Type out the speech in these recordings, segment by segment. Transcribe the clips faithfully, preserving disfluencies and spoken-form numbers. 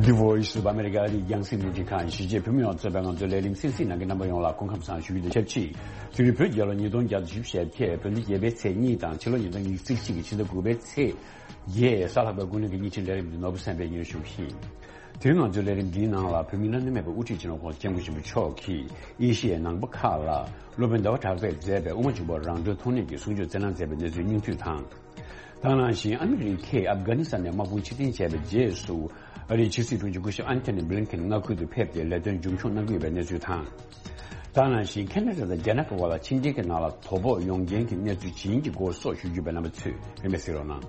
The Voice of America ཨ་རིའི་རྒྱང་སྲིང་རླུང་འཕྲིན་ཁང་གཞིས་བྱེས་བོད་མི་མང་གཙོ་པའི་ང་ཚོའི་ལས་རིམ་གསན་གཟིགས་གནང་མཁན་རྣམ་པ་ཡོངས་ལ་སྐུ་ཁམས་བཟང་ཞུ་རྒྱུ་དང་ཆབས་ཅིག་དེ་རིང་བོད་རྒྱལ་ལོ་ཉིས་སྟོང་བརྒྱ་དང་བཞི་བཅུ་ཞེ་བརྒྱད། བོད་ཟླ་བརྒྱད་པའི་ཚེས་གཉིས་དང་ཕྱི་ལོ་ཉིས་སྟོང་ཉི་ཤུ་རྩ་གཅིག་གི་ཕྱི་ཟླ་དགུ་པའི་ཚེས་བརྒྱད། གཟའ་ལྷག་པའི་དགུང་ལོ་གི་ཉིན་གཅིག་ལས་རིམ་འདི་ནོར་བུ་སེམས་པས་སྙན་ཞུ་ཞུ་གི་ཡིན། དེ་རིང་ང་ཚོའི་ལས་རིམ་འདིའི་ནང་ལ་བོད་མིའི་སྣ་མང་མེད་པའི་དབུ་ཁྲིད་སྤྱི་ནོར་༸གོང་ས་༸སྐྱབས་མགོན་ཆེན་པོ་མཆོག་གིས་ཨེ་ཤི་ཡའི་ནང་པ་ཁག་ལ་སློབ་དཔོན་ཟླ་བ་གྲགས་པས་མཛད་པའི་དབུ་མ་འཇུག་པ་རང་གྲོལ་མཐོང་སྣེ་གི་གསུང་ཆོས་བསྩལ་གནང་མཛད་པའི་གནས་ཚུལ་སྙིང་བསྡུས་དང་། དེ་ནང་བཞིན་ཨ་མི་རི་ཀས་ཨབ་གྷ་ནི་སི་ཐན་ནས་དམག་དཔུང་ཕྱིར་འཐེན་བྱས་པའི་རྗེས་སུ། ཨ་རིའི་ཕྱི་སྲིད་དྲུང་ཆེ་སྐུ་ཞབས་ཨན་ཐོ་ནི་བྷི་ལིན་ཁེན་མངའ་ཁུལ་དུ་ཕེབས་ཏེ་ལས་དོན་རྒྱུན་འཁྱོངས་གནང་གི་ཡོད་པའི་གནས་ཚུལ་དང་། དེ་ནང་བཞིན་ཁེ་ན་ཌ་དང་རྒྱ་ནག་གི་དབར་ལ་ཕྱི་འབྲེལ་གྱི་ནང་ལ་དོ་ཕོག་ཡོང་རྐྱེན་གྱི་གནས་ཚུལ་ཇི་ཡིན་གྱི་སྐོར་སོགས་ཞུ་རྒྱུ་བའི་རྣམ་པ་ཚོས་རིམ་པས་གཟིགས་རོགས་གནང་།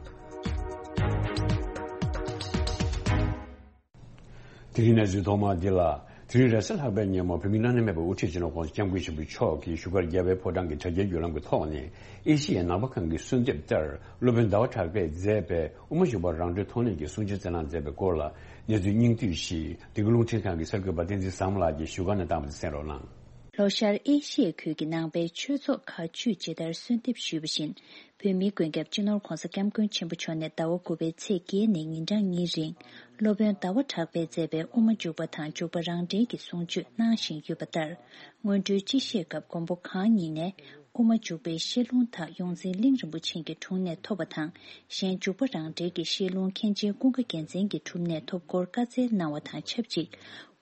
དེ་རིང་གནས་ཚུལ་ཐོག་མ་འདི་ལ། དེ་རིང་རེས་གཟའ་ལྷག་པའི་ཉིན་མོ་བོད་མིའི་སྣ་མང་མེད་པའི་དབུ་ཁྲིད་སྤྱི་ནོར་༸གོང་ས་༸སྐྱབས་མགོན་ཆེན་པོ་མཆོག་གིས་བཞུགས་སྒར་རྒྱལ་བའི་ཕོ་བྲང་གི་དྲ་རྒྱའི་བརྒྱུད་ལམ་གྱི་ཐོག་ནས་ཨེ་ཤི་ཡའི་ནང་པ་ཁང་གི་གསོལ་འདེབས་ལྟར་སློབ་དཔོན་ཟླ་བ་གྲགས་པས་མཛད་པའི་དབུ་མ་འཇུག་པ་རང་གྲོལ་མཐོང་སྣེ་གི་གསུང་ཆོས་བསྩལ་གནང་མཛད་པའི་སྐོར་ལ་གནས་ཚུལ་སྙིང་བསྡུས་ཤིག་འདི་ག་རླུང་འཕྲིན་ཁང་གི་གསར་འགོད་པ་བསྟན་འཛིན་བཟང་མོ་ལགས་ཀྱིས་བཞུགས་སྒར་ནས་བཏང་བ་དེ་གསན་རོགས་གནང་། ལྷོ་ཤར་ཨེ་ཤི་ཡའི་ཁུལ་གྱི་ནང་པའི་ཆོས་ཚོགས་ཁག་བཅུས་ཇི་ལྟར་གསོལ་འདེབས་ཞུས་པ་བཞིན། བོད་མིའི་མགོན་སྐྱབས་སྤྱི་ནོར་༸གོང་ས་༸སྐྱབས་མགོན་ཆེན་པོ་མཆོག་ནས་ཟླ་བ་དགུ་པའི་ཚེས་བརྒྱད་ནས་ཉིན་གྲངས་གཉིས་རིང་། སློབ་དཔོན་ཟླ་བ་གྲགས་པས་མཛད་པའི་དབུ་མ་འཇུག་པ་དང་འཇུག་པ་རང་འགྲེལ་གྱི་གསུང་ཆོས་གནང་བཞིན་ཡོད་པ་ལྟར། སྔོན་འགྲོའི་སྤྱི་བཤད་སྐབས་མགོན་པོ་གང་ཉིད་ནས། དབུ་མ་འཇུག་པའི་བཤད་ལུང་དག་ཡོངས་འཛིན་གླིང་རིན་པོ་ཆེ་གི་དྲུང་ནས་ཐོབ་པ་དང་། གཞན་འཇུག་པ་རང་འགྲེལ་གྱི་བཤད་ལུང་མཁན་ཆེན་ཀུན་དགའ་རྒྱལ་མཚན་གྱི་དྲུང་ནས་ཐོབ་སྐོར་བཀའ་སྩལ་གནང་བ་དང་ཆབས་ཅིག་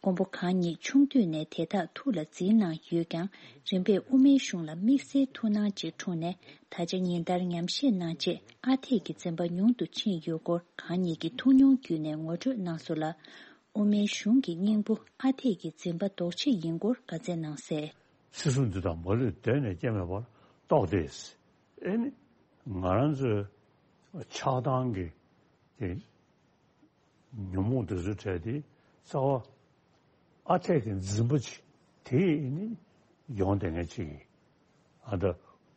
མགོན་པོ་གང་ཉིད་ཆུང་དུས་ནས་དེ་དག་ཐུགས་ལ་འཛིན་གནང་ཡོད་ཀྱང་། རིམ་པས་དབུ་མའི་གཞུང་ལ་དམིགས་བསལ་ཐུགས་སྣང་ཅིག་འཁྲུངས་ནས། ད་ཆ་ཉིན་ལྟར་ཉམས་བཞེས་གནང་རྗེས་ཨ་འཐས་ཀྱི་འཛིན་པ་ཉུང་དུ་ཕྱིན་ཡོད་སྐོར་གང་ཉིད་ཀྱི་ཐུགས་མྱོང་བརྒྱུད་ནས་ངོ་སྤྲོད་གནང་སོང་ལ། དབུ་མའི་གཞུང་གི་སྙིང་པོ་ཨ་འཐས་ཀྱི་འཛིན་པ་ལྡོག་ཕྱིན་ཡིན་སྐོར་བཀའ་སྩལ་གནང་གསལ། སྲིད་གཞུང་འདི་དང་མ་ལུས་གདོད་ནས་སྐྱེ་མེད་པར་རྟོགས་ཏེ། ཨེ་ནི། ང་རང་ཚོའི་ཆགས་སྡང་གི་དེ་ཉོན་མོངས་དེ་ཚོའི་གྲས་དེ་རྩ་བ་ཨ་འཐས་ཀྱི་འཛིན་པ་ཅིག་དེ་ནི་ཡོང་བསྡད་མཁན་ཅིག་ཡིན། ཨ་ད་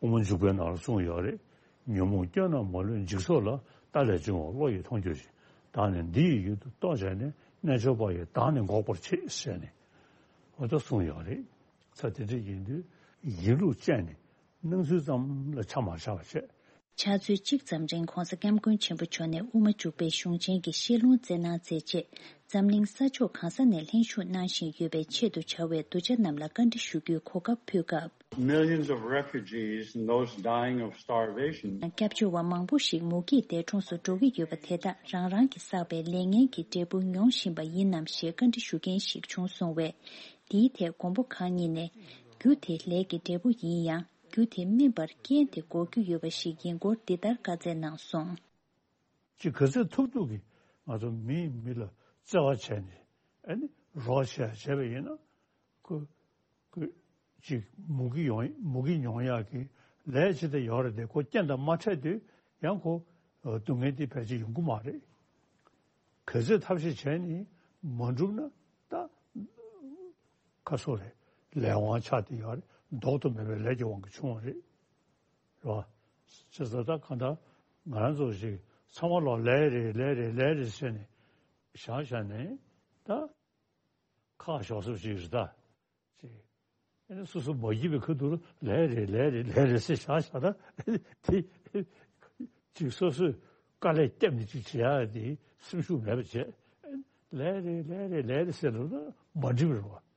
དབུ་མ་འཇུག་པའི་ནང་ལ་གསུངས་ཡོད་རེད། ཉོན་མོངས་སྐྱོན་རྣམས་མ་ལུས་འཇིག་ཚོགས་ལ། རྟ་ལས་བྱུང་བ་བློ་ཡིས་མཐོང་གྱུར་ཅིང་། བདག་ནི་འདི་ཡི་ཡུལ་དུ་རྟོག་བྱས་ནས། རྣལ་འབྱོར་པ་ཡིས་བདག་ནི་འགོག་པར་བྱེད་ཟེར་ནས་འོ་ད་གསུངས་ཡོད་རེད། ཚ་དེ་འདྲ་ཡིན་དུས་ཡིན་ལུགས་ཅན་ནི་སྣང་ཚུལ་ཙམ་ལ་ཆ་མ་བཞག་པ་བྱས། ཕྱག་ཚོད་གཅིག་ཙམ་རིང་༸གོང་ས་༸སྐྱབས་མགོན་ཆེན་པོ་མཆོག་ནས་དབུ་མ་འཇུག་པའི་གཞུང་ཆེན་གྱི་བཤད་ལུང་སྩལ་གནང་མཛད་རྗེས། འཛམ་གླིང་ས་ཕྱོགས་གང་ས་ནས་ལྷན་ཞུགས་གནང་བཞིན་ཡོད་པའི་ཆེད་དུ་བྱ་བའི་གདུལ་བྱ་རྣམས་ལ་བཀའ་འདྲི་ཞུ་རྒྱུའི་གོ་སྐབས་ཕུལ་སྐབས། Millions of refugees and those dying of starvation. སྐྱབས་བཅོལ་བ་མང་པོ་ཞིག་མུ་གེའི་འདས་གྲོངས་སུ་འགྲོ་གི་ཡོད་པ་དེ་དག་རང་རང་གིས་བསགས་པའི་ལས་ངན་གྱི་འབྲས་བུ་མྱོང་བཞིན་པ་ཡིན་ནམ་ཞེས་བཀའ་འདྲི་ཞུ་མཁན་ཞིག་བྱུང་སོང་བས། འདིའི་ཐད་མགོན་པོ་གང་ཉིད་ནས། རྒྱུ་དེ་ལས་ཀྱི་འབྲས་བུ་ཡིན་ཡང་། རྒྱུ་དེ་སྨིན་པར་རྐྱེན་དེ་འགོག་རྒྱུ་ཡོད་པ་ཞིག་ཡིན་སྐོར་འདི་ལྟར་བཀའ་སྩལ་གནང་སོང་། ཅིག་ག་ཚོད་ཐུབ་ཐུབ་ཀྱིས་ང་ཚོ་མིས་མི་ལ་བརྩེ་བ་བྱས་ནས་ཨ་ནི་རོགས་བྱས་བྱས་པ་ཡིན་ན་ཁོ་ཁོ་ཅིག་མུ་གེ་ཡོང་མུ་གེ་མྱོང་ཡག་གི་ལས་ཅི་ལྟར་ཡོད་རེད་དེ། ཁོ་རྐྱེན་དང་མ་འཕྲད་དུས་ཡང་ཁོ་སྡུག་བསྔལ་དེ་ཕལ་ཆེར་ཡོང་གི་མ་རེད། ག་ཚོད་ཐབས་ཤེས་བྱས་ནས་མ་འགྲུབ་ན་ད་ཁ་སོ་རེད། ལས་དབང་ཆགས་ཏེ་ཡོད་རེད། ལྡོག་ཏུ་མེད་པའི་ལས་ཀྱི་དབང་གིས་བྱུང་བ་རེད། རེད་བ། བྱས་ཙང་ད་གང་ལྟར་ང་རང་ཚོ་ཞིག་ཚང་མ་ལོག་ལས་རེད་ལས་རེད་ལས་རེད་ཟེར་ནས་བཞག་བཞག་ནས་ད་ཁག་ཞོག་སོ་ཞིག་རེད་ད། ཅེས། ཨ་ནི་སོ་སོ་མ་བགྱིས་པའི་ཁ་ཐུག་ལ་ལས་རེད་ལས་རེད་ལས་རེད་ཟེར་བཞག་བཞག་ན་དེ་ཅིག་སོ་སོས་དཀའ་ལས་བརྒྱབ་ནས་ཅིག་བྱེད་ཡག་དེ་སེམས་ཤུགས་མེད་པ་བྱས། ལས་རེད་ལས་རེད་ལས་རེད་ཟེར་ལབ་ན་མ་འགྲིག་པ་རེད་བ།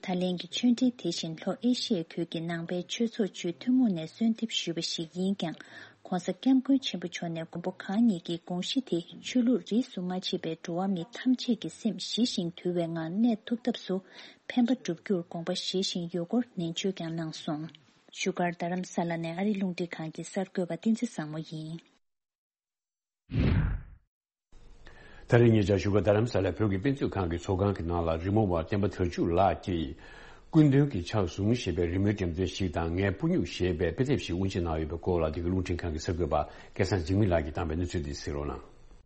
ད་ལན་གྱི་ཆོས་འབྲེལ་དེ་བཞིན་ལྷོ་ཨེ་ཤི་ཡའི་ཁུལ་གྱི་ནང་པའི་ཆོས་ཚོགས་བཅུའི་ཐུན་མོང་ནས་གསོལ་འདེབས་ཞུས་པ་ཞིག་ཡིན་ཀྱང་། ༸གོང་ས་༸སྐྱབས་མགོན་ཆེན་པོ་མཆོག་ནས་མགོན་པོ་གང་ཉིད་ཀྱི་དགོངས་གཞི་དེ་ཆོས་ལུགས་རིས་སུ་མ་ཆད་པའི་འགྲོ་བ་མི་ཐམས་ཅད་ཀྱི་སེམས་ཞི་ཞིང་དུལ་བའི་ངང་གནས་ཐུབ་ཐབས་སུ་ཕན་པ་བསྒྲུབ་རྒྱུར་དགོངས་པ་བཞེས་བཞིན་ཡོད་སྐོར་ནན་བརྗོད་ཀྱང་གནང་སོང་། བཞུགས་སྒར་རྡ་རམ་ས་ལ་ནས་ཨ་རིའི་རླུང་འཕྲིན་ཁང་གི་གསར་འགོད་པ་བསྟན་འཛིན་བཟང་མོ་ཡིན། ད་རེས་ཉེ་ཆར་བཞུགས་སྒར་རྡ་རམ་ས་ལའི་བོད་ཀྱི་དཔེ་མཛོད་ཁང་གི་ཚོགས་ཁང་གི་ནང་ལ་རི་མོ་བ་བསྟན་པ་དར་ཕྱུག་ལགས་ཀྱིས། སྐུ་མདུན་གྱི་ཕྱག་ཟུང་ཞེས་པའི་རི་མོའི་འགྲེམས་སྟོན་ཞིག་དང་ངའི་སྤུ་སྨྱུག་ཞེས་པའི་དཔེ་དེབ་ཞིག་དབུ་འབྱེད་གནང་ཡོད་པའི་སྐོར་ལ་འདི་ག་རླུང་འཕྲིན་ཁང་གི་གསར་འགོད་པ་སྐལ་བཟང་འཇིགས་མེད་ལགས་ཀྱིས་བཏང་བའི་གནས་ཚུལ་འདི་གཟིགས་རོགས་གནང་།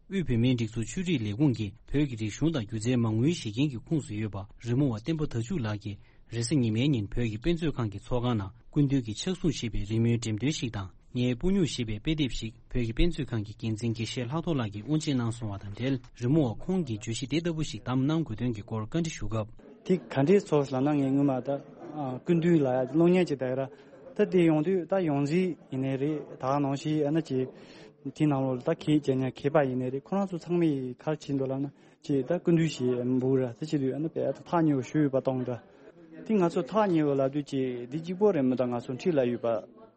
དབུས་བོད་མིའི་སྒྲིག་འཛུགས་ཆོས་རིག་ལས་ཁུངས་ཀྱིས་བོད་ཀྱི་རིག་གཞུང་དང་སྒྱུ་རྩལ་མ་དངུལ་བཞེས་མཁན་གྱི་ཁོངས་སུ་ཡོད་པ་རི་མོ་བ་བསྟན་པ་དར་ཕྱུག་ལགས་ཀྱིས་རེས་གཟའ་ཉི་མའི་ཉིན་བོད་ཀྱི་དཔེ་མཛོད་ཁང་གི་ཚོགས་ཁང་ནང་སྐུ་མདུན་གྱི་ཕྱག་ཟུང་ཞེས་པའི་རི་མོའི་འགྲེམས་སྟོན་ཞིག་དང་། ངའི་སྤུ་སྨྱུག་ཞེས་པའི་དཔེ་དེབ་ཞིག་བོད་ཀྱི་དཔེ་མཛོད་ཁང་གི་འགན་འཛིན་དགེ་བཤེས་ལྷག་རྡོར་ལགས་ཀྱིས་དབུ་འབྱེད་གནང་སོང་བ་དང་འབྲེལ། རི་མོ་བ་ཁོང་གིས་བརྗོད་གཞི་དེ་ལྟ་བུ་ཞིག་བདམས་གནང་དགོས་དོན་གྱི་སྐོར་བཀའ་འདྲི་ཞུ་སྐབས། དེ་ག་འདྲའི་ཚོར་ལབ་ན། ངས་སྔོན་མ་ད་སྐུ་མདུན་ལ་ཡ་གློག་བརྙན་ཅིག་བལྟས་ར། ད་དེ་ཡོང་དུས་ད་ཡོངས་འཛིན་ཡིན་ནའི་རེད། ད་ག་ནང་བཞིན་ཨ་ན་ཅིག་ དེའི་ནང་ལོགས་ལ་ད་མཁས་ཅན་ཡང་མཁས་པ་ཡིན་ནའི་རེད། ཁོ་རང་ཚོ་ཚང་མས་ག་རེ་བྱེད་འདུག་ལབ་ན། ཅེས་ད་སྐུ་མདུན་ཞེས་འབོད་ར་ད་བྱེད་དུས་ཨ་ནི་དཔེ་ད་ཐག་ཉེ་བོ་ཞུ་ཡོད་པ་གཏོང་འདྲ། དེ་ང་ཚོ་ཐག་ཉེ་བོ་ལབ་དུས་ཅེས་འདི་གཅིག་པོ་རེད་མི་ད་ང་ཚོ་འཁྲིས་ལ་ཡོད་པ་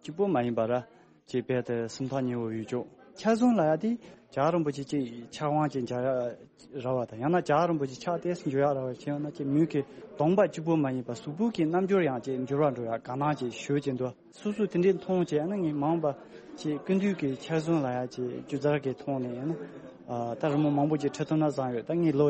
གཅིག་པོ་མ་ཡིན་པ་ར། ཅེས་དཔེ་ད་སེམས་ཐག་ཉེ་བོ་ཡོད་ཅོག་ཆགས་སོང་ལ་ཡ་དེ་བྱ་རིན་པོ་ཆེ་ཅེས་ཆགས་དབང་ཅེས་བྱ་ར་བ་དང་ཡང་ན་བྱ་རིན་པོ་ཆེ་ཆགས་ཏེ་འགྱུར་ཡག་ར་བ་ཅེས་ཡང་ན་ཅེས་མོས་ཀྱི་གདོང་པ་གཅིག་པོ་མ་ཡིན་པ་གཟུགས་པོ་གི་རྣམ་འགྱུར་ཡང་ཅེས་འགྱུར་བ་འགྲོ་ཡག་ག་ནང་ཅེས་ཞུ་ཅེས་འདུག་སོ་སོ་དེ་འདྲའི་མཐོང་བྱས་ན་ངས་མང་བ་ཅིག་ཀུན་འདུས་ཀྱི་ཆགས་སོང་ལ་ཡ་ཅིག་སྒྱུ་རྩལ་གྱི་ཐོག་ནས་ཡིན་ན། ད་རི་མོ་མང་པོ་ཅིག་འཁྲབ་ཐུབ་ན་བཟང་ཡོད། ད་ངས་ལོ་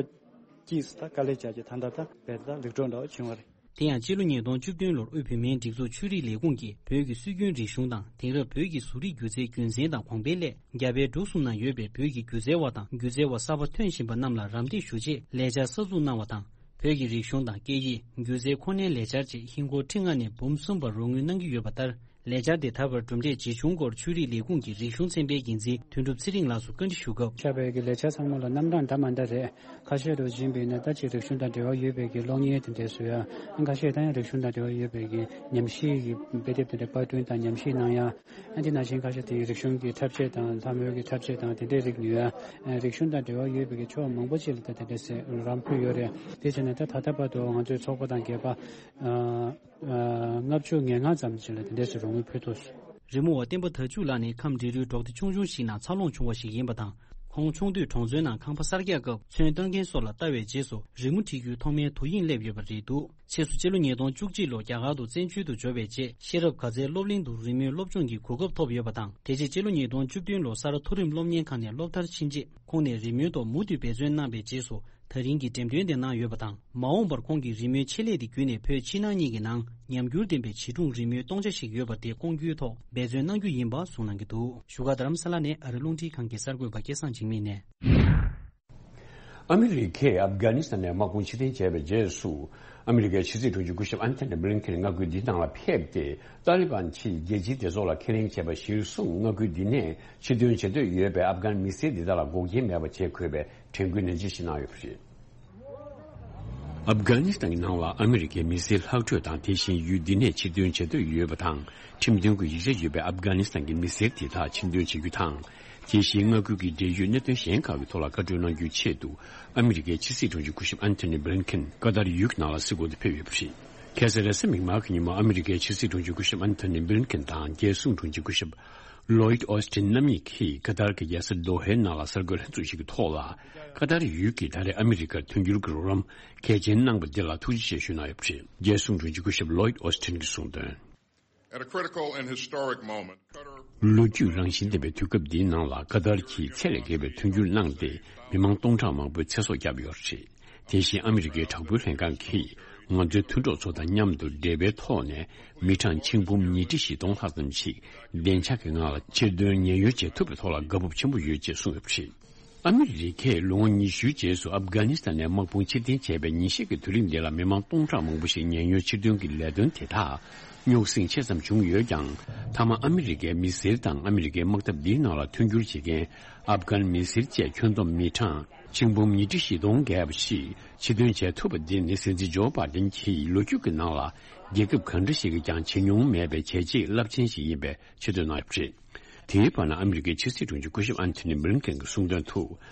གཅིག་ད་དཀའ་ལས་བྱ་ཅིག་ད་ལྟ་ད་བེད་ད་ལེགས་གྲུབ་འདྲ་བ་བྱུང་བ་རེད། དེ་ཡང་སྤྱི་ལོ་ཉིས་སྟོང་བཅུ་བདུན་ལོར་དབུས་བོད་མིའི་སྒྲིག་འཛུགས་ཆོས་རིག་ལས་ཁུངས་ཀྱིས་བོད་ཀྱི་སྲོལ་རྒྱུན་རིག་གཞུང་དང་དེང་རབས་བོད་ཀྱི་བཟོ་རིག་སྒྱུ་རྩལ་རྒྱུན་འཛིན་དང་གོང་འཕེལ་སླད་རྒྱ་བལ་འབྲུག་གསུམ་ན་ཡོད་པའི་བོད་ཀྱི་སྒྱུ་རྩལ་བ་དང་སྒྱུ་རྩལ་བ་གསར་པ་ཐོན་བཞིན་པ་རྣམས་ལ་རམ་འདེགས་ཞུ་ཆེད་ལས་འཆར་གསར་འཛུགས་གནང་བ་དང་། བོད་ཀྱི་རིག་གཞུང་དང་སྐད་ཡིག་སྒྱུ་རྩལ་ཁོ་ནའི་ལས་འཆར་ཆེད་ཧིན་སྒོར་ཁྲི་ལྔ་ནས་འབུམ་གསུམ་བར་རོགས་དངུལ་གནང་གི་ཡོད་པ་ལྟར། ལས་འཆར་དེ་ད་བར་གྲུབ་འབྲས་ཇི་བྱུང་སྐོར་ཆོས་རིག་ལས་ཁུངས་ཀྱི་རིག་གཞུང་ཚན་པའི་འགན་འཛིན་དོན་གྲུབ་ཚེ་རིང་ལགས་སུ་བཀའ་འདྲི་ཞུ་སྐབས། ཆགས་པའི་གི་ལས་འཆར་ཚང་མ་ལ་རྣམ་གྲངས་འདྲ་མ་འདྲ་རེད། ཁ་ཤས་རུ་ཕྱིན་པས་ན་ད་ཅིག་རིག་གཞུང་དང་འབྲེལ་བ་ཡོད་པའི་གི་གློག་བརྙན་དེ་འདྲས་བཟོ་ཡ། ཁ་ཤས་ད་ཡང་རིག་གཞུང་དང་འབྲེལ་བ་ཡོད་པའི་གི་ཉམས་ཞིབ་ཀྱི་དཔེ་དེབ་དེ་འདྲས་པར་སྐྲུན་དང་ཉམས་ཞིབ་གནང་ཡ། ཨ་དེ་ནང་བཞིན་ཁ་ཤས་དེ་རིག་གཞུང་གི་འཁྲབ་ཆས་དང་ལྷ་མོའི་གི་འཁྲབ་ཆས་དང་དེ་འདྲས་རིགས་ཉོ་ཡ། རིག་གཞུང་དང་འབྲེལ་བ་ཡོད་པའི་གི་ཕྱོགས་མང་པོ་ཅིག་ལ་ད་དེ་འདྲས་སེ་རོགས་རམ་ཕུལ་ཡོད་རེད། དེ་བྱས་ན་ད་ད་ལྟ་བར་དུ་ང་ཚོའི་ཚོགས་པ་དང་སྒེར་པ། ལྔ་བཅུ་ང་ལྔ་ཙམ་ཞིག་ལ་དེ་འདྲས་སུ་རོགས་དངུལ་ཕུལ་ཐུབ་སོང་། རི་མོ་བ་བསྟན་པ་དར་ཕྱུག་ལགས་ནི་ཁམས་འབྲི་རུའི་འབྲོག་སྡེ་ཆུང་ཆུང་ཞིག་ནང་འཚར་ལོངས་བྱུང་བ་ཞིག་ཡིན་པ་དང་། ཁོང་ཆུང་དུས་གྲོང་ཚོའི་ནང་ཁང་པ་གསར་རྒྱག་སྐབས་ཚོན་བཏོན་མཁན་སོགས་ལ་ལྟ་བའི་རྗེས་སུ་རི་མོ་འབྲི་རྒྱུའི་ཐོག་མའི་དོ་དབྱིངས་སླེབས་ཡོད་པ་རེད་འདུག་ཕྱིས་སུ་སྤྱི་ལོ་ཉིས་སྟོང་བཅུ་གཅིག་ལོར་རྒྱ་གར་དུ་བཙན་བྱོལ་དུ་འབྱོར་བའི་རྗེས་ཤེས་རབ་དགའ་ཚལ་སློབ་གླིང་དུ་རི་མོའི་སློབ་སྦྱོང་གི་གོ་སྐབས་ཐོབ་ཡོད་པ་དང་། དེ་རྗེས་སྤྱི་ལོ་ཉིས་སྟོང་བཅུ་བདུན་ལོར་ས་རཱ་མཐོ་རིམ་སློབ་གཉེར་ཁང་ནས་སློབ་མཐར་ཕྱིན་རྗེས་ཁོང་ནས་རི་མོའི་ཐོག་མུ་མཐུད་འབད་བརྩོན་གནང་བའི་རྗེས་སུ། ད་རིང་གི་འགྲེམས་སྟོན་དེ་གནང་ཡོད་པ་དང་། མ་འོངས་པར་ཁོང་གིས་རི་མོའི་ཆེད་ལས་དེ་བརྒྱུད་ནས་བོད་ཕྱི་ནང་གཉིས་ཀྱི་ནང་ཉམས་འགྱུར་ལྡན་པའི་བྱིས་སྒྲུང་རི་མོའི་སྟོང་ཆ་ཞིག་ཡོད་པ་དེ་སྐོང་རྒྱུའི་ཐོག་འབད་བརྩོན་གནང་རྒྱུ་ཡིན་པ་གསུངས་གནང་གི་འདུག་བཞུགས་སྒར་རྡ་རམ་ས་ལ་ནས་ཨ་རི་རླུང་འཕྲིན་ཁང་གི་གསར་འགོད་པ་སྐལ་བཟང་འཇིགས་མེད་ནས། ཨ་མི་རི་ཀས་ཨབ་གྷ་ནི་སི་ཐན་ནས་དམག་དཔུང་ཕྱིར་འཐེན་བྱས་པའི་རྗེས་སུ། ཨ་མི་རི་ཀའི་ཕྱི་སྲིད་དྲུང་ཆེ་སྐུ་ཞབས་ཨན་ཐོ་ནི་བྷི་ལིན་ཁེན་མངའ་ཁུལ་འདིའི་ནང་ལ་ཕེབས་ཏེ། ཏཱ་ལི་བན་གྱིས་རྒྱལ་སྤྱིའི་སྡེ་ཚོགས་ལ་ཁས་ལེན་བྱས་པ་གཞིར་བཟུང་མངའ་ཁུལ་འདི་ནས་ཕྱིར་ཐོན་བྱེད་འདོད་ཡོད་པའི་ཨབ་གྷན་མི་སེར་འདི་དག་ལ་འགོག་རྐྱེན་མེད་པ་བྱེད་དགོས་པའི་དྲན་སྐུལ་ནན་ཆེ་ཞིག་གནང་ཡོད་པ་རེད། ཨབ་གྷ་ནི་སི་ཐན་གྱི་ནང་ལ་ཨ་མི་རི་ཀའི་མི་སེར་ལྷག་འཕྲོས་དང་། དེ་བཞིན་ཡུལ་འདི་ནས་ཕྱིར་ཐོན་བྱེད་འདོད་ཡོད་པ་དང་། ཁྲིམས་མཐུན་གྱི་ཡིག་ཆ་ཡོད་པའི་ཨབ་གྷ་ནི་སི་ཐན་གྱི་མི་སེར་དེ་དག་ཕྱིར་འདོན་བྱེད་རྒྱུ་དང་། དེ་བཞིན་མངའ་ཁུལ་གྱི་འབྲེལ་ཡོད་གནད་དོན་གཞན་ཁག་གི་ཐོག་ལ་བཀའ་འཁྲོལ་གནང་རྒྱུའི་ཆེད་དུ། ཨ་མི་རི་ཀའི་ཕྱི་སྲིད་དྲུང་ཆེ་སྐུ་ཞབས་ཨན་ཐོ་ནི་བྷི་ལིན་ཁེན་ཀ་ཏར་ཡུལ་གྱི་ནང་ལ་གཟིགས་སྐོར་དུ་ཕེབས་ཡོད་པ་རེད། ཁ་སང་རེས་གཟའ་མིག་དམར་གྱི་ཉིན་མོ་ཨ་མི་རི་ཀའི་ཕྱི་སྲིད་དྲུང་ཆེ་སྐུ་ཞབས་ཨན་ཐོ་ནི་བྷི་ལིན་ཁེན་དང་། རྒྱལ་སྲུང་དྲུང་ཆེ་སྐུ་ཞབས་ལོ་ཡིད་ཨོ་སི་ཐིན་རྣམ་གཉིས་ཀྱིས་ཀ་ཏར་གྱི་རྒྱལ་ས་དོ་ཧའི་ནང་ལ་གསར་འགོད་ལྷན་ཚོགས་ཤིག་གི་ཐོག་ལ། ཀ་ཏར་ཡུལ་གྱིས་ད་རེས་ཨ་མི་རི་ཀར་མཐུན་འགྱུར་གྱི་རོགས་རམ་གལ་ཆེན་གནང་པ་འདི་ལ་ཐུགས་རྗེ་ཆེ་ཞུ་གནང་ཡོད་པ་རེད། རྒྱལ་སྲུང་དྲུང་ཆེ་སྐུ་ཞབས་ལོ་ཡིད་ཨོ་སི་ཐིན་གྱིས་གསུངས་དོན། At a critical and historic moment, Qatar ལོ་རྒྱུས་རང་བཞིན་ལྡན་པའི་དུས་སྐབས་འདིའི་ནང་ལ་ཀ་ཏར་གྱིས་ཚད་ལས་བརྒལ་བའི་མཐུན་འགྱུར་གནང་སྟེ། མི་མང་སྟོང་ཕྲག་མང་པོའི་ཚེ་སྲོག་བསྐྱབས་ཡོད་པ་རེད། དེ་བཞིན་ཨ་མི་རི་ཀའི་དྲག་པོའི་ལྷན་ཁང་གིས་ང་ཚོའི་མཐུན་གྲོགས་ཚོ་དང་མཉམ་དུ་འབྲེལ་བའི་ཐོག་ནས་མི་གྲངས་ཆིག་འབུམ་ཉིས་ཁྲི་བཞི་སྟོང་ལྷག་ཙམ་ཞིག་བདེ་འཇགས་ཀྱི་ངང་ལ་ཕྱིར་ཐོན་ཉེན་གཡོལ་བྱེད་ཐུབ་པའི་ཐོག་ལ་དགའ་སྤོབས་ཆེན་པོ་ཡོད་ཅེས་གསུངས་ཡོད་པ་རེད། ཨ་མི་རི་ཀས་ལོ་ངོ་ཉི་ཤུའི་རྗེས་སུ་ཨབ་གྷ་ནི་སི་ཐན་ནས་དམག་དཔུང་ཕྱིར་འཐེན་བྱས་པའི་ཉིན་ཤས་ཀྱི་དུས་རིང་འདི་ལ་མི་མང་སྟོང་ཕྲག་མང་པོ་ཞིག་ཉེན་གཡོལ་ཕྱིར་ཐོན་གྱི་ལས་དོན་དེ་དག་རྙོག་ཟིང་ཆེ་ཙམ་བྱུང་ཡོད་ཀྱང་། མཐའ་མ་ཨ་མི་རི་ཀའི་མི་སེར་དང་ཨ་མི་རི་ཀའི་དམག་འཐབ་འདིའི་ནང་ལ་མཐུན་འགྱུར་བྱེད་མཁན་ཨབ་གྷན་མི་སེར་བཅས་ཁྱོན་བསྡོམས་མི་གྲངས་ཆིག་འབུམ་ཉིས་ཁྲི་བཞི་སྟོང་བརྒལ་བ་ཞིག་ཕྱིར་ཐོན་བྱས་ཐུབ་པ་འདི་ནི་སྲིད་འཛིན་ཇོ་བྷ་དན་གྱིས་ལོ་རྒྱུས་ཀྱི་ནང་ལ་རྒྱལ་ཁབ་གང་འདྲ་ཞིག་གིས་ཀྱང་བྱེད་མྱོང་མེད་པའི་བྱས་རྗེས་རླབས་ཆེན་ཞིག་ཡིན་པའི་ཆེ་བསྟོད་གནང་ཡོད་པ་རེད། དེའི་བར་ན་ཨ་མི་རི་ཀའི་ཕྱི་སྲིད་དྲུང་ཆེ་སྐུ་ཞབས་ཨན་ཐོ་ནི་བྷི་ལིན་ཀེན་གྱིས་གསུངས་དོན་དུ།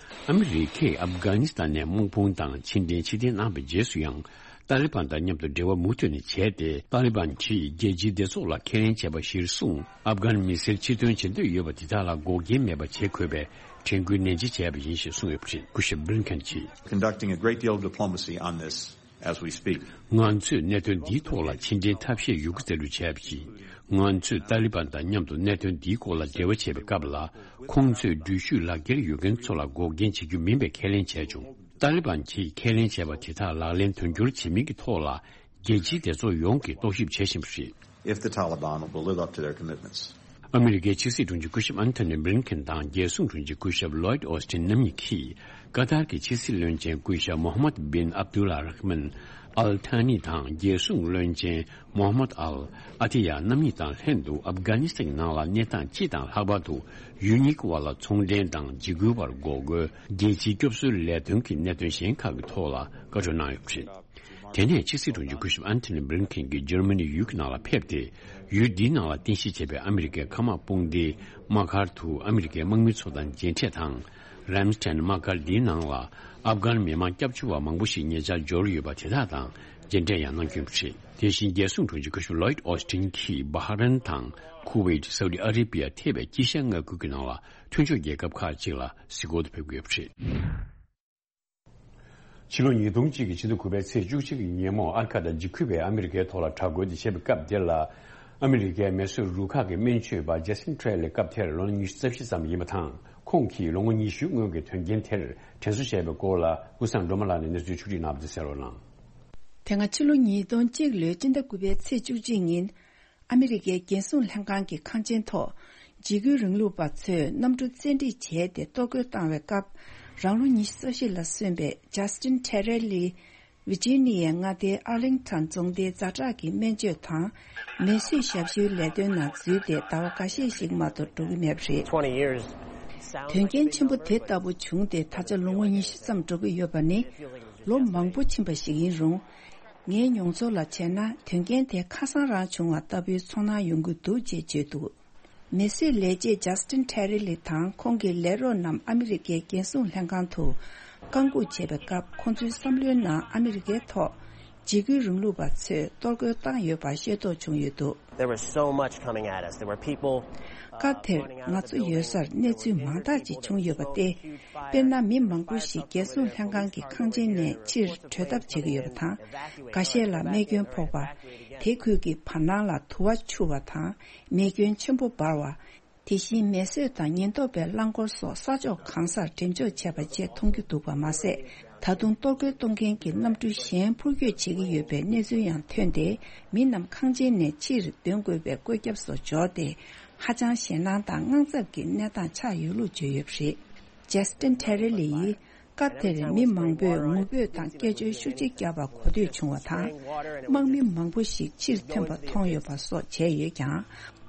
ཨ་མི་རི་ཀས་ཨབ་གྷ་ནི་སི་ཐན་ནས་དམག་དཔུང་དང་ཕྱི་འབྲེལ་ཕྱིར་འཐེན་གནང་བའི་རྗེས་སུ་ཡང་། ཏཱ་ལི་བན་དང་མཉམ་དུ་འབྲེལ་བ་མུ་མཐུད་ནས་བྱས་ཏེ། ཏཱ་ལི་བན་གྱིས་རྒྱལ་སྤྱིའི་སྡེ་ཚོགས་ལ་ཁས་ལེན་བྱས་པ་གཞིར་བཟུང་། ཨབ་གྷན་མི་སེར་ཕྱིར་ཐོན་བྱེད་འདོད་ཡོད་པ་དེ་དག་ལ་འགོག་རྐྱེན་མེད་པ་བྱེད་དགོས་པའི་དྲན་སྐུལ་ནན་ཆེ་བྱས་པ་ཡིན་ཞེས་གསུངས་ཡོད་པ་རེད། སྐུ་ཞབས་བྷི་ལིན་ཀེན་གྱིས། Conducting a great deal of diplomacy on this as we speak. ང་ཚོས་གནད་དོན་འདིའི་ཐོག་ལ་ཕྱི་འབྲེལ་ཐབས་ཤེས་ཡོད་རྒུ་རྩལ་སྤྲུགས་བྱས་པ་ཡིན། ང་ཚོས་ཏཱ་ལི་བན་དང་མཉམ་དུ་གནད་དོན་འདིའི་སྐོར་ལ་འབྲེལ་བ་བྱེད་པའི་སྐབས་ལ། ཁོང་ཚོས་འགྲུལ་བཞུད་ལག་འཁྱེར་ཡོད་མཁན་ཚོ་ལ་འགོག་རྐྱེན་བྱེད་རྒྱུ་མིན་པའི་ཁས་ལེན་བྱས་བྱུང་། ཏཱ་ལི་བན་གྱིས་ཁས་ལེན་བྱས་པ་དེ་དག་ལག་ལེན་དོན་འཁྱོལ་བྱེད་མིན་གྱི་ཐོག་ལ། རྒྱལ་སྤྱིའི་སྡེ་ཚོགས་ཡོངས་ཀྱིས་རྟོག་ཞིབ་བྱེད་བཞིན་པ་རེད། If the Taliban will live up to their commitments. ཨ་མི་རི་ཀའི་ཕྱི་སྲིད་དྲུང་ཆེ་སྐུ་ཞབས་ཨན་ཐོ་ནི་བྷི་ལིན་ཀེན་དང་། རྒྱལ་སྲུང་དྲུང་ཆེ་སྐུ་ཞབས་ལོ་ཡིད་ཨོ་སི་ཐིན་རྣམ་གཉིས་ཀྱིས། ཀ་ཏར་གྱི་ཕྱི་སྲིད་བློན་ཆེན་སྐུ་ཞབས་མོ་ཧམ་མད་བིན་ཨབ་དུ་ལ་ར་ཧ་མན་ཨལ་ཐ་ནི་དང་། རྒྱལ་སྲུང་བློན་ཆེན་མོ་ཧམ་མད་ཨལ་ཨ་ཐི་ཡ་རྣམ་གཉིས་དང་ལྷན་དུ། ཨབ་གྷ་ནི་སི་ཐན་ནང་ལ་གནས་སྟངས་སྤྱི་དང་ལྷག་པར་དུ། ཡུལ་གཉིས་ཀྱི་བར་ལ་ཚོང་འབྲེལ་དང་། འཇིགས་སྐུལ་བར་འགོག་རྒོལ། རྒྱལ་སྤྱིའི་སྐྱོབ་གསོའི་ལས་དོན་གྱི་གནད་དོན་གཞན་ཁག་གི་ཐོག་ལ་བཀའ་འཁྲོལ་གནང་ཡོད་པ་རེད། དེ་ནས་ཕྱི་སྲིད་དྲུང་ཆེ་སྐུ་ཞབས་ཨན་ཐོ་ནི་བྷི་ལིན་ཀེན་གྱིས་འཇར་མ་ནི་ཡུལ་གྱི་ནང་ལ་ཕེབས་ཏེ། ཡུལ་འདིའི་ནང་ལ་རྟེན་གཞི་བྱས་པའི་ཨ་མི་རི་ཀའི་མཁའ་དམག་དཔུང་སྡེའི་དམག་སྒར་དུ་ཨ་མི་རི་ཀའི་དམག་མི་ཚོ་དང་མཇལ་འཕྲད་དང་། རེམ་སི་ཊན་དམག་སྒར་འདིའི་ནང་ལ་ཨབ་གྷན་མི་དམངས་སྐྱབས་བཅོལ་བ་མང་པོ་ཞིག་ཉེ་ཆར་འབྱོར་ཡོད་པ་དེ་དག་དང་མཇལ་འཕྲད་ཡང་གནང་རྒྱུ་ཡིན་པ་རེད། དེ་བཞིན་རྒྱལ་སྲུང་དྲུང་ཆེ་བཀའ་ཤག་ལོའིད་ཨོ་སི་ཊིན་གྱིས་བྷ་ཧ་རན་དང་ཁུ་ཝེད། སའུ་ཏི་ཨ་རེ་བྷི་ཡ་ཐེ་བའི་དཀྱིལ་ཤར་མངའ་ཁུལ་གྱི་ནང་ལ་མཐུན་ཕྱོགས་རྒྱལ་ཁབ་ཁག་ཅིག་ལ་གཟིགས་སྐོར་དུ་ཕེབས་ཀྱི་ཡོད་པ་རེད། ཕྱི་ལོ་ཉིས་སྟོང་གཅིག་གི་ཕྱི་ཟླ་དགུ་པའི་ཚེས་བཅུ་གཅིག་གི་ཉིན་མོ། ཨ་རི་ཁ་དང་འཇིགས་སྐུལ་བས་ཨ་མི་རི་ཀའི་ཐོག་ལ་དྲག་རྒོལ་དེ་བྱས་པའི་སྐབས་དེ་ལ། ཨ་མི་རི་ཀའི་མེ་གསོད་རུ་ཁག་གི་སྨན་བཅོས་པ་ཇ་སི་ཊིན་ཁྲེ་ལི། སྐབས་དེར་ལོ་ཉི་ཤུ་རྩ་བཞི་ཙམ་ཡིན་པ་དང་། ཁོང་གིས་ལོ་ངོ་ཉི་ཤུའི་སྔོན་གྱི་དོན་རྐྱེན་དེར་དྲན་གསོ་བྱས་པའི་སྐོར་ལ། ཀུན་བཟང་སྒྲོལ་མ་ལགས་ནས་གནས་ཚུལ་ཕྱོགས་སྒྲིག་གནང་བ་དེ་གསན་རོགས་གནང་། དེ་སྔ་ཕྱི་ལོ་ཉིས་སྟོང་གཅིག་ལོའི་སྤྱི་ཟླ་དགུ་པའི་ཚེས་བཅུ་གཅིག་ཉིན། ཨ་མི་རི་ཀའི་རྒྱལ་སྲུང་ལྷན་ཁང་གི་ཁང་ཆེན་ཐོག་འཇིགས་སྐུལ་རིང་ལུགས་པ་ཚོས་གནམ་གྲུ་བཙན་ཁྲིད་བྱས་ཏེ་གཏོར་རྒོལ་བཏང་བའི་སྐབས། རང་ལོ་ཉི་ཤུ་རྩ་བཞི་ལ་སོན་པའི་ཇ་སི་ཊིན་ཁྲེ་རེ་ལི། ཝི་ཇི་ནི་ཡའི་མངའ་སྡེའི་ཨར་ལིང་ཊོན་རྫོང་སྡེའི་ཛ་དྲག་གི་སྨན་བཅོས་དང་། མེ་གསོད་ཞབས་ཞུའི་ལས་དོན་ནང་འཛུལ་ཏེ་ཟླ་བ་འགའ་ཤས་ཤིག་མ་གཏོགས་འགྲོ་གི་མེད་པ་རེད། དོན་རྐྱེན་ཆེན་པོ་དེ་ལྟ་བུ་བྱུང་སྟེ་ད་ཆ་ལོ་ངོ་ཉི་ཤུ་ཙམ་འགྲོ་གི་ཡོད་པ་ནི། ལོ་མང་པོ་ཕྱིན་པ་ཞིག་ཡིན་རུང་། ངའི་མྱོང་ཚོར་ལ་བྱས་ན། དོན་རྐྱེན་དེ་ཁ་སང་རང་བྱུང་བ་ལྟ་བུའི་ཚོར་སྣང་ཡོང་གི་འདུག་ཅེས་བརྗོད་འདུག་མེ་གསོད་ལས་བྱེད་ཇ་སི་ཊིན་ཁྲེ་རེ་ལི་དང་ཁོང་གི་ལས་རོགས་རྣམས་ཨ་མི་རི་ཀའི་རྒྱལ་སྲུང་ལྷན་ཁང་དུ་བཀའ་འགུག་བྱས་པའི་སྐབས། ཁོང་ཚོའི་བསམ་བློའི་ནང་ཨ་མི་རི་ཀའི་ཐོག་འཇིགས་སྐུལ་རིང་ལུགས་པ་ཚོས་གཏོར་རྒོལ་བཏང་ཡོད་པ་ཤེས་རྟོགས་བྱུང་ཡོད་འདུག There was so much coming at us. There were people, uh, སྐབས་དེར་ང་ཚོ་ཡོད་སར་གནས་ཚུལ་མང་དག་ཅིག་བྱུང་ཡོད་པ་སྟེ། དཔེར་ན། མི་མང་པོ་ཞིག་རྒྱལ་སྲུང་ལྷན་ཁང་གི་ཁང་ཆེན་ནས་ཕྱིར་བྲོས་ཐབས་བྱེད་ཀྱི་ཡོད་པ་དང་། འགའ་ཤས་ལ་རྨས་སྐྱོན་ཕོག་པ། དེ་ཁུལ་གྱི་བར་སྣང་ལ་དུ་བ་འཕྱུར་བ་དང་། མེ་སྐྱོན་ཆེན་པོ་འབར་བ། དེ་བཞིན་མེ་གསོད་དང་ཉེན་རྟོག་པའི་རླངས་འཁོར་སོགས་ས་ཕྱོགས་གང་སར་འགྲེམས་འཇོག་བྱས་པ་བཅས་མཐོང་རྒྱུ་འདུག་པ་མ་ཟད། ད་དུང་གཏོར་རྒོལ་གཏོང་མཁན་གྱི་གནམ་གྲུ་གཞན་འཕུར་སྐྱོད་བྱེད་ཀྱི་ཡོད་པའི་གནས་ཚུལ་ཡང་ཐོན་ཏེ། མི་རྣམས་ཁང་ཆེན་ནས་ཕྱིར་འདོན་དགོས་པའི་བཀོད་ཁྱབ་སོགས་འབྱོར་ཏེ། ཧ་ཅང་ཞེད་སྣང་དང་དངངས་འཚབ་ཀྱི་གནས་སྟངས་ཆགས་ཡོད་ལུགས་བརྗོད་ཡོད་པ་རེད། ཇ་སི་ཊིན་ཁྲེ་རེ་ལི་ཡིས། སྐབས་དེར་མི་མང་པོས་ངུ་འབོད་དང་སྐད་ཅོར་ཤུགས་ཆེ་བརྒྱབ་པ་གོ་ཐོས་བྱུང་བ་དང་། དམག་མི་མང་པོ་ཞིག་ཕྱིར་ཐོན་པ་མཐོང་ཡོད་པ་སོགས་བྱས་ཡོད་ཀྱང་།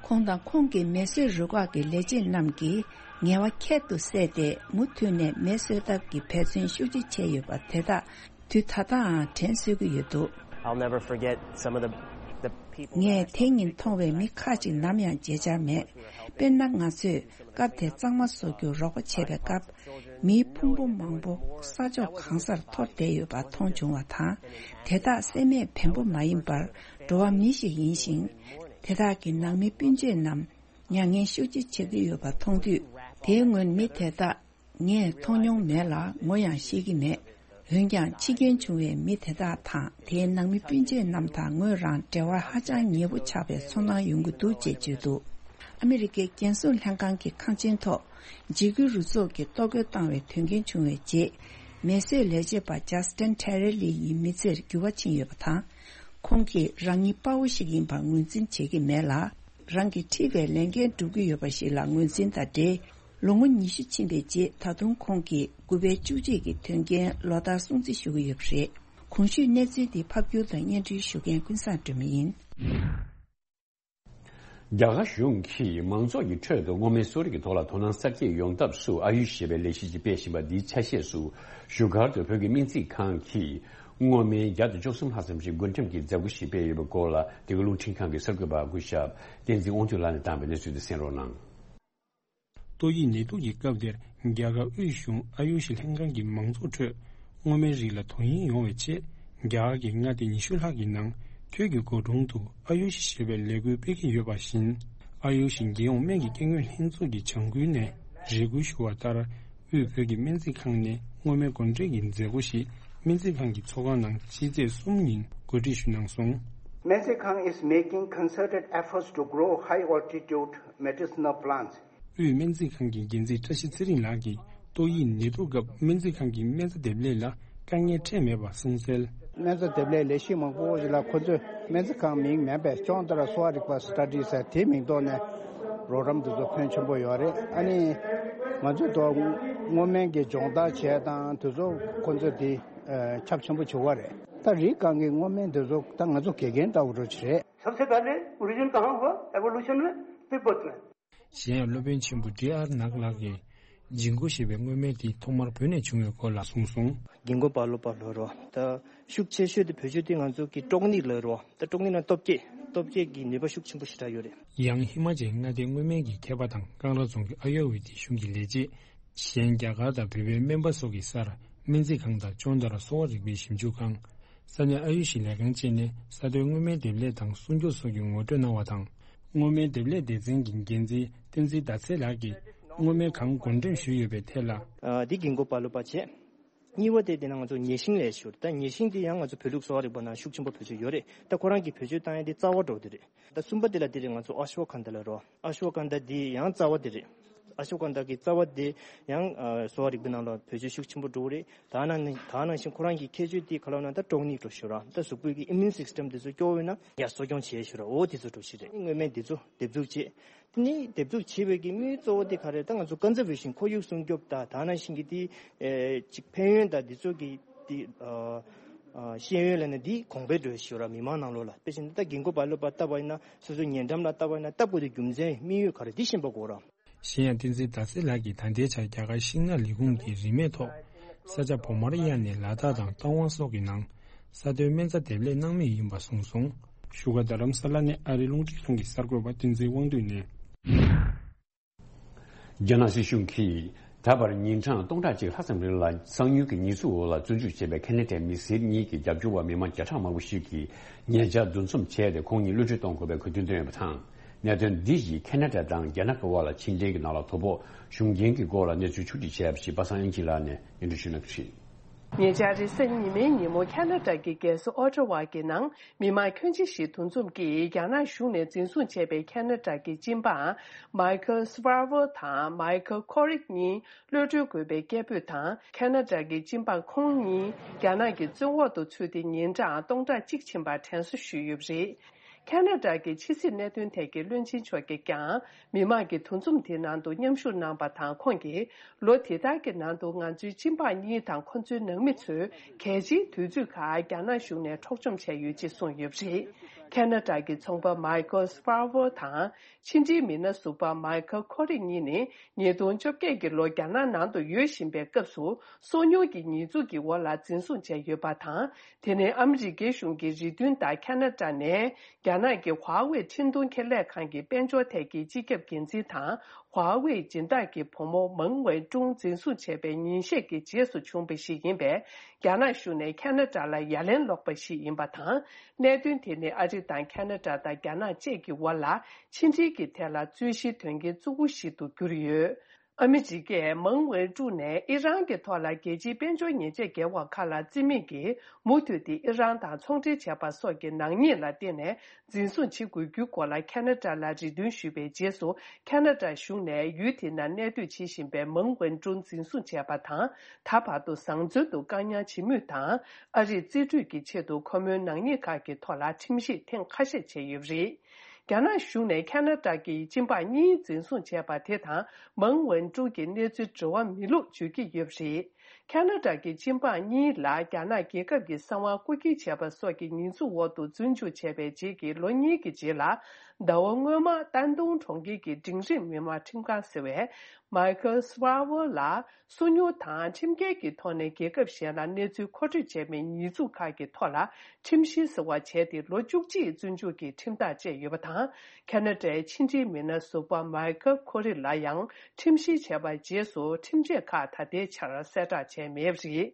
ཁོང་དང་ཁོང་གི་མེ་གསོད་རུ་ཁག་གི་ལས་བྱེད་རྣམས་ཀྱིས་ངལ་བ་ཁྱད་དུ་བསད་དེ། མུ་མཐུད་ནས་མེ་གསོད་ཐབས་ཀྱི་འབད་བརྩོན་ཤུགས་ཆེ་བྱས་ཡོད་པ་དེ་དག་དུས་ད་ལྟའང་དྲན་གསོས་ཀྱི་ཡོད་འདུག I'll never forget some of the, the people that I ངས་དེ་ཉིན་མཐོང་བའི་མི་ཁག་ཅིག་ནམ་ཡང་བརྗེད་འཆར་མེད། དཔེར་ན། ང་ཚོས་སྐབས་དེར་གཙང་མ་བཟོ་རྒྱུར་རོགས་པ་བྱས་པའི་སྐབས། མིའི་ཕུང་པོ་མང་པོ་ས་ཕྱོགས་གང་སར་འཐོར་བསྡད་ཡོད་པ་མཐོང་བྱུང་བ་དང་། དེ་དག་སེམས་མེད་བེམ་པོ་མ་ཡིན་པར་འགྲོ་བ་མི་ཞིག་ཡིན་ཞིང་། དེ་དག་གི་ནང་མི་སྤུན་མཆེད་རྣམས་མྱ་ངན་ཤུགས་ཆེ་བྱེད་ཀྱི་ཡོད་པ་མཐོང་དུས། དེའི་སྔོན་མི་དེ་དག་ངས་མཐོང་མྱོང་མེད་ལ་ངོ་ཡང་ཤེས་ཀྱི་མེད། འོན་ཀྱང་། འཆི་རྐྱེན་བྱུང་བའི་མི་དེ་དག་དང་། དེའི་ནང་མི་སྤུན་མཆེད་རྣམས་དང་ངོས་རང་འབྲེལ་བ་ཧ་ཅང་ཉེ་པོ་ཆགས་པའི་ཚོར་སྣང་ཡོང་གི་འདུག་ཅེས་བརྗོད་འདུག་ཨ་མི་རི་ཀའི་རྒྱལ་སྲུང་ལྷན་ཁང་གི་ཁང་ཆེན་ཐོག་འཇིགས་སྐུལ་རུ་ཚོགས་ཀྱིས་གཏོར་རྒོལ་བཏང་བའི་དོན་རྐྱེན་བྱུང་བའི་རྗེས། མེ་གསོད་ལས་བྱེད་པ་ཇ་སི་ཊིན་ཁྲེ་རེ་ལི་ཡི་མི་ཚེར་འགྱུར་བ་ཕྱིན་ཡོད་པ་དང་། ཁོང་གིས་རང་ཉིད་དཔའ་བོ་ཞིག་ཡིན་པར་ངོས་འཛིན་བྱེད་ཀྱི་མེད་ལ། རང་གིས་འཁྲིས་པའི་ལས་འགན་སྒྲུབ་ཀྱི་ཡོད་པ་ཞིག་ལ་ངོས་འཛིན་དང་འབྲེལ། ལོ་ངོ་ཉི་ཤུ་ཕྱིན་པའི་རྗེས། ད་དུང་ཁོང་གིས་དགུ་པའི་བཅུ་གཅིག་གི་དོན་རྐྱེན་ལོ་ལྟར་སྲུང་བརྩི་ཞུ་གི་ཡོད་པ་རེད། གོང་ཞུས་གནས་ཚུལ་འདི་ཕབ་སྒྱུར་དང་སྙན་སྒྲོན་ཞུ་མཁན་ཀུན་བཟང་སྒྲོལ་མ་ཡིན། རྒྱ་གར་གཞུང་གིས་མང་ཚོགས་ཀྱི་ཁྲོད་དུ་སྔོ་སྨན་གསོ་རིག་གི་ཐོག་ལ་དོ་སྣང་གསར་སྐྱེད་ཡོང་ཐབས་སུ། ཨ་ཡུ་ཞེས་པའི་ལས་གཞི་ཞིག་སྤེལ་བཞིན་པ་འདིའི་ཆ་ཤས་སུ། བཞུགས་སྒར་དུ་བོད་ཀྱི་སྨན་རྩིས་ཁང་གིས་སྔོ་སྨན་བརྒྱ་དང་བཅུ་གསུམ་ལྷག་ཙམ་ཞིག་བགོ་འགྲེམས་ཀྱི་མཛད་སྒོ་ཞིག་སྤེལ་ཡོད་པའི་སྐོར་ལ། འདི་ག་རླུང་འཕྲིན་ཁང་གི་གསར་འགོད་པ་སྐུ་ཞབས་བསྟན་འཛིན་དབང་འདུས་ལགས་ནས་བཏང་བའི་གནས་ཚུལ་དེ་གསན་རོགས་གནང་། ཏོག་དབྱིབས་ནད་དུག་གི་སྐབས་དེར། རྒྱ་གར་དབུས་གཞུང་ཨ་ཡུ་ཤི་ལྷན་ཁང་གིས་མང་ཚོགས་ཁྲོད་སྔོ་སྨན་རིགས་ལ་དོ་དབྱིངས་ཡོང་བའི་ཆེད། རྒྱ་གར་གྱི་མངའ་སྡེ་ཉི་ཤུ་ལྷག་གི་ནང་། བོད་ཀྱི་འགོ་གྲོང་དུ་ཨ་ཡུ་ཤི་ཞེས་པའི་ལས་འགུལ་སྤེལ་གྱི་ཡོད་པ་བཞིན། ཨ་ཡུ་ཤི་རྒྱལ་ཡོངས་སྨན་གྱི་སྐྱབས་མགོན་ལྷན་ཚོགས་ཀྱི་བྱ་འགུལ་ནས་རེ་སྐུལ་ཞུ་བ་ལྟར། དབུས་བོད་ཀྱི་སྨན་རྩིས་ཁང་ནས་སྔོ་སྨན་བགོ་འགྲེམས་ཀྱི་མཛད་སྒོ་ཞིག་སྨན་རྩིས་ཁང་གི་ཚོགས་ཁང་ནང་ཕྱི་ཚེས་གསུམ་ཉིན་གོ་སྒྲིག་ཞུས་གནང་སོང་། 面子康 is making concerted efforts to grow high altitude medicinal plants. དབུས་སྨན་རྩིས་ཁང་གི་འགན་འཛིན་བཀྲ་ཤིས་ཚེ་རིང་ལགས་ཀྱིས། ཏོག་དབྱིབས་ནད་དུག་སྐབས་སྨན་རྩིས་ཁང་གི་སྨན་རྩྭ་འདེབས་ལས་ལ་དཀའ་ངལ་འཕྲད་མེད་པ་གསུངས་གསལ། སྨན་རྩྭ་འདེབས་ལས་ལས་གཞི་མང་པོ་ཞིག་ལ་ཁོ་ཚོས་སྨན་རྩིས་ཁང་མིང་མེད་པའི་ཅོང་ཏ་ར་གསོ་བ་རིག་པ་སི་ཊ་ཌི་ཟེར་དེའི་མིང་ཐོག་ནས་རོགས་རམ་དེ་ཚོ་ཕོན་ཆེན་པོ་ཡོད་རེད། ཨ་ནི་ང་ཚོ་ད་སྔོ་སྨན་གྱི་སྦྱོང་བརྡར་བྱས་དང་དེ་ཚོ་ཁོ་ཚོས་དེ་ཁྱབ་ཆེན་པོ་བྱེད་པ་རེད། ད་རིགས་གང་གི་སྔོ་སྨན་དེ་ཚོ་ད་ང་ཚོ་དགེ་རྒན་ལྟ་བུ་འདྲ་ཅིག་རེད། सबसे पहले ओरिजिन कहाँ हुआ? एवोल्यूशन में, तिब्बत में। གཞན་ཡང་སློབ་དཔོན་ཆེན་པོ་ཌི་ཨར་ནག་ལགས་ཀྱིས། ཇིང་གོ་ཞེས་པའི་མངོན་མེད་དེ་ཐོག་མར་བོད་ནས་བྱུང་བའི་སྐོར་ལ་གསུངས་སོང་། གིང་གོ་པ་ལོ་པ་ལོ་རོ། ད་ཤུགས་ཆེ་ཤོས་དེ་བེད་སྤྱོད་དེ་ང་ཚོ་གི་ཀྲོག་ནིག་ལོ་རོ། ད་ཀྲོག་ནིག་ན་སྟོབས་སྐྱེད། སྟོབས་སྐྱེད་ཀྱི་ནུས་པ་ཤུགས་ཆེན་པོ་ཞེ་དྲག་ཡོད་རེད། ཡང་ཧི་མ་ཅལ་མངའ་སྡེའི་མངོན་མེད་ཀྱི་མཁས་པ་དང་ཀང་ར་རྫོང་གི་ཨ་ཡོ་ཝེ་ཏི་གཞུང་གི་ལས་བྱེད། གཞན་རྒྱ་གར་དང་བོད་པའི་སྨན་པ་སོགས་ཀྱི་སར་སྨན་རྩིས་ཁང་དང་ཅོན་ཏ་ར་གསོ་བ་རིག་པའི་ཞིབ་འཇུག་ཁང་། ས་གནས་ཨ་ཡུ་ཤི་ལས་ཁང་བཅས་ནས་ས་མཐོའི་མངོན་མེད་འདེབས་ལས་དང་སྲུང་སྐྱོབ་སོགས་ཀྱི་ངོ་སྤྲོད་གནང་བ་དང་། མངོན་མེད་འདེབས་ལས་སྡེ་ཚན་གྱི་འགན་འཛིན་བསྟན་འཛིན་ཟླ་ཚེ་ལགས་ཀྱིས་མངོན་མེད་ཁང་བགོ་འགྲེམས་ཞུས་ཡོད་པའི་ཐད་ལ། ཨ། འདི་གིང་གོ་པ་ལོ་པ་བྱས། གཉིས་པ་དེ་དེ་ན་ང་ཚོ་ཉེ་ཤིང་ལས་ཞུ། ད་ཉེ་ཤིང་དེ་ཡང་ང་ཚོ་བོད་ལུགས་གསོ་བ་རིག་པ་ནང་ཤུགས་ཆེན་པོ་བེད་སྤྱོད་ཡོད་རེད། ད་ཁོ་རང་གིས་བེད་སྤྱོད་བཏང་ཡ་དེ་རྩ་བ་འགྲོ་དེ་རེད། ད་གསུམ་པ་དེ་ལ་དེ་རེད། ང་ཚོ་ཨ་ཤོ་ཁན་ད་ལ་རོ། ཨ་ཤོ་ཁན་ད་དེ་ཡང་རྩ་བ་དེ་རེད། ཨ་ཤོ་ཁན་ད་གི་རྩ་བ་དེ་ཡང་ཨ་གསོ་བ་རིག་པའི་ནང་ལ་བེད་སྤྱོད་ཤུགས་ཆེན་པོ་འགྲོ་གི་རེད། ད་ནང་ནས་ད་ནང་བཞིན་ཁོ་རང་གི་ཁྱད་ཆོས་དེ་ག་ལ་ན་ད་ཀྲོག་ནིག་འགྲོ་ཞུ་ར། ད་གཟུགས་པོའི་གི་ཨི་མིའུན་སིས་ཊམ་དེ་ཚོ་སྐྱོ་བོ་ཡོད་ན་ཡར་གསོ་སྐྱོང་བྱེད་ཞུ་ར། འོ་དེ་ཚོ་འགྲོ་ཞིག་རེད། མངོན་མེད་དེ་ཚོ་འདེབས་འཛུགས་བྱེད། དེ་ནས་འདེབས་འཛུགས་བྱེད་པའི་གི་དམིགས་ཡུལ་གཙོ་བོ་དེ་ག་རེ། ད་ང་ཚོ་ཀོན་ཛར་ཝེ་ཤིན། ཁོར་ཡུག་སྲུང་སྐྱོབ་དང་ད་ནང་བཞིན་གྱི་དེ་ཨེ་ཅིག་ཕན་ཡོན་དང་འདི་ཚོ་གི་དེ་ཨ་ཨ་ཤེས་ཡོན་ལབ་ན་འདི་གོང་འཕེལ་འགྲོ་ཞུ་ར། མི་མང་ནང་ལོགས་ལ། དཔེ་བཞིན་ད་གིང་གོ་པ་ལོ་པ་ལྟ་བ་ཡིན་ན་སོ་སོའི་ཉེ་འགྲམ་ལ་ལྟ་བ་ཡིན་ན་ལྟ་དགོས་དེ་རྒྱུ་མཚན་དམིགས་ཡུལ་ག་རེ་འདི་ཤེས་པ་དགོས་ར། གཞན་ཡང་བསྟན་འཛིན་ཟླ་ཚེ་ལགས་ཀྱིས་ད་ལྟའི་ཆར་རྒྱ་གར་ཤིང་ནགས་ལས་ཁུངས་ཀྱི་རིན་མེད་ཐོག་ས་ཆ་བོ་མར་ཡ་ནས་ལ་དྭགས་དང་རྟ་དབང་སོགས་ཀྱི་ནང་ས་མཐོའི་སྨན་རྩྭ་འདེབས་ལས་གནང་མུས་ཡིན་པ་གསུངས་སོང་། བཞུགས་སྒར་རྡ་རམ་ས་ལ་ནས་ཨ་རིའི་རླུང་འཕྲིན་ཁང་གི་གསར་འགོད་པ་བསྟན་འཛིན་དབང་འདུས་ནས། རྒྱ་ནག་སྲིད་གཞུང་གིས་ད་བར་ཉིན་གྲངས་སྟོང་ཕྲག་གཅིག་ལྷག་ཙམ་རིང་ལ་གསང་ཉུལ་གྱི་ཉེས་འཛུགས་འོག་ལ་བཙོན་འཇུག་བྱས་པའི་ཁེ་ན་ཌའི་མི་སེར་གཉིས་ཀྱི་རྒྱབ་སྐྱོར་བ་མི་མང་བརྒྱ་ཕྲག་མང་པོ་ཞིག་གིས་ཉེ་ཆར་འདུ་འཛོམས་བྱས་ཏེ་ཁོང་གཉིས་གློད་གྲོལ་གཏོང་དགོས་པའི་གོ་སྐབས་བཏོན་ཡོད་པ་དང་། གནད་དོན་འདི་ཡིས་ཁེ་ན་ཌ་དང་རྒྱ་ནག་གི་དབར་ལ་ཕྱི་འབྲེལ་གྱི་ནང་ལ་དོ་ཕོག་བྱུང་རྐྱེན་གྱི་སྐོར་ལ་གནས་ཚུལ་ཕྱོགས་སྒྲིག་བྱས་པ་ཞིག་པ་སངས་དབྱངས་སྐྱིད་ལགས་ནས་སྙན་སྒྲོན་ཞུ་གནང་གི་རེད། ཉེ་ཆར་རེས་གཟའ་ཉི་མའི་ཉིན་མོ་ཁེ་ན་ཌ་གི་རྒྱལ་ས་ཨོ་ཊ་ཝ་གི་ནང་མི་མང་ཁྱོན་ཆེ་ཞིག་འདུ་འཛོམས་ཀྱིས་རྒྱ་ནག་གཞུང་ནས་འཛིན་བཟུང་བྱས་པའི་ཁེ་ན་ཌ་གི་སྤྱི་འབངས་མའི་ཁལ་སི་ཝར་ཝར་དང་མའི་ཁལ་ཁོ་རིག་གཉིས་གློད་གྲོལ་དགོས་པའི་སྐད་འབོད་དང་། ཁེ་ན་ཌ་གི་སྤྱི་འབངས་ཁོང་གཉིས་རྒྱ་ནག་གི་བཙོན་འོག་ཏུ་ཚུད་དེ་ཉིན་གྲངས་སྟོང་ཕྲག་གཅིག་ཕྱིན་པར་དྲན་གསོ་ཞུས་ཡོད་པ་རེད། ཁེ་ན་ཌ་གི་ཕྱི་སྲིད་གནད་དོན་ཐད་ཀྱི་བློན་ཆེན་མཆོག་གིས་ཀྱང་མི་མང་གི་འདུ་འཛོམས་དེའི་ནང་དུ་མཉམ་ཞུགས་གནང་པ་དང་། ཁོང་གིས་ལོ་དེ་ལྟར་གྱི་ནང་དུ་ང་ཚོའི་སྤྱི་འབངས་གཉིས་དང་ཁོ་ཚོའི་ནང་མི་ཚོས་གལ་ཆེའི་དུས་ཚོད་ཁག་རྒྱ་ནག་གཞུང་ནས་འཕྲོག་བཅོམ་བྱས་ཡོད་ཅེས་གསུངས་ཡོད་པ་རེད། ཁེ་ན་ཌ་གི་ཚོང་པ་མའི་ཁལ་སི་ཝར་ཝར་དང་ཕྱི་འབྲེལ་མི་སྣ་ཟུར་པ་མའི་ཁལ་ཁོ་རིག་གཉིས་ནི་ཉིས་སྟོང་བཅོ་བརྒྱད་ཀྱི་ལོ་རྒྱ་ནག་ནང་དུ་ཡོད་བཞིན་པའི་སྐབས་སུ་སོ་ཉུལ་གྱི་ཉེས་འཛུགས་ཀྱི་འོག་ལ་འཛིན་བཟུང་བྱས་ཡོད་པ་དང་། དེ་ནི་ཨ་མི་རི་ཀའི་གཞུང་གི་རེ་འདུན་ལྟར་ཁེ་ན་ཌ་ནས་རྒྱ་ནག་གི་ཧྭ་ཝེ་འཕྲིན་གཏོང་ཁེ་ལས་ཁང་གི་དཔལ་འབྱོར་ཐད་ཀྱི་སྤྱི་ཁྱབ་འགན་འཛིན་དང་། ཧྭ་ཝེ་སྦྱིན་བདག་གི་བུ་མོ་མང་ཝེན་ཀྲུང་འཛིན་བཟུང་བྱས་པའི་ཉིན་ཤས་ཀྱི་རྗེས་སུ་བྱུང་བ་ཞིག་ཡིན་པས། རྒྱ་ནག་གཞུང་ནས་ཁེ་ན་ཌ་ལ་ཡ་ལན་སློག་པ་ཞིག་ཡིན་པ་དང་། གནད་དོན་དེ་ནི་ཨ་རི་དང་ཁེ་ན་ཌ་དང་རྒྱ་ནག་བཅས་ཀྱི་དབར་ལ་ཕྱི་འབྲེལ་གྱི་ཐད་ལ་རྩོད་གཞིའི་དོན་རྐྱེན་གཙོ་བོ་ཞིག་ཏུ་གྱུར་ཡོད། ཨ་མི་རི་ཀས་མང་ཝེ་ཀྲུ་ནས་ཨི་རན་གྱི་ཐོག་ལ་རྒྱལ་སྤྱིའི་དཔལ་འབྱོར་ཉེས་ཆད་འགེལ་བ་ཁག་ལ་བརྩི་མེད་ཀྱིས་མུ་མཐུད་དེ་ཨི་རན་དང་ཚོང་འབྲེལ་བྱས་པ་སོགས་ཀྱི་ནག་ཉེས་ལ་བརྟེན་ནས་འཛིན་བཟུང་བྱེད་དགོས་རྒྱུའི་སྐོར་ལ་ཁེ་ན་ཌ་ལ་རེ་འདུན་ཞུས་པའི་རྗེས་སུ། ཁེ་ན་ཌ་གཞུང་ནས་ཡུལ་དེ་ནང་གནས་སྡོད་བྱེད་བཞིན་པའི་མང་ཝེན་ཀྲུ་འཛིན་བཟུང་བྱས་པ་དང་། ད་བར་དུ་བཟང་བཙོན་དུ་བཀག་ཉར་བྱེད་མུས་དང་། ཨ་རིས་རྩིས་སྤྲོད་ཀྱི་ཆེད་དུ་ཁོ་མོའི་ནག་ཉེས་ཁག་གི་ཐོག་ལ་ཁྲིམས་ཞིབ་ཐེངས་ཁ་ཤས་བྱས་ཡོད་པ་རེད། རྒྱ་ནག་གཞུང་ནས་ཁེ་ན་ཌ་གི་སྤྱི་འབངས་གཉིས་འཛིན་བཟུང་བྱས་པ་དེ་དང་། མང་ཝེན་ཀྲུ་གི་གནས་ཚུལ་འགྲོ་བ་མི་ལུགས་བརྗོད་ཀྱི་ཡོད་པ་རེད། ཁེ་ན་ཌ་གི་སྤྱི་འབངས་གཉིས་ལ་རྒྱ་ནག་རྒྱལ་ཁབ་ཀྱི་གསང་བ་རྐུ་འཁྱེར་བྱས་པ་སོགས་ཀྱི་ཉེས་འཛུགས་འོག་ཏུ་བཙོན་འཇུག་བྱས་པའི་རྗེས་ཀྱི་ལོ་གཉིས་ཀྱི་རྗེས་ལ། ཟླ་བ་སྔོན་མ་ཏན་ཏུང་གྲོང་ཁྱེར་གྱི་འབྲིང་རིམ་མི་དམངས་ཁྲིམས་ཁང་ཟེར་བས། མའི་ཁལ་སི་ཝར་ཝར་ལ། སོ་ཉུལ་དང་ཁྲིམས་འགལ་གྱི་ཐོག་ནས་རྒྱལ་ཁབ་གཞན་ལ་གནས་ཚུལ་མཁོ་སྤྲོད་བྱས་པའི་ཉེས་འཛུགས་ཁག་གི་ཐོག་ལ་ཁྲིམས་བཤེར་ཟེར་བ་བྱས་ཏེ་ལོ་བཅུ་གཅིག་བཙོན་འཇུག་གི་ཁྲིམས་ཐག་བཅད་ཡོད་པ་དང་། ཁེ་ན་ཌའི་ཕྱི་འབྲེལ་མི་སྣ་ཟུར་པ་མའི་ཁལ་ཁོ་རི་ལ་ཡང་ཁྲིམས་བཤེར་བྱས་པའི་རྗེས་སུ་ཁྲིམས་ཆད་ཁག་ད་ལྟའི་ཆར་གསལ་བསྒྲགས་བྱས་མེད་པ་རེད།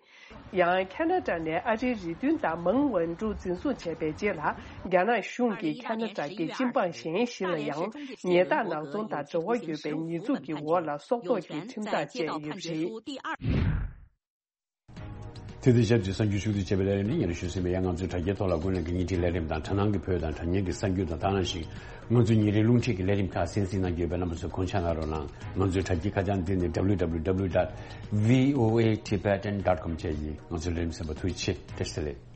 ཡང་ཁེ་ན་ཌ་ནས་ཨ་རིའི་རེ་འདུན་ལྟར་མང་ཝན་ཀྲུ་འཛིན་བཟུང་བྱས་པའི་རྗེས་ལ། རྒྱ་ནག་གཞུང་གིས་ཁེ་ན་ཌ་གི་སྤྱི་འབངས་གཞན་ཞིག་ལ་ཡང་ཉལ་ཐ་ནག་ཚོང་དང་འབྲེལ་བ་ཡོད་པའི་ཉེས་འཛུགས་ཀྱི་འོག་ལ་སྲོག་ཐོག་གི་ཁྲིམས་ཐག་བཅད་ཡོད་པ་རེད། དེ་དང་ཞབས་ཀྱི་གསར་འགྱུར་ཕྱོགས་བསྡུས་བྱས་པའི་ལས་རིམ་ནི་ཉན་རེ་ཞུ་ཟིན་པའི་ཡང་ང་ཚོའི་དྲ་རྒྱའི་ཐོག་ལ་དགོས་ན་གི་ཉིན་ཁྲིའི་ལས་རིམ་དང་དྲ་སྣང་གི་བོད་དང་དྲ་བརྙན་གྱི་གསར་འགྱུར་དང་དེ་ནང་བཞིན་ང་ཚོའི་ཉིན་རེའི་རླུང་འཕྲིན་གྱི་ལས་རིམ་ཁག་གསན་གཟིགས་གནང་རྒྱུ་ཡོད་པས་རྣམ་པ་ཚོས་དགོངས་འཇགས་གནང་རོགས་གནང་། ང་ཚོའི་དྲ་རྒྱའི་ཁ་བྱང་འདི་ནི་W W W dot V O A Tibetan dot com བཅས་ཡིན། ང་ཚོའི་ལས་རིམ་གསན་པར་ཐུགས་རྗེ་ཆེ། བཀྲ་ཤིས་བདེ་ལེགས།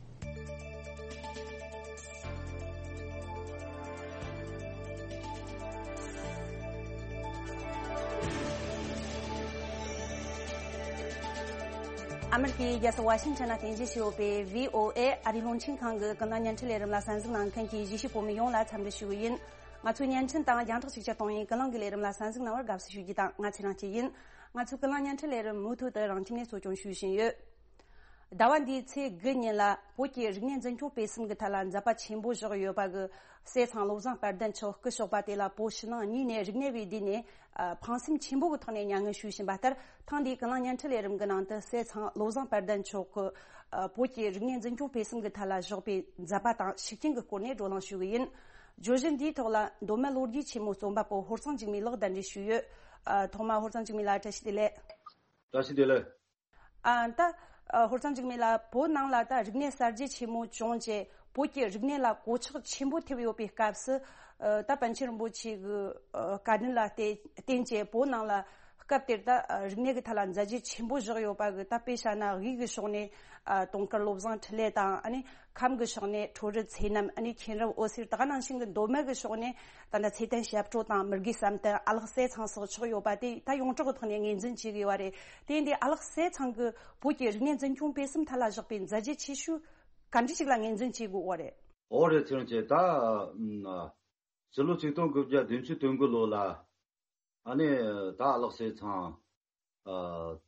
ཨ་མེ་རི་ཁའི་རྒྱལ་ས་ཝ་ཤིང་ཊོན་ནས་རྟེན་གཞི་བྱས་ཡོད་པའི་བྷི་ཨོ་ཨེ་ཨ་རིའི་རླུང་འཕྲིན་ཁང་གི་ཀུན་གླེང་བརྙན་འཕྲིན་ལས་རིམ་ལ་གསན་གཟིགས་གནང་མཁན་གྱི་གཞིས་བྱེས་བོད་མི་ཡོངས་ལ་འཚམས་འདྲི་ཞུ་གི་ཡིན། ང་ཚོའི་བརྙན་འཕྲིན་དང་རྒྱང་བསྒྲགས་ཤུགས་ཆེར་གཏོང་བའི་ཀུན་གླེང་གི་ལས་རིམ་ལ་གསན་གཟིགས་གནང་བར་དགའ་བསུ་ཞུ་རྒྱུ་དང་། ང་ཚེ་རིང་སྐྱིད་ཡིན། ང་ཚོའི་ཀུན་གླེང་བརྙན་འཕྲིན་ལས་རིམ་མུ་མཐུད་དུ་རང་ཁྱིམ་ནས་གཙོ་སྐྱོང་ཞུས་བཞིན་ཡོད། ཟླ་བ་འདིའི་ཚེས་དགུ་ཉིན་ལ་བོད་ཀྱི་རིག་གནས་འཛིན་སྐྱོང་སྤེལ་གསུམ་གྱི་ཐད་ལ་མཛད་པ་ཆེན་པོ་བཞག་ཡོད་པ་གི་སྲས་ཚང་བློ་བཟང་དཔལ་ལྡན་མཆོག་སྐུ་གཤེགས་པ་དེ་ལ་བོད་ཕྱི་ནང་གཉིས་ནས་རིག་གནས་པའི་སྡེ་ནས་ཨ། ཕངས་སེམས་ཆེན་པོ་གི་ཐོག་ནས་མྱ་ངན་ཞུས་བཞིན་པ་ལྟར། ཐེངས་འདིའི་ཀུན་གླེང་བརྙན་འཕྲིན་ལས་རིམ་གྱི་ནང་དུ་སྲས་ཚང་བློ་བཟང་དཔལ་ལྡན་མཆོག་གི་ཨ། བོད་ཀྱི་རིག་གནས་འཛིན་སྐྱོང་སྤེལ་གསུམ་གྱི་ཐད་ལ་བཞག་པའི་མཛད་པ་དང་ཤུགས་རྐྱེན་གྱི་སྐོར་ནས་བགྲོ་གླེང་ཞུ་གི་ཡིན། བརྗོད་གཞི་འདིའི་ཐོག་ལ་མདོ་སྨད་ལོ་རྒྱུས་ཆེན་མོའི་རྩོམ་པ་པོ་ཧོར་གཙང་འཇིགས་མེད་ལགས་གདན་འདྲེན་ཞུས་ཡོད། ཨ། ཐོག་མར་ཧོར་གཙང་འཇིགས་མེད་ལགས། བཀྲ་ཤིས་བདེ་ལེགས། བཀྲ་ཤིས་བདེ་ལེགས། ཨ། ད་ཨ། ཧོར་གཙང་འཇིགས་མེད་ལགས། བོད་ནང་ལ་ད་རིག་གནས་གསར་བརྗེ་ཆེན་མོ་བྱུང་རྗེས་བོད་ཀྱི་རིག་གནས་ལ་གོད་ཆག་ཆེན་པོ་ཐེབས་ཡོད་པའི་སྐབས་སུ། ཨ། ད་པཎ་ཆེན་རིན་པོ་ཆེ་གི་ཨ། བཀའ་དྲིན་ལ་བརྟེན་བརྟེན་བྱས་བོད་ནང་ལ་སྐབས་དེར་ད་ཨ། རིག་གནས་ཀྱི་ཐད་ལ་མཛད་རྗེས་ཆེན་པོ་བཞག་ཡོད་པ་གི། ད་དཔེ་བཞག་ན་དབུས་ཀྱི་ཕྱོགས་ནས་ཨ། དུང་དཀར་བློ་བཟང་འཕྲིན་ལས་དང་། ཨ་ནི་ཁམས་ཀྱི་ཕྱོགས་ནས་ཁྲོ་རུ་ཚེ་རྣམ། ཨ་ནི་མཁྱེན་རབ་འོད་ཟེར། ད་ག་ནང་བཞིན་གྱི་མདོ་སྨད་ཀྱི་ཕྱོགས་ནས་ད་ལྟ་ཚེ་བརྟན་ཞབས་བྲོ་དང་མི་དགེ་བསམ་གཏན། ཨ་ལགས་སྲས་ཚང་སོགས་ཆགས་ཡོད་པ་དེ་ད་ཡོངས་གྲགས་ཀྱི་ཐོག་ནས་ངོས་འཛིན་བྱེད་དགོས་པ་རེད། དེ་ཡིན་དུས་ཨ་ལགས་སྲས་ཚང་གི་བོད་ཀྱི་རིག་གནས་འཛིན་སྐྱོང་སྤེལ་གསུམ་ཐད་ལ་བཞག་པའི་མཛད་རྗེས་ཆེ་ཤོས་ག་འདྲ་ཞིག་ལ་ངོས་འཛིན་བྱེད་དགོས་པ་རེད། འོ་རེད། ཚེ་རིང་ཅེ། ད་ཨ། སྤྱི་ལོ་ཆིག་སྟོང་དགུ་བརྒྱ་བདུན་ཅུ་དོན་དགུ་ལོ་ལ་ཨ་ནི་ད་ཨ་ལགས་སྲས་ཚང་ཨ།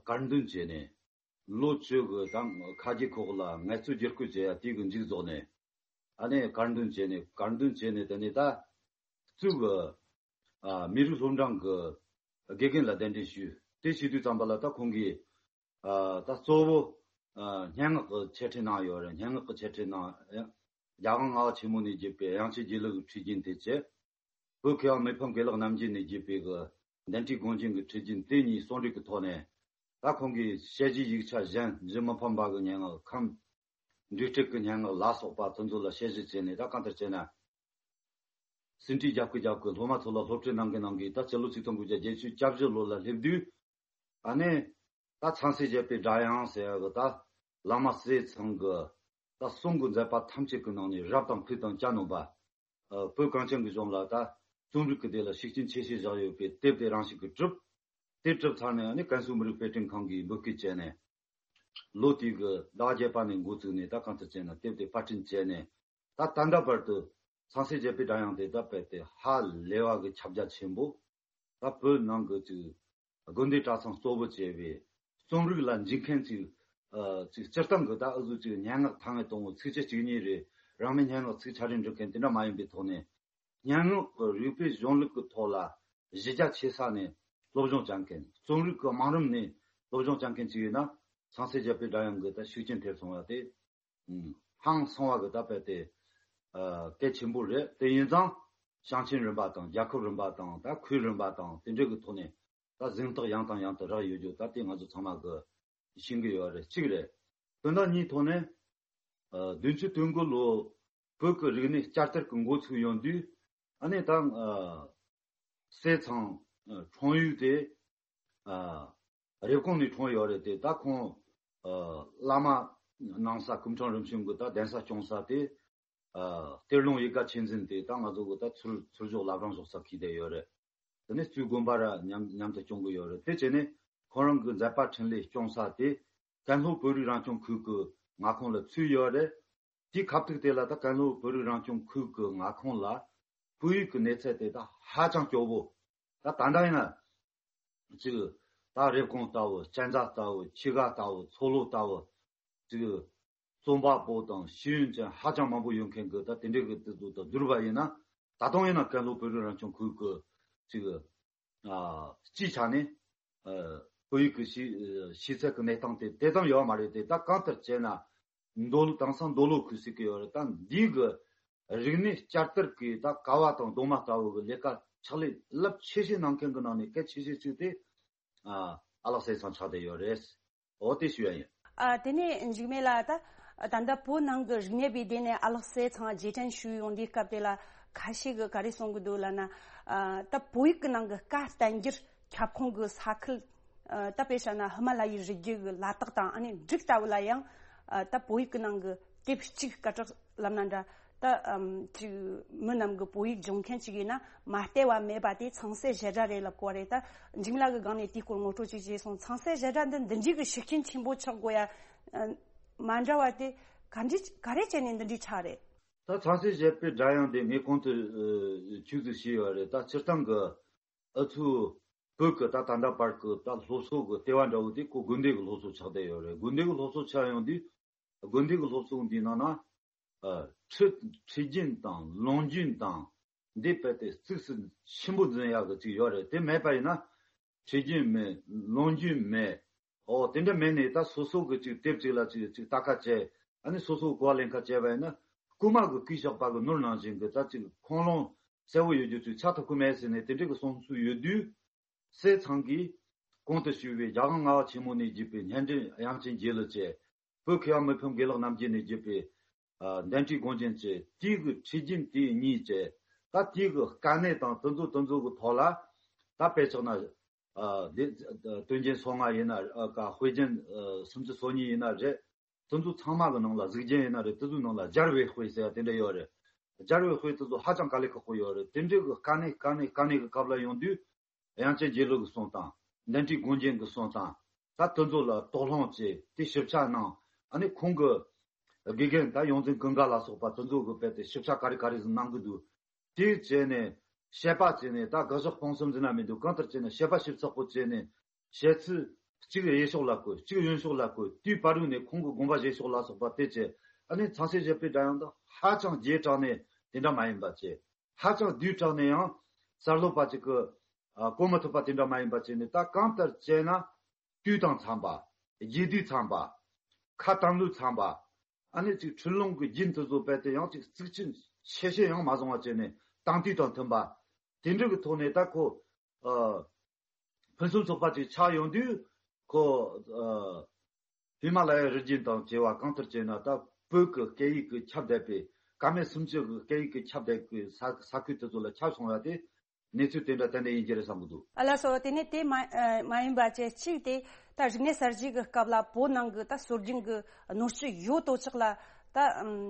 དཀར་འདོན་བྱས་ནས། ལོ་བཅུ་གི་ད་ཁ་རྒྱའི་ཁོག་ལ་ངལ་རྩོལ་བསྒྱུར་བཀོད་བྱེད་ཡ་དེ་གི་མཇུག་རྫོགས་ནས། ཨ་ནི་དཀར་འདོན་བྱས་ནས། དཀར་འདོན་བྱས་ནས་དེ་ནས་ད་གཙོས་གི་ཨ། མི་རིགས་སློབ་འབྲིང་གི་དགེ་རྒན་ལ་གདན་འདྲེན་ཞུས། དེ་བྱེད་དུས་ཙམ་པ་ལ་ད་ཁོང་གིས་ཨ། ད་གཙོ་བོ་ཨ། སྙན་ངག་གི་འཆད་ཁྲིད་གནང་ཡོད་རེད། སྙན་ངག་གི་འཆད་ཁྲིད་གནང་། རྒྱལ་དབང་ལྔ་པ་ཆེན་མོ་ནས་བརྒྱུད་པའི་དབྱངས་ཅན་དགེ་ལེགས་ཀྱི་ཁྲིད་རྒྱུན་དེ་བྱས། བོད་མཁས་དབང་མི་ཕམ་དགེ་ལེགས་རྣམ་རྒྱལ་ནས་བརྒྱུད་པའི་གི་གདན་འདྲེན་དགོངས་རྒྱན་གྱི་ཁྲིད་རྒྱུན་དེ་གཉིས་གསོག་འབྲེལ་གྱི་ཐོག་ནས། ད་ཁོང་གིས་དཔྱད་གཞིའི་ཡིག་ཆ་གཞན་བཞི་མི་ཕམ་པ་གི་སྙན་ངག། ཁམས་འབྲེལ་སྒྲིག་གི་སྙན་ངག་ལ་སོགས་པ་དེ་ཚོ་ལ་དཔྱད་གཞི་བྱས་ནས། ད་གང་ལྟར་བྱས་ན་ཟིན་བྲིས་རྒྱབ་ཀྱི་རྒྱབ་ཀྱི་སློབ་མ་ཚོ་ལ་སློབ་ཁྲིད་གནང་གི་གནང་གི། ད་སྤྱི་ལོ་ཆིག་སྟོང་དགུ་བརྒྱ་བརྒྱད་ཅུ་གྱ་བཞི་ལོ་ལ་སླེབས་དུས། ཨ་ནི་ད་ཚངས་སྲས་བཞད་པའི་སྒྲ་དབྱངས་ཟེར་ཡ་གི་ད་བླ་མ་སྲས་ཚང་གི་ད་གསུང་གི་མཛད་པ་ཐམས་ཅད་ཀྱི་ནང་ནས་རབ་དང་ཕུག་དང་གྱ་ནོམ་པ། ཨ། བོད་གངས་ཅན་གྱི་ལྗོངས་ལ་ད་རྩོམ་རིག་གི་སྡེ་ལ་ཤུགས་རྐྱེན་ཆེ་ཤོས་བཞག་ཡོད་པའི་དེབ་དེ་རང་ཞིག་གིས་གྲུབ། དེ་གྲུབ་ཚར་ནས་ཨ་ནི་ཀན་སུའུ་མི་རིགས་དཔེ་སྐྲུན་ཁང་གིས་འབོད་སྐུལ་བྱས་ནས། ལོ་དེའི་གི་ཟླ་བརྒྱད་པ་ནས་འགོ་བཙུགས་ནས། ད་གང་ལྟར་བྱས་ན་དེབ་དེ་པར་སྐྲུན་བྱས་ནས། ད་ད་ལྟ་བར་དུ་ཚངས་སྲས་བཞད་པའི་སྒྲ་དབྱངས་དེ་ད་རྦད་དེ་ཧ་ལས་པ་གི་ཁྱབ་རྒྱ་ཆེན་པོ། ད་བོད་ནང་གི་ཅིག་དགོན་སྡེ་གྲྭ་ཚང་གཙོ་བོ་བྱས་པའི་རྩོམ་རིག་ལ་འཇུག་མཁན་ཅིག་ཨ། ཅིག་སྤྱིར་བཏང་གི་ད་འུ་ཚོ་ཅིག་སྙན་ངག་ཐ་སྙད་དང་པོ་ཚིགས་བཅད་གཅིག་གཉིས་རེ། རང་མོས་སྙན་ངག་ཚིག་ཆ་རེ་འབྲི་མཁན་དེ་འདྲ་མ་ཡིན་པའི་ཐོག་ནས། སྙན་ངག་གི་རིག་པའི་གཞུང་ལུགས་ཀྱི་ཐོག་ལ་གཞི་རྒྱ་ཆེ་ས་ནས་སློབ་སྦྱོང་བྱ་མཁན། རྩོམ་རིག་གི་བང་རིམ་ནས་སློབ་སྦྱོང་བྱ་མཁན་ཅིག་ཡིན་ན། ཚངས་སྲས་བཞད་པའི་སྒྲ་དབྱངས་ཀྱི་ད་ཤུགས་རྐྱེན་ཐེབས་སོང་བ་དེ། ཧང་སང་བ་གི་ད་རྦད་དེ་ཨ། གལ་ཆེན་པོ་རེད། དེ་ཡིན་ཙང་ཞིང་ཆེན་རིམ་པ་དང་། རྒྱལ་ཁབ་རིམ་པ་དང་། ད་ཁུལ་རིམ་པ་དང་། དེ་འདྲ་གི་ཐོག་ནས་ད་གཟེངས་རྟགས་ཡང་དང་ཡང་དུ་རག་ཡོད་རྒྱུ་ད་དེ་ང་ཚོ་ཚང་མ་གི་ཤེས་ཀྱི་ཡོད་རེད། གཅིག་རེད། དོན་དག་གཉིས་ཐོག་ནས། ཨ། བདུན་ཅུ་དོན་དགུ་ལོ་བོད་ཀྱི་རིག་གནས་བསྐྱར་དར་གྱི་འགོ་ཚུགས་ཡོང་དུས། ཨ་ནི་ད་ཨ། སྲས་ཚང་ཨ། འཁྲུངས་ཡུལ་དེ་ཨ། རེབ་གོང་ནས་འཁྲུངས་ཡོད་རེད་དེ། ད་ཁོང་ཨ། བླ་མ་ནང་ས་སྐུ་ཕྲེང་རིམ་བྱོན་གྱི་ད་གདན་ས་སྐྱོང་ས་དེ་ཨ། གཏེར་ལུང་ཡིད་དགའ་ཆོས་འཛིན་དེ་ད་ང་ཚོ་གི་ད་ཚུར་ཚུར་ཕྱོགས་བླ་བྲང་ཕྱོགས་ས་འཁེལ་བསྡད་ཡོད་རེད། དེ་ནས་གཙོས་དགོན་པ་ར་མཉམ་མཉམ་དུ་སྐྱོང་གི་ཡོད་རེད། དེ་བྱས་ནས་ཁོང་རང་གི་མཛད་པ་འཕྲིན་ལས་སྐྱོང་ས་དེ་ཀན་ལྷོ་བོད་རིགས་རང་སྐྱོང་ཁུལ་གྱི་མངའ་ཁོངས་ལ་ཚུད་ཡོད་རེད། དེའི་ཁ་ཐུག་དེ་ལ་ད་ཀན་ལྷོ་བོད་རིགས་རང་སྐྱོང་ཁུལ་གྱི་མངའ་ཁོངས་ལ་བོད་ཡིག་གི་གནས་ཚད་དེ་ད་ཧ་ཅང་སྐྱོ་བོ། ད་ད་ལྟ་ཡིན་ན་ཅིག་ད་རེབ་གོང་ལྟ་བུ། གཅན་ཚ་ལྟ་བུ། ཁྱི་ག་ལྟ་བུ། མཚོ་ལྷོ་ལྟ་བུ། ཅིག་རྩོམ་པ་པོ་དང་ཤེས་ཡོན་ཅན་ཧ་ཅང་མང་པོ་ཡོད་མཁན་གྱི་ད་དེ་འདྲའི་གི་དེ་ཚོ་དང་བསྡུར་བ་ཡིན་ན། ད་དུང་ཡིན་ན་ཀན་ལྷོ་བོད་རིགས་རང་སྐྱོང་ཁུལ་གྱི་ཅིག་ཨ། སྤྱིའི་ཆ་ནས་ཨ། བོད་ཡིག་གི་ཤེས་ཤེས་ཚད་ཀྱི་གནས་སྟངས་དེ་དེ་ཙམ་ཡོད་མ་རེད་དེ། ད་གང་ལྟར་བྱས་ན་མདོ་ལུགས་དེང་སང་མདོ་ལོག་ཁུལ་ཟེར་གི་ཡོད་རེད། ད་འདི་གི་རིག་གནས་བསྐྱར་དར་གྱི་ད་ཀ་བ་དང་རྡོག་མ་ལྟ་བུ་གི་ལས་ཀ་ཕྱག་ལས་རླབས་ཆེ་ཤོས་གནང་མཁན་གྱི་ནང་ནས་གལ་ཆེ་ཤོས་གཅིག་དེ་ཨ། ཨ་ལགས་སྲས་ཚང་ཆགས་བསྡད་ཡོད་རེད། འོ་དེ་ཞུ་ཡ་ཡིན། ཨ། དེ་ནས་འཇིགས་མེད་ལགས། ད་ད་ལྟ་བོད་ནང་གི་རིག་གནས་པའི་སྡེ་ནས་ཨ་ལགས་སྲས་ཚང་རྗེས་དྲན་ཞུས་ཡོང་དུས་སྐབས་དེ་ལ་ཁ་ཤས་ཀྱིས་ག་རེ་གསུང་གི་འདུག་ལབ་ན། ཨ། ད་བོད་ཡིག་གི་ནང་གི་བཀའ་བསྟན་འགྱུར་ཁྱབ་ཁོངས་ཀྱི་ས་ཁུལ། ཨ། ད་དཔེ་བཞག་ན་ཧི་མ་ལ་ཡའི་རི་རྒྱུད་ཀྱི་ལ་དྭགས་དང་། ཨ་ནི་འབྲུག་ལྟ་བུ་ལ་ཡང་ཨ། ད་བོད་ཡིག་གི་ནང་གི་དེབ་གཅིག་སྐད་གྲགས་ལབ་ན་འདྲ། ད་ཨམ། ཅིག་མི་རྣམས་ཀྱི་བོད་ཡིག་སྦྱོང་མཁན་ཅིག་ཡིན་ན་མ་བལྟས་པ་མེད་པ་དེ་ཚངས་སྲས་བཞད་སྒྲ་རེད་ལབ་དགོས་རེད། ད་འཇིགས་མེད་ལགས་ཀྱི་སྒང་ནས་དེའི་སྐོར་ངོ་སྤྲོད་ཅིག་བྱས་སོང་། ཚངས་སྲས་བཞད་སྒྲ་འདི་འདི་འདྲའི་གི་ཤུགས་རྐྱེན་ཆེན་པོ་ཆགས་དགོས་ཡ་ཨ། མ་འདྲ་བ་དེ་ག་འདྲ་ག་རེ་བྱས་ནས་འདི་འདྲའི་ཆགས་རེད། ད་ཚངས་སྲས་བཞད་པའི་སྒྲ་དབྱངས་དེ་ངས་གོང་དུ་ཨ། ཆུད་ཟོས་བྱས་ཡོད་རེད། ད་སྤྱིར་བཏང་གི་ཨུ་ཚུགས་ བོད་ཀྱི་ད་ད་ལྟ་བར་གྱི་ད་སློབ་གསོ་གི་ལྟེ་བ་འདྲ་བོ་དེ་ཁོ་དགོན་སྡེ་གི་སློབ་གསོ་ཆགས་བསྡད་ཡོད་རེད། དགོན་སྡེ་གི་སློབ་གསོ་ཆགས་ཡོང་དུས་དགོན་སྡེ་གི་སློབ་གསོ་འདིའི་ནང་ན་ཨ་ཁྲིད་ཁྲིད་རྒྱུན་དང་ལུང་རྒྱུན་དང་འདི་རྦད་དེ་གཙིགས་སུ་ཆེན་པོ་འཛིན་ཡག་གི་ཅིག་ཡོད་རེད། དེ་མེད་པ་ཡིན་ན་ཁྲིད་རྒྱུན་མེད། ལུང་རྒྱུན་མེད། ཨོ་དེ་འདྲ་མེད་ནས་ད་སོ་སོ་གི་ཅིག་དེབ་ཅིག་ལ་ཅིག་ཅིག་ལྟ་ཁ་བྱས། ཨ་ནི་སོ་སོ་གོ་བ་ལེན་ཁ་བྱས་པ་ཡིན་ན་རྐུན་མ་གི་རྐུས་བཞག་པ་གི་ནོར་ནང་བཞིན་གི་ད་ཅིག་ཁུངས་ལུང་གསལ་བོ་ཡོད་རྒྱུ་ཅིག་ཆགས་ཐུབ་ཀྱི་མེད་ཟེར་ནས་དེ་འདྲ་གི་གསུང་ཚུལ་ཡོད་དུས། སྲས་ཚང་གིས་གོང་དུ་ཞུས་པའི་རྒྱལ་དབང་ལྔ་པ་ཆེན་མོ་ནས་བརྒྱུད་པའི་སྙན་འགྲེལ་དབྱངས་ཅན་དགྱེས་གླུ་བཅས། བོད་མཁས་པ་མི་ཕམ་དགེ་ལེགས་རྣམ་རྒྱལ་ནས་བརྒྱུད་པའི་ཨ་གདན་དྲིའི་དགོངས་རྒྱན་བཅས། དེའི་གི་ཁྲིད་རྒྱུན་དེའི་གཉིས་བཅས། ད་དེའི་གི་དཀའ་གནད་དང་དེ་ཚོ་དེ་ཚོ་གི་ཐོག་ལ་ད་དཔེ་ཆ་ན་ཨ་དེ་དོན་རྒྱན་སོ་ལྔ་ཡིན་ན་ཨ་ཀ་དཔེ་རྒྱན་ཨ་སུམ་ཅུ་སོ་གཉིས་ཡིན་ན་རེད། དེ་ཚོ་ཚང་མ་གི་ནང་ལ་གཟུགས་རྒྱན་ཡིན་ན་རེད། དེ་ཚོའི་ནང་ལ་སྦྱར་བའི་དཔེ་ཟེར་ཡ་དེ་འདྲ་ཡོད་རེད། སྦྱར་བའི་དཔེ་དེ་ཚོ་ཧ་ཅང་དཀའ་ལས་ཁག་པོ་ཡོད་རེད། དེ་འདྲའི་གི་དཀའ་གནད་དཀའ་གནད་དཀའ་གནད་གི་སྐབས་ལ་ཡོང་དུས། དབྱངས་ཅན་དགྱེས་གླུ་གི་གསུང་དང་། གདན་དྲིའི་དགོངས་རྒྱན་གི་གསུང་དང་། ད་དེ་ཚོ་ལ་དོགས་སློང་བྱས་ཏེ་ཞིབ་ཆ་གནང་། ཨ་ནི་ཁོང་གི་དགེ་རྒན་ད་ཡོངས་འཛིན་ཀུན་དགའ་ལ་སོགས་པ་དེ་ཚོ་གི་རྦད་དེ་ཞིབ་ཆ་ག་རེ་ག་རེ་ཟིག་གནང་གི་འདུག་དེ་བྱས་ནས་དཔྱད་པ་བྱས་ནས། ད་དགག་བཞག་སྤང་གསུམ་ཟེར་ན་མི་འདུག་གང་ལྟར་བྱས་ནས་དཔྱད་པ་ཞིབ་ཚགས་པོ་བྱས་ནས། བཤད་ཚུལ་གཅིག་གཡས་ཕྱོགས་ལ་བཀོད། གཅིག་གཡོན་ཕྱོགས་ལ་བཀོད། དེའི་བར་དུ་ནས་ཁོང་གི་དགོངས་པ་བཞེས་ཕྱོགས་ལ་སོགས་པ་དེ་བཅས། ཨ་ནི་ཚངས་སྲས་བཞད་པའི་སྒྲ་དབྱངས་དེ་ཧ་ཅང་རྒྱས་དྲགས་ནས་དེ་འདྲ་མ་ཡིན་པ་བཅས། ཧ་ཅང་བསྡུས་དྲགས་ནས་ཡང་གསར་སློབ་པ་ཅིག་གིས་ཨ་གོ་མི་ཐུབ་པ་དེ་འདྲ་མ་ཡིན་པ་བྱས་ནས། ད་གང་ལྟར་བྱས་ན་དུས་དང་འཚམ་པ། རྒྱས་བསྡུས་འཚམ་པ། ཁ་དམ་ལུགས་འཚམ་པ། ཨ་ནི་ཅིག་འཁྲུལ་ལུང་གི་རྒྱན་དེ་ཚོ་རྦད་དེ་ཡང་ཅིག་གཙིགས་ཆེན་ཆེ་བཤད་ཡང་མ་བཟུང་བ་བྱས་ནས་དེང་དུས་དང་མཐུན་པ། དེ་འདྲ་གི་ཐོག་ནས་ད་ཁོ་ཨ་ཕུན་སུམ་ཚོགས་པ་ཅིག་ཆགས་ཡོང་དུས། ཁོ་ཨ་ཧི་མ་ལ་ཡའི་རི་རྒྱུད་དང་བཅས་པ། གང་ལྟར་བྱས་ན་ད་བོད་ཀྱི་སྐད་ཡིག་གི་ཁྱབ་བསྡད་པའི། བཀའ་མ་སུམ་ཅུ་གི་སྐད་ཡིག་གི་ཁྱབ་བསྡད་པའི་ས་ས་ཁུལ་དེ་ཚོ་ལ་ཁྱབ་སོང་བ་དེ་གནས་ཚུལ་དེ་འདྲ་ཏན་ཏན་ཡིན་གྱི་རེད་བསམ་གྱི་འདུག་ཨ་ལགས་སོ། དེ་ནས་དེ་མ་ཨ་མ་ཡིན་པ་བཅས་གཅིག་དེ་ད་རིག་གནས་གསར་བརྗེ་གི་སྐབས་ལ་བོད་ནང་གི་ད་སྲོལ་རྒྱུན་གི་ནོར་སྲིད་ཡོད་དོ་ཅོག་ལ་ད་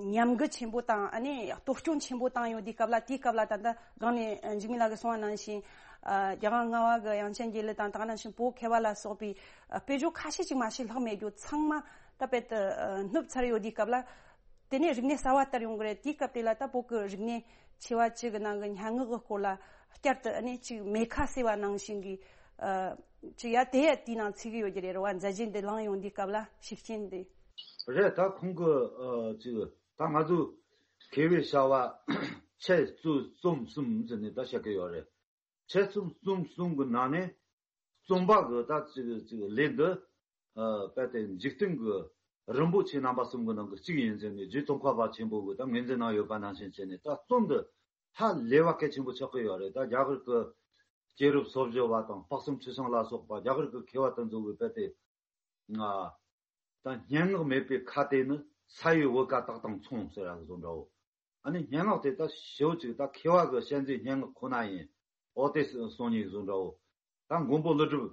ཉམས་རྒུད་ཆེན་པོ་དང་། ཨ་ནི་གཏོར་སྐྱོན་ཆེན་པོ་བཏང་ཡོད་དུས་སྐབས་ལ། དེའི་སྐབས་ལ་ད་ལྟ་སྒང་ནས་འཇིགས་མེད་ལགས་ཀྱིས་གསུངས་པ་ནང་བཞིན་ཨ་རྒྱལ་དབང་ལྔ་པ་གི་དབྱངས་ཅན་དགྱེས་གླུ་དང་། ད་ག་ནང་བཞིན་བོད་མཁས་པ་ལ་སོགས་པའི་ཨ་དཔེ་བརྗོད་ཁ་ཤས་ཅིག་མ་ཞིག་ལྷག་མེད་རྒྱུ། ཚང་མ་ད་རྦད་དེ་ཨ་ནུབ་ཚར་ཡོད་དུས་སྐབས་ལ། དེ་ནས་རིག་གནས་གསར་བ་ལྟར་ཡོང་གི་རེད། དེའི་སྐབས་དེ་ལ་ད་བོད་ཀྱི་རིག་གནས་ཆེ་བ་བཅུ་གི་ནང་གི་སྙན་ངག་གི་སྐོར་ལ་བསྐྱར་དུ་ཨ་ནི་ཅིག་མེ་ཁ་བསྲེས་པ་ནང་བཞིན་གྱི་ཨ་ཅིག་ཡ་དེ་ཡ་དེའི་ནང་ཚུད་ཀྱི་ཡོད་ཀྱི་རེད། རེད་བ། མཛད་རྗེས་འདི་བླངས་ཡོང་དུས་སྐབས་ལ་ཤུགས་རྐྱེན་དེ། རེད། ད་ཁོང་གི་ཨ་ཅིག་ད་ང་ཚོ་མཁས་པའི་བྱ་བ་ཆེད་རྩོམ་གསུམ་ཟེར་ནས་ད་བཤད་ཀྱི་ཡོད་རེད། ཆེད་རྩོམ་གསུམ་གསུམ་གྱི་ནང་ནས་རྩོམ་པ་གི་ད་ཅིག་ཅིག་ལས་འདི་ཨ་རྦད་དེ་འཇིག་རྟེན་གྱི་རིན་པོ་ཆེ་རྣམ་པ་གསུམ་གྱི་ནང་གི་གཅིག་ཡིན་ཟེར་ནས་རྗེ་ཙོང་ཁ་པ་ཆེན་པོ་གིས་ད་ངོས་འཛིན་གནང་ཡོད་པ་ནང་བཞིན་བྱས་ནས། ད་རྩོམ་འདི་ཧ་ལས་པ་གལ་ཆེན་པོ་ཆགས་ཀྱི་ཡོད་རེད། ད་རྒྱ་གར་གྱི་སྐྱེས་རབས་སོ་བཞི་པ་དང་དཔག་བསམ་ཁྲི་བྱང་ལ་སོགས་པ་རྒྱ་གར་གྱི་མཁས་པ་དེ་ཚོ་གིས་རྦད་དེ། ང་ད་སྙན་ངག་མེད་པའི་ཁ་དེ་ནི་ས་ཡི་བུ་ག་དག་དང་མཚུངས་ཟེར་ཡག་བཟོ་འདྲ་བོ། ཨ་ནི་སྙན་ངག་དེ་ད་ཞེ་པོ་ཅིག་ད་མཁས་པ་གི་བཤད་མཛོད་སྙན་ངག་ཁོ་ན་ཡིན། འོ་དེ་གསུང་ཉིན་བཟོ་འདྲ་བོ། ད་མགོན་པོ་ཀླུ་སྒྲུབ།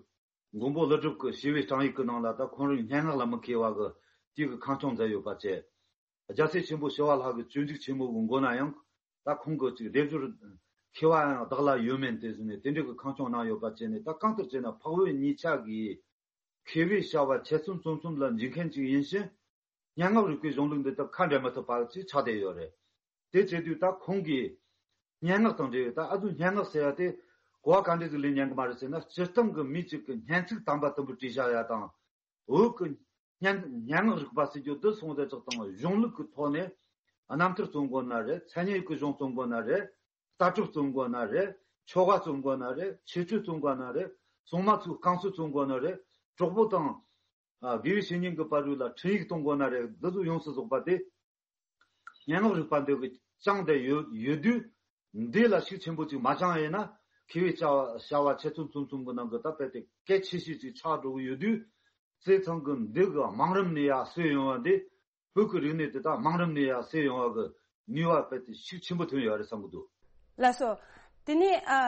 མགོན་པོ་ཀླུ་སྒྲུབ་ཀྱི་ཞི་བའི་སྤྲང་ཡིག་གི་ནང་ལ་ད་ཁོང་རང་སྙན་ངག་ལ་མི་མཁས་པ་གི་དེ་གི་ཁང་ཆུང་མཛད་ཡོད་པ་བཅས། རྒྱལ་སྲས་ཆེན་པོ་ཞི་བ་ལྷ་གི་སྤྱོད་འཇུག་ཆེན་མོ་གི་མགོ་ན་ཡང་ད་ཁོང་གི་ཅིག་སྡེབ་སྦྱོར་མཁས་པ་ཡང་བདག་ལ་ཡོད་མིན་དེ་ཟེར་ནས་དེ་འདྲ་གི་ཁང་ཆུང་གནང་ཡོད་པ་བཅས་ནས། ད་གང་ལྟར་བྱས་ན་འཕགས་བོད་གཉིས་ཆ་གི་མཁས་པའི་བྱ་བ་ཆེད་རྩོམ་རྩོམ་གསུམ་ལ་འཇུག་མཁན་ཅིག་ཡིན་ཕྱིན། སྙན་ངག་རིག་པའི་གཞུང་ལུགས་འདི་དག་ཁ་འབྲལ་མི་ཐུབ་པ་ཅིག་ཆགས་བསྡད་ཡོད་རེད། དེ་བྱེད་དུས་ད་ཁོང་གིས་སྙན་ངག་དང་འབྲེལ་བའི། ད་ཨ་ཚོས་སྙན་ངག་ཟེར་ཡ་དེ་གོ་བ་ག་འདྲ་ཟིག་ལེན་ཉན་གི་མ་རེད་ཟེར་ན། སྤྱིར་བཏང་གི་མི་གཅིག་གི་སྙན་ཚིག་དམ་པ་དུམ་བུ་བྲིས་བཞག་ཡ་དང་། བོད་ཀྱི་སྙན་སྙན་ངག་རིག་པ་ཟེར་རྒྱུ་འདི་སོང་དེ་ཅག་དང་། གཞུང་ལུགས་ཀྱི་ཐོག་ནས་རྣམ་ཐར་རྩོམ་དགོས་ན་རེད། མཚན་ཉིད་ཀྱི་གཞུང་རྩོམ་དགོས་ན་རེད། ལྟ་གྲུབ་རྩོམ་དགོས་ན་རེད། ཆོ་ག་རྩོམ་དགོས་ན་རེད། ཆོས་སྤྱོད་རྩོམ་དགོས་ན་རེད། སྲུང་མ་ཚོའི་བསྐང་གསོ་རྩོམ་དགོས་ན་རེད། གྲོགས་པོ་དང་ཨ་དགེ་བའི་བཤེས་གཉེན་གྱི་བར་རུ་ལ་འཕྲིན་ཡིག་གཏོང་དགོས་ན་རེད། འདི་ཚོ་ཡོངས་སུ་རྫོགས་པ་དེ་སྙན་ངག་རིག་པ་འདི་གིས་བསྐྱངས་ཏེ་ཡོད་ཡོད་དུས། འདི་ལ་ཤུགས་ཆེན་པོ་ཅིག་མ་བཅངས་ཡིན་ན། མཁས་པའི་བྱ་བ་བྱ་བ་ཆེད་རྩོམ་རྩོམ་གསུམ་གྱི་ནང་གི་ད་རྦད་དེ་གལ་ཆེ་ཤོས་ཅིག་ཆགས་འགྲོ་གི་ཡོད་དུས། སྲས་ཚང་གིས་འདི་གི་བང་རིམ་ནས་ཡར་གསོས་ཡོང་བ་འདི། བོད་ཀྱི་རིག་གནས་དེ་དག་བང་རིམ་ནས་ཡར་གསོས་ཡོང་བ་གི་ནུས་པ་རྦད་དེ་ཤུགས་ཆེན་པོ་ཐོན་ཡོད་རེད་བསམ་གྱི་འདུག་ལགས་སོ། དེ་ནས་ཨ་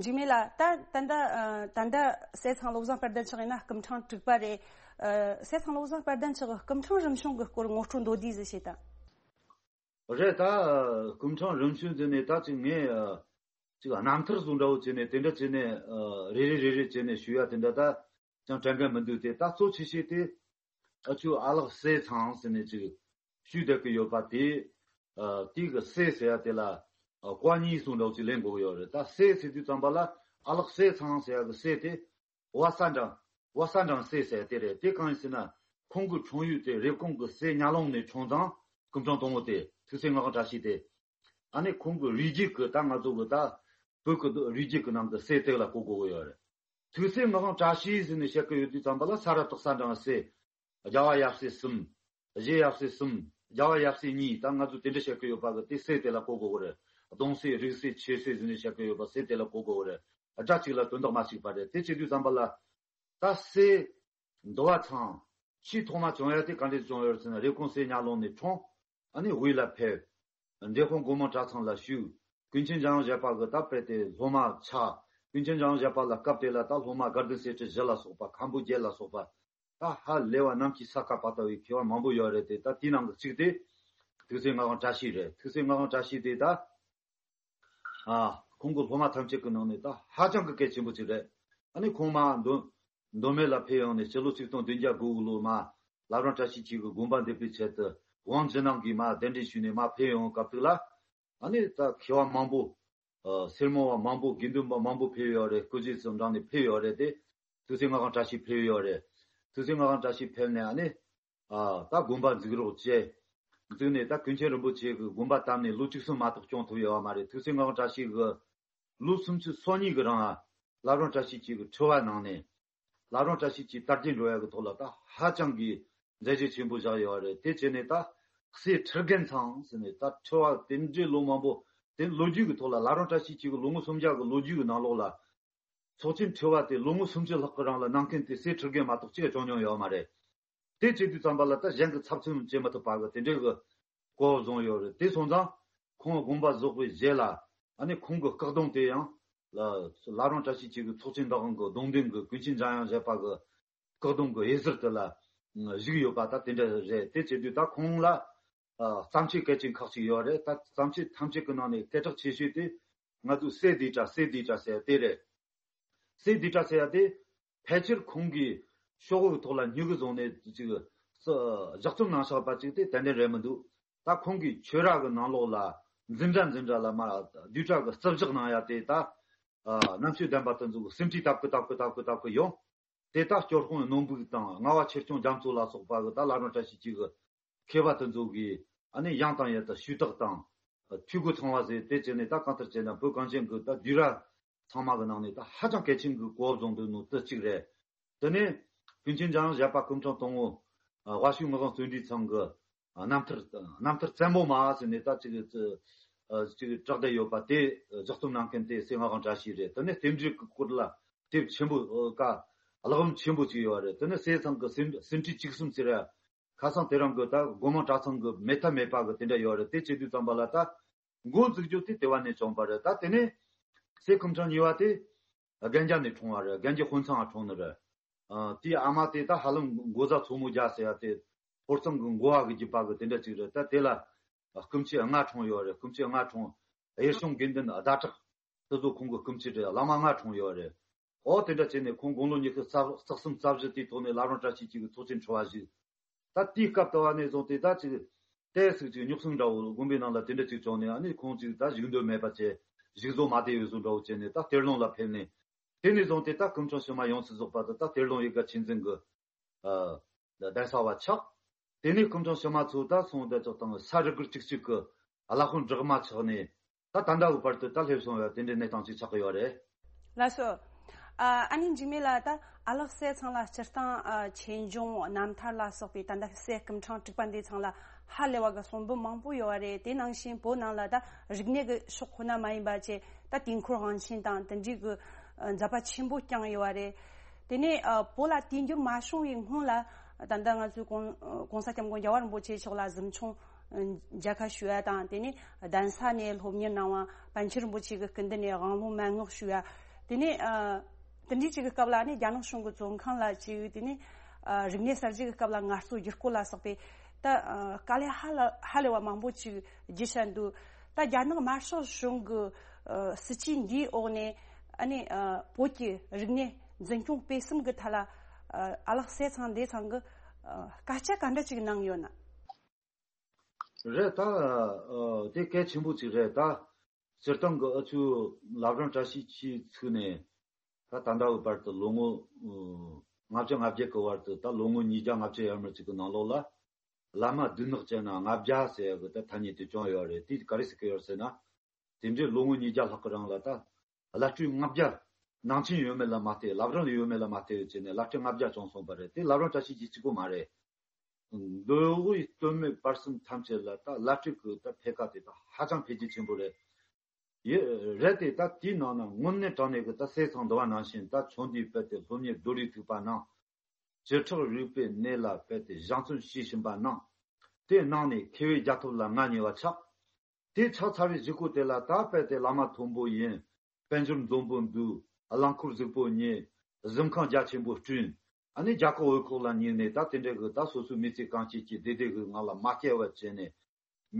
འཇིགས་མེད་ལགས། ད་ད་ལྟ་ཨ་ད་ལྟ་སྲས་ཚང་བློ་བཟང་དཔལ་ལྡན་མཆོག་ཡིན་ན་སྐུ་ཕྲེང་དྲུག་པ་རེད། ཨ་སྲས་ཚང་བློ་བཟང་དཔལ་ལྡན་མཆོག་གི་སྐུ་ཕྲེང་རིམ་བྱོན་གྱི་སྐོར་ངོ་སྤྲོད་མདོར་བསྡུས་ཟིག་བྱེད་དང་། རེད། ད་སྐུ་ཕྲེང་རིམ་བྱོན་ཟེར་ནས་ད་ཅིག་ངས་ཨ་ཅིག་རྣམ་ཐར་བཟོ་འདྲ་བོ་བྱས་ནས་དེ་འདྲ་བྱས་ནས་ཨ་རེ་རེ་རེ་རེ་བྱས་ནས་ཞུ་ཡ་དེ་འདྲ་ད་ཅང་དྲན་གི་མི་འདུག་སྟེ། ད་གཙོ་ཆེ་ཤོས་དེ་ཨ་ཅོ་ཨ་ལགས་སྲས་ཚང་ཟེར་ནས་ཅིག་ཞུས་བསྡད་ཀྱི་ཡོད་པ་དེ། ཨ་དེ་གི་སྲས་ཟེར་ཡ་དེ་ལ་ཨ་བཀའ་རྙིང་གསུང་འདྲ་བོ་ཅིག་ལེན་དགོས་ཀྱི་ཡོད་རེད། ད་སྲས་ཟེར་དུས་ཙམ་པ་ལ་ ཨ་ལགས་སྲས་ཚང་ཟེར་ཡ་གི་སྲས་དེ་བ་ས་འབྲང་། བ་ས་འབྲང་སྲས་ཟེར་ཡ་དེ་རེད། དེ་གང་ཡིན་ཟེར་ན། ཁོང་གི་འཁྲུངས་ཡུལ་དེ་རེབ་གོང་གི་སེ་ཉ་ལུང་ནས་འཁྲུངས་ཙང་། སྐུ་ཕྲེང་དང་པོ་དེ་ཐུགས་སྲས་ངག་དབང་བཀྲ་ཤིས་དེ། ཨ་ནི་ཁོང་གི་རུས་རྒྱུད་ཀྱི་ད་ང་ཚོ་གི་ད་བོད་ཀྱི་རུས་རྒྱུད་ཀྱི་ནང་གི་སྲས་དེ་ལ་གོ་དགོས་ཀྱི་ཡོད་རེད། ཐུགས་སྲས་ངག་དབང་བཀྲ་ཤིས་ཟེར་ནས་བཤད་ཀྱི་ཡོད་དུས་ཙམ་པ་ལ། ས་ར་སྟག་ས་འབྲང་སྲས། རྒྱལ་བ་ཡབ་སྲས་གསུམ། རྗེ་ཡབ་སྲས་གསུམ། རྒྱལ་བ་ཡབ་སྲས་གཉིས། ད་ང་ཚོ་དེ་འདྲ་བཤད་ཀྱི་ཡོད་པ་གི་དེ་སྲས་དེ་ལ་གོ་དགོས་ཀྱི་རེད། གདུང་སྲས། རིགས་སྲས། ཆོས་སྲས་ཟེར་ནས་བཤད་ཀྱི་ཡོད་པ་སྲས་དེ་ལ་གོ་དགོས་ཀྱི་རེད། སྒྲ་གཅིག་ལ་དོན་དག་མ་གཅིག་པ་རེད། དེ་བྱེད་དུས་ཙམ་པ་ལ། ད་སྲས་འདུལ་བ་ཚང་ཆེས་ཐོག་མ་བྱུང་ཡ་དེ་ག་འདྲས་བྱུང་ཡོད་ཟེར་ན། རེབ་གོང་སེ་ཉ་ལུང་ནས་འཁྲུངས། ཨ་ནི་དབུས་ལ་ཕེབས། འབྲས་སྤུངས་སྒོ་མང་གྲྭ་ཚང་ལ་ཞུགས། ཀུན་མཁྱེན་འཇམ་དབྱངས་བཞད་པ་གི་ད་དཔེ་དེ་སློབ་མ་ཆགས། ཀུན་མཁྱེན་འཇམ་དབྱངས་བཞད་པ་ལ་སྐབས་དེ་ལ་ད་སློབ་མ་དགའ་ལྡན་གསེར་ཁྲི་བཞི་ལ་སོགས་པ། མཁན་པོ་བརྒྱད་ལ་སོགས་པ། ད་ཧ་ལས་པ་གནམ་གྱི་ས་ཁ་བར་དོ་བའི་མཁས་པ་མང་པོ་ཡོད་རེད་དེ། ད་དེའི་ནང་གི་གཅིག་དེ་ཐུགས་སྲས་ངག་དབང་བཀྲ་ཤིས་རེད། ཐུགས་སྲས་ངག་དབང་བཀྲ་ཤིས་དེ་ད། ཨ། ཁོང་གི་སློབ་མ་ཐམས་ཅད་ཀྱི་ནང་ནས་ད་ཧ་ཅང་གི་གལ་ཆེན་པོ་ཅིག་རེད། ཨ་ནི་ཁོང་མར་མདོ་མདོ་སྨད་ལ་ཕེབས་ཡོང་ནས་སྤྱི་ལོ་ཆིག་སྟོང་བདུན་བརྒྱ་དགུ་བཅུ་ལོ་མར་བླ་བྲང་བཀྲ་ཤིས་འཁྱིལ་གྱི་དགོན་པ་འདེབས་པའི་ཆེད་དུ་ཝང་ཇི་ནང་གིས་མར་གདན་འདྲེན་ཞུས་ནས་མར་ཕེབས་ཡོང་སྐབས་དེ་ལ། ཨ་ནི་ད་མཁས་པ་མང་པོ། ཨ། སེར་མོ་བ་མང་པོ། དགེ་འདུན་པ་མང་པོ་ཕེབས་ཡོད་རེད། སྐུ་བཞེངས་སུ་འབྲངས་ནས་ཕེབས་ཡོད་རེད་དེ། ཐུགས་སྲས་ངག་དབང་བཀྲ་ཤིས་ཕེབས་ཡོད་རེད། ཐུགས་སྲས་ངག་དབང་བཀྲ་ཤིས་ཕེབས་ནས་ཨ་ནི། ཨ། ད་དགོན་པ་འཛུགས་རོགས་བྱས། འཛུགས་ནས་ད་ཀུན་མཁྱེན་རིན་པོ་ཆེ་གི་དགོན་པ་བཏབ་ནས་ལོ་བཅུ་གསུམ་མ་གཏོགས་སྐྱོང་ཐུབ་ཡོད་པ་མ་རེད། ཐུགས་སྲས་ངག་དབང་བཀྲ་ཤིས་གི་ལོ་སུམ་ཅུ་སོ་གཉིས་གི་རིང་ལ་བླ་བྲང་བཀྲ་ཤིས་འཁྱིལ་གི་ཁྲི་པ་གནང་ནས། བླ་བྲང་བཀྲ་ཤིས་འཁྱིལ་དར་རྒྱས་འགྲོ་ཡ་གི་ཐོག་ལ་ད་ཧ་ཅང་གི་མཛད་རྗེས་ཆེན་པོ་བཞག་ཡོད་རེད། དེ་བྱས་ནས་ད་སྲས་ཁྲི་རྒན་ཚང་ཟེར་ནས། ད་ཁྲི་པ་དེ་འདྲའི་ལོ་མང་པོ་དེ་ལོ་རྒྱུས་ཀྱི་ཐོག་ལ། བླ་བྲང་བཀྲ་ཤིས་འཁྱིལ་གི་ལོ་ངོ་སུམ་བརྒྱ་གི་ལོ་རྒྱུས་ཀྱི་ནང་ལོགས་ལ། ཚོགས་ཆེན་ཁྲི་པ་དེ་ལོ་ངོ་སུམ་ཅུ་ལྷག་གི་རིང་ལ་གནང་མཁན་དེ་སྲས་ཁྲི་རྒན་མ་གཏོགས་གཅིག་བྱུང་མྱོང་ཡོད་མ་རེད། དེ་བྱེད་དུས་ཙམ་པ་ལ་ད་གཞན་གྱིས་ཚབ་མཚོན་བྱེད་མི་ཐུབ་པ་གི་དེ་འདྲའི་གི་གོ་བཟུང་ཡོད་རེད། དེ་སོང་ཙང་ཁོང་དགོངས་པ་རྫོགས་པའི་རྗེས་ལ། ཨ་ནི་ཁོང་གི་སྐུ་གདུང་དེ་ཡང་ལ་བླ་བྲང་བཀྲ་ཤིས་འཁྱིལ་གི་ཚོགས་ཆེན་བདག་དབང་གི་གདུང་འདོན་གྱི་ཀུན་མཁྱེན་འཇམ་དབྱངས་བཞད་པ་གི་སྐུ་གདུང་གི་འོད་ཟེར་དེ་ལ་བཞུགས་ཡོད་པ་ད་དེ་འདྲ་རེད། དེ་བྱེད་དུས་ད་ཁོང་ལ་ཨ། བརྩམས་ཆོས་གལ་ཆེན་ཁག་ཅིག་ཡོད་རེད། ད་བརྩམས་ཆོས་ཐམས་ཅད་ཀྱི་ནང་ནས་སྐད་གྲགས་ཆེ་ཤོས་དེ་ང་ཚོའི་སྲས་བསྡུས་གྲྭ། སྲས་བསྡུས་གྲྭ་ཟེར་ཡ་དེ་རེད། སྲས་བསྡུས་གྲྭ་ཟེར་ཡ་དེ་ཕལ་ཆེར་ཁོང་གིས་ཤོག་བུའི་ཐོག་ལ་སྨྱུ་གུ་བཟུང་ནས་ཅིག་ཨ། ལྗགས་རྩོམ་གནང་བཞག་པ་ཅིག་དེ་ཏན་ཏན་རེད་མི་འདུག་ད་ཁོང་གིས་ཆོས་ར་གི་ནང་ལོགས་ལ་འཛིན་གྲྭ་འཛིན་གྲྭ་ལ་མར་བསྡུས་གྲྭ་གི་རྩིབ་བཞག་གནང་ཡ་དེ་ད། ཨ། རྣམ་དཔྱོད་ལྡན་པ་དེ་ཚོ་གིས་ཟིན་བྲིས་བཏབ་གི་བཏབ་གི་བཏབ་གི་བཏབ་གི་ཡོང་། དེ་ད་སྐྱོར་དཔོན་ནོར་བུ་དང་རྔ་བ་ཆོས་སྐྱོང་རྒྱ་མཚོ་ལ་སོགས་པ་གིས་ད་བླ་བྲང་བཀྲ་ཤིས་འཁྱིལ་གི་མཁས་པ་དེ་ཚོ་གིས་ཨ་ནི་དབྱངས་དང་ཡི་དམ་ཞུས་དག་དང་། ཨ། འཐུས་སྒོ་ཚང་བ་ཟེར་དེ་བྱས་ནས། ད་གང་ལྟར་བྱས་ན་བོད་གངས་ཅན་གྱི་ད་བསྡུས་གྲྭ་ཚང་མ་གི་ནང་ནས་ད་ཧ་ཅང་གལ་ཆེན་གྱི་གོ་བ་བཟུང་འདུག་ནོ་དེ་གཅིག་རེད། དེ་ནས་ཀུན་མཁྱེན་འཇམ་དབྱངས་བཞད་པ་སྐུ་ཕྲེང་དང་པོ། ཨ། དབའ་ཤོད་ངག་དབང་བརྩོན་འགྲུས་ཚང་གི་རྣམ་ཐར། རྣམ་ཐར་བཙན་པོ་མ་ཟེར་ནས་ད་ཅིག་ཨ། ཅིག་གྲགས་བསྡད་ཡོད་པ་དེ་ལྗགས་རྩོམ་གནང་མཁན་དེ་སྲས་ངག་དབང་བཀྲ་ཤིས་རེད། དེ་ནས་རྟེན་འབྲེལ་གྱི་སྐོར་ལ་དེབ་ཆེན་པོ། ཨ། ཀ་བཀླག་རིམ་ཆེན་པོ་ཅིག་ཡོད་རེད། དེ་ནས་སྲས་ཚང་གི་ཟིན་ཟིན་བྲིས་བཅུ་གསུམ་ཟེར་ཡ། ཁ་སང་དེ་རིང་གི་ད་སྒོ་མང་གྲྭ་ཚང་གི་མེད་ཐབས་མེད་པ་གི་དེ་འདྲ་ཡོད་རེད། དེ་བྱེད་དུས་ཙམ་པ་ལ་ད་འགོ་འཛུགས་རྒྱུ་དེ་དེ་བ་ནས་བྱུང་བ་རེད། ད་དེ་ནས་སྲས་སྐུ་ཕྲེང་གཉིས་པ་དེ་རྒན་རྒྱ་ནས་འཁྲུངས་པ་རེད། རྒན་རྒྱ་དཔོན་ཚང་ང་འཁྲུངས་ནི་རེད། ཨ། དེའི་ཨ་མ་དེ་ད་ཧ་ལམ་འགོ་བཟའ་མཚོ་མོ་རྒྱལ་ཟེར་ཡ་དེ་ཧོར་གཙང་གི་འགོ་བ་གི་རྒྱུད་པ་གི་དེ་འདྲ་ཅིག་རེད། ད་དེ་ལ་སྐུ་མཆེད་ལྔ་འཁྲུངས་ཡོད་རེད། སྐུ་མཆེད་ལྔ་འཁྲུངས། གཡུལ་བྱུང་དགེ་འདུན་ཟླ་གྲགས། དེ་ཚོ་ཁོང་གི་སྐུ་མཆེད་རེད། བླ་མ་ལྔ་འཁྲུངས་ཡོད་རེད། ཨོ་དེ་འདྲ་བྱས་ནས་ཁོང་དགུང་ལོ་ཉི་ཤུ་རྩ་གསུམ་རྩ་བཞི་དེའི་ཐོག་ནས་བླ་བྲང་བཀྲ་ཤིས་འཁྱིལ་གི་ཚོགས་ཆེན་ཁྲི་པ་བཞུགས། ད་དེའི་སྐབས་དུ་བ་ནས་བཟུང་སྟེ་ད་ཅིག་ཏོག་ཙམ་ཅིག་རྙོག་ཟིང་འདྲ་བོ། དགོན་པའི་ནང་ལ་དེ་འདྲ་ཅིག་བྱུང་ནས། ཨ་ནི་ཁོང་ཅིག་ད་བཞུགས་འདོད་མེད་པ་བྱས། བཞུགས་བཟོ་མ་བསྡད་ཡོད་བཟོ་འདྲ་བོ་བྱས་ནས་ད་གཏེར་ལུང་ལ་ཕེབས་ནས། དེ་ནས་བཟུང་སྟེ་ད་སྐུ་ཕྲེང་ཕྱི་མ་ཡོངས་སུ་རྫོགས་པ་དེ་ད་གཏེར་ལུང་ཡིག་ག་ཆོས་འཛིན་གི། ཨ། གདན་ས་བ་ཆགས། དེ་ནས་སྐུ་ཕྲེང་ཕྱི་མ་ཚོ་ད་སོང་དེ་ཙོག་དང་ས་རུ་སྒར་གཅིག་གཅིག་གི་བླ་དཔོན་བསྒྲགས་མ་ཆགས་ནས། ད་ད་ལྟ་བུ་བར་དུ་ད་སླེབས་སོང་བ་དེ་འདྲའི་གནས་སྟངས་ཅིག་ཆགས་ཀྱི་ཡོད་རེད། ལགས་སོ། ཨ། ཨ་ནི་འཇིགས་མེད་ལགས། ད་ཨ་ལགས་སྲས་ཚང་ལ་སྤྱིར་བཏང་། ཨ། ཆོས་འབྱུང་རྣམ་ཐར་ལ་སོགས་པའི་ད་ལྟ་སྲས་སྐུ་ཕྲེང་དྲུག་པ་འདི་ཚང་ལ་ཧ་ལས་པ་གི་གསུང་འབུམ་མང་པོ་ཡོད་རེད། དེ་ནང་བཞིན་བོད་ནང་ལ་ད་རིག་གནས་ཀྱི་ཕྱོགས་ཁོ་ན་མ་ཡིན་པ་བྱས། ད་དུས་འཁོར་དབང་ཆེན་དང་དེ་འདྲའི་གི་ཨ། མཛད་པ་ཆེན་པོ་བསྐྱངས་ཡོད་པ་རེད། དེ་ནས་ཨ། བོད་ལ་དུས་འགྱུར་མ་བྱུང་བའི་སྔོན་ལ། ད་ལྟ་ང་ཚོའི་གོང་གོང་ས་སྐྱབས་མགོན་རྒྱལ་བ་རིན་པོ་ཆེ་མཆོག་ལ་གཟིམ་ཆུང་ཨ། མཇལ་ཁ་ཞུ་ཡ་དང་། དེ་ནས་གདན་ས་ནས་སློབ་གཉེར་གནང་བ། པཎ་ཆེན་རིན་པོ་ཆེ་གི་སྐུ་མདུན་ནས་དབང་ལུང་མན་ངག་ཞུ་ཡ། དེ་ནས་ཨ། དེ་འདྲའི་ཅིག་གི་སྐབས་ལ་ནི་རྒྱ་ནག་གཞུང་གི་བཙོན་ཁང་ལ་ཅིག་དེ་ནས་ཨ། རིག་གནས་གསར་བརྗེ་གི་སྐབས་ལ་ངལ་རྩོལ་བསྒྱུར་བཀོད་ལ་སོགས་པའི་ད་ཨ། དཀའ་ལས་ཧ་ལ་ཧ་ལས་པ་མང་པོ་ཅིག་བརྒྱུད་བཞག་འདུག་ད་རྒྱ་ནག་དམར་ཤོག་གཞུང་གི་ཨ། སྲིད་བྱུས་འདིའི་འོག་ནས། ཨ་ནི་ཨ། བོད་ཀྱི་རིག་གནས་འཛིན་སྐྱོང་སྤེལ་གསུམ་གྱི་ཐད་ལ་ཨ། ཨ་ལགས་སྲས་ཚང་འདི་ཚང་གི་ཨ། སྐད་ཆ་ག་འདྲ་ཅིག་གནང་ཡོད་ན། རེད། ད་ཨ། དེ་གལ་ཆེན་པོ་ཅིག་རེད། ད་སྤྱིར་བཏང་གི་ཨ་ཆུ་བླ་བྲང་བཀྲ་ཤིས་འཁྱིལ་ཚུགས་ནས། ད་ད་ལྟ་བའི་བར་དུ་ལོ་ངོ་ལྔ་བཅུ་ང་བརྒྱད་ཀྱི་བར་དུ་ད་ལོ་ངོ་ཉིས་བརྒྱ་ལྔ་བཅུ་ཡར་མར་ཅིག་གི་ནང་ལོགས་ལ། བླ་མ་སྡུག་ནག་ཅན་ན་ལྔ་བརྒྱ་ཟེར་ཡ་གི་ད་ཐ་སྙད་དེ་བྱུང་ཡོད་རེད། དེ་ག་རེ་ཟེར་གི་ཡོད་ཟེར་ན། དེ་འདྲའི་ལོ་ངོ་ཉིས་བརྒྱ་ལྷག་གི་རིང་ལ་ད་བླ་སྤྲུལ་ལྔ་བརྒྱ་ནང་ཆེན་ཡོད་མེད་ལ་མ་ལྟོས། བླ་བྲང་ཡོད་མེད་ལ་མ་ལྟོས་བྱས་ནས་བླ་སྤྲུལ་ལྔ་བརྒྱ་བྱུང་སོང་བ་རེད། དེ་བླ་བྲང་བཀྲ་ཤིས་རྗེ་གཅིག་པོ་མ་རེད། མདོ་དབུས་སྟོད་སྨད་བར་གསུམ་ཐམས་ཅད་ལ་ད་བླ་སྤྲུལ་གི་ད་འཕེལ་ཁ་དེ་ད་ཧ་ཅང་འཕེལ་རྒྱས་ཆེན་པོ་རེད། ཡེ་རེད་དེ། ད་དེའི་ནང་ན་དངོས་གནས་དྲང་གནས་ཀྱི་ད་ཟས་གཙང་འདུལ་བ་ནང་བཞིན་ད་ཆོས་འདིའི་དཔལ་དེ་སློབ་གཉེར་རྡོ་རིང་ཐུག་པ་གནང་། བྱེ་བྲག་རིག་པའི་གནས་ལ་དཔལ་དེ་སྦྱང་བརྩོན་བྱེད་བཞིན་པ་གནང་། དེ་གནང་ནས་མཁས་པའི་རྒྱལ་ཐོབ་ལ་ང་ཉེ་བ་ཆགས། དེ་ཆགས་ཚར་བའི་གཞུག་གུ་དེ་ལ་ད་དཔལ་དེ་བླ་མ་མཐོན་པོ་ཡིན། དཔལ་འབྱོར་འཛོམས་པོ་འདུག། རླངས་འཁོར་གཟུགས་པོ་རྙེད། གཟིམ་ཁང་རྒྱ་ཆེན་པོ་བསྐྲུན། ཨ་ནི་རྒྱ་གར་བོད་ཁོག་ལ་སྙེགས་ནས་ད་དེ་འདྲ་གི་ད་སོ་སོའི་མི་ཚེ་གང་བྱེད་ཀྱི་བདེ་བདེ་གི་ངང་ལ་མ་སྐྱེལ་བ་བྱས་ནས།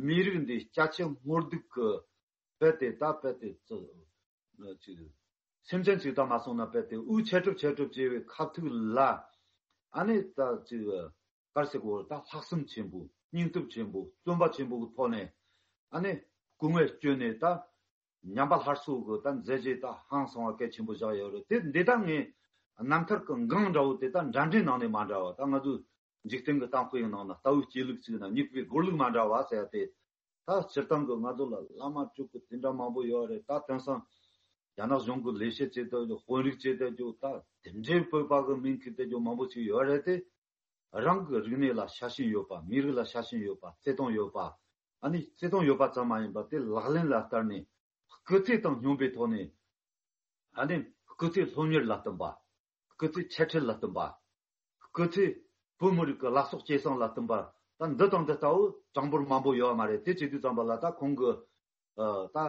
མི་རིགས་འདི་སྐྱ་ཆེན་སྔོ་སྡུག་གི་དཔལ་དེ་ད་དཔལ་དེ་ཙི་ཅིག་སེམས་ཅན་ཅིག་ད་མ་སོང་ན་དཔལ་དེ་དབུགས་ཆད་གྲུབ་ཆད་གྲུབ་བྱས་པའི་ཁ་ཐུག་ལ། ཨ་ནི་ད་ཅིག་གར་སེ་གོ་ད་ལྷག་བསམ་ཆེན་པོ། སྙིང་སྟོབས་ཆེན་པོ། བརྩོན་པ་ཆེན་པོ་གི་ཐོག་ནས། ཨ་ནི་སྐུ་ངལ་བསྐྱོན་ནས་ད་ཉམས་པ་སླར་གསོ་གི་ད་མཛད་རྗེས་ད་ཧང་སང་བ་གལ་ཆེན་པོ་བཞག་ཡོད་རེད། དེ་འདི་ད་ངས་རྣམ་ཐར་གི་འགངས་འདྲ་བོ་དེ་ད་འདྲ་འདྲའི་ནང་ནས་མ་འདྲ་བ། ད་ང་ཚོ་འཇིག་རྟེན་གྱི་གཏམ་དཔེ་ཡི་ནང་ན་རྟ་བོའི་སྐྱེ་ལུགས་གཅིག་ན་མྱུ་གུའི་སྒོར་ལུགས་མ་འདྲ་བ་ཟེར་ཡ་དེ། ད་སྤྱིར་བཏང་གི་ང་ཚོ་ལ་བླ་མ་སྤྲུལ་སྐུ་དེ་འདྲ་མང་པོ་ཡོད་རེད། ད་དེང་སང་རྒྱ་ནག་གཞུང་གི་ལས་བྱེད་བྱེད་བསྡད་རྒྱུ། དཔོན་རིགས་བྱེད་བསྡད་རྒྱུ། ད་དེ་འདྲའི་བོད་པ་གི་མིང་འཁྱེར་བསྡད་རྒྱུ་མང་པོ་ཞིག་ཡོད་རེད་དེ། རང་གི་རིག་གནས་ལ་ཤ་ཞེན་ཡོད་པ། མི་རིགས་ལ་ཤ་ཞེན་ཡོད་པ། བརྩེ་དུང་ཡོད་པ། ཨ་ནི་བརྩེ་དུང་ཡོད་པ་ཙམ་མ་ཡིན་པར་དེ་ལག་ལེན་ལ་བསྟར་ནས། སྐུ་ཚེ་དང་སྙོམས་པའི་ཐོག་ནས། ཨ་ནི་སྐུ་ཚེ་སློབ་གཉེར་ལ་བསྟུན་པ། སྐུ་ཚེ་འཆད་ཁྲིད་ལ་བསྟུན་པ། སྐུ་ཚེ་བོད་མི་རིགས་ཀྱི་ལག་སོགས་སྐྱེད་སྲིང་ལ་བསྟུན་པ། ད་འདི་དང་འདི་ལྟ་བུ་གྲངས་འབོར་མང་པོ་ཡོད་མ་རེད། དེ་བྱེད་དུས་ཙམ་པ་ལ་ད་ཁོང་གི་ཨ་ད་ཨ་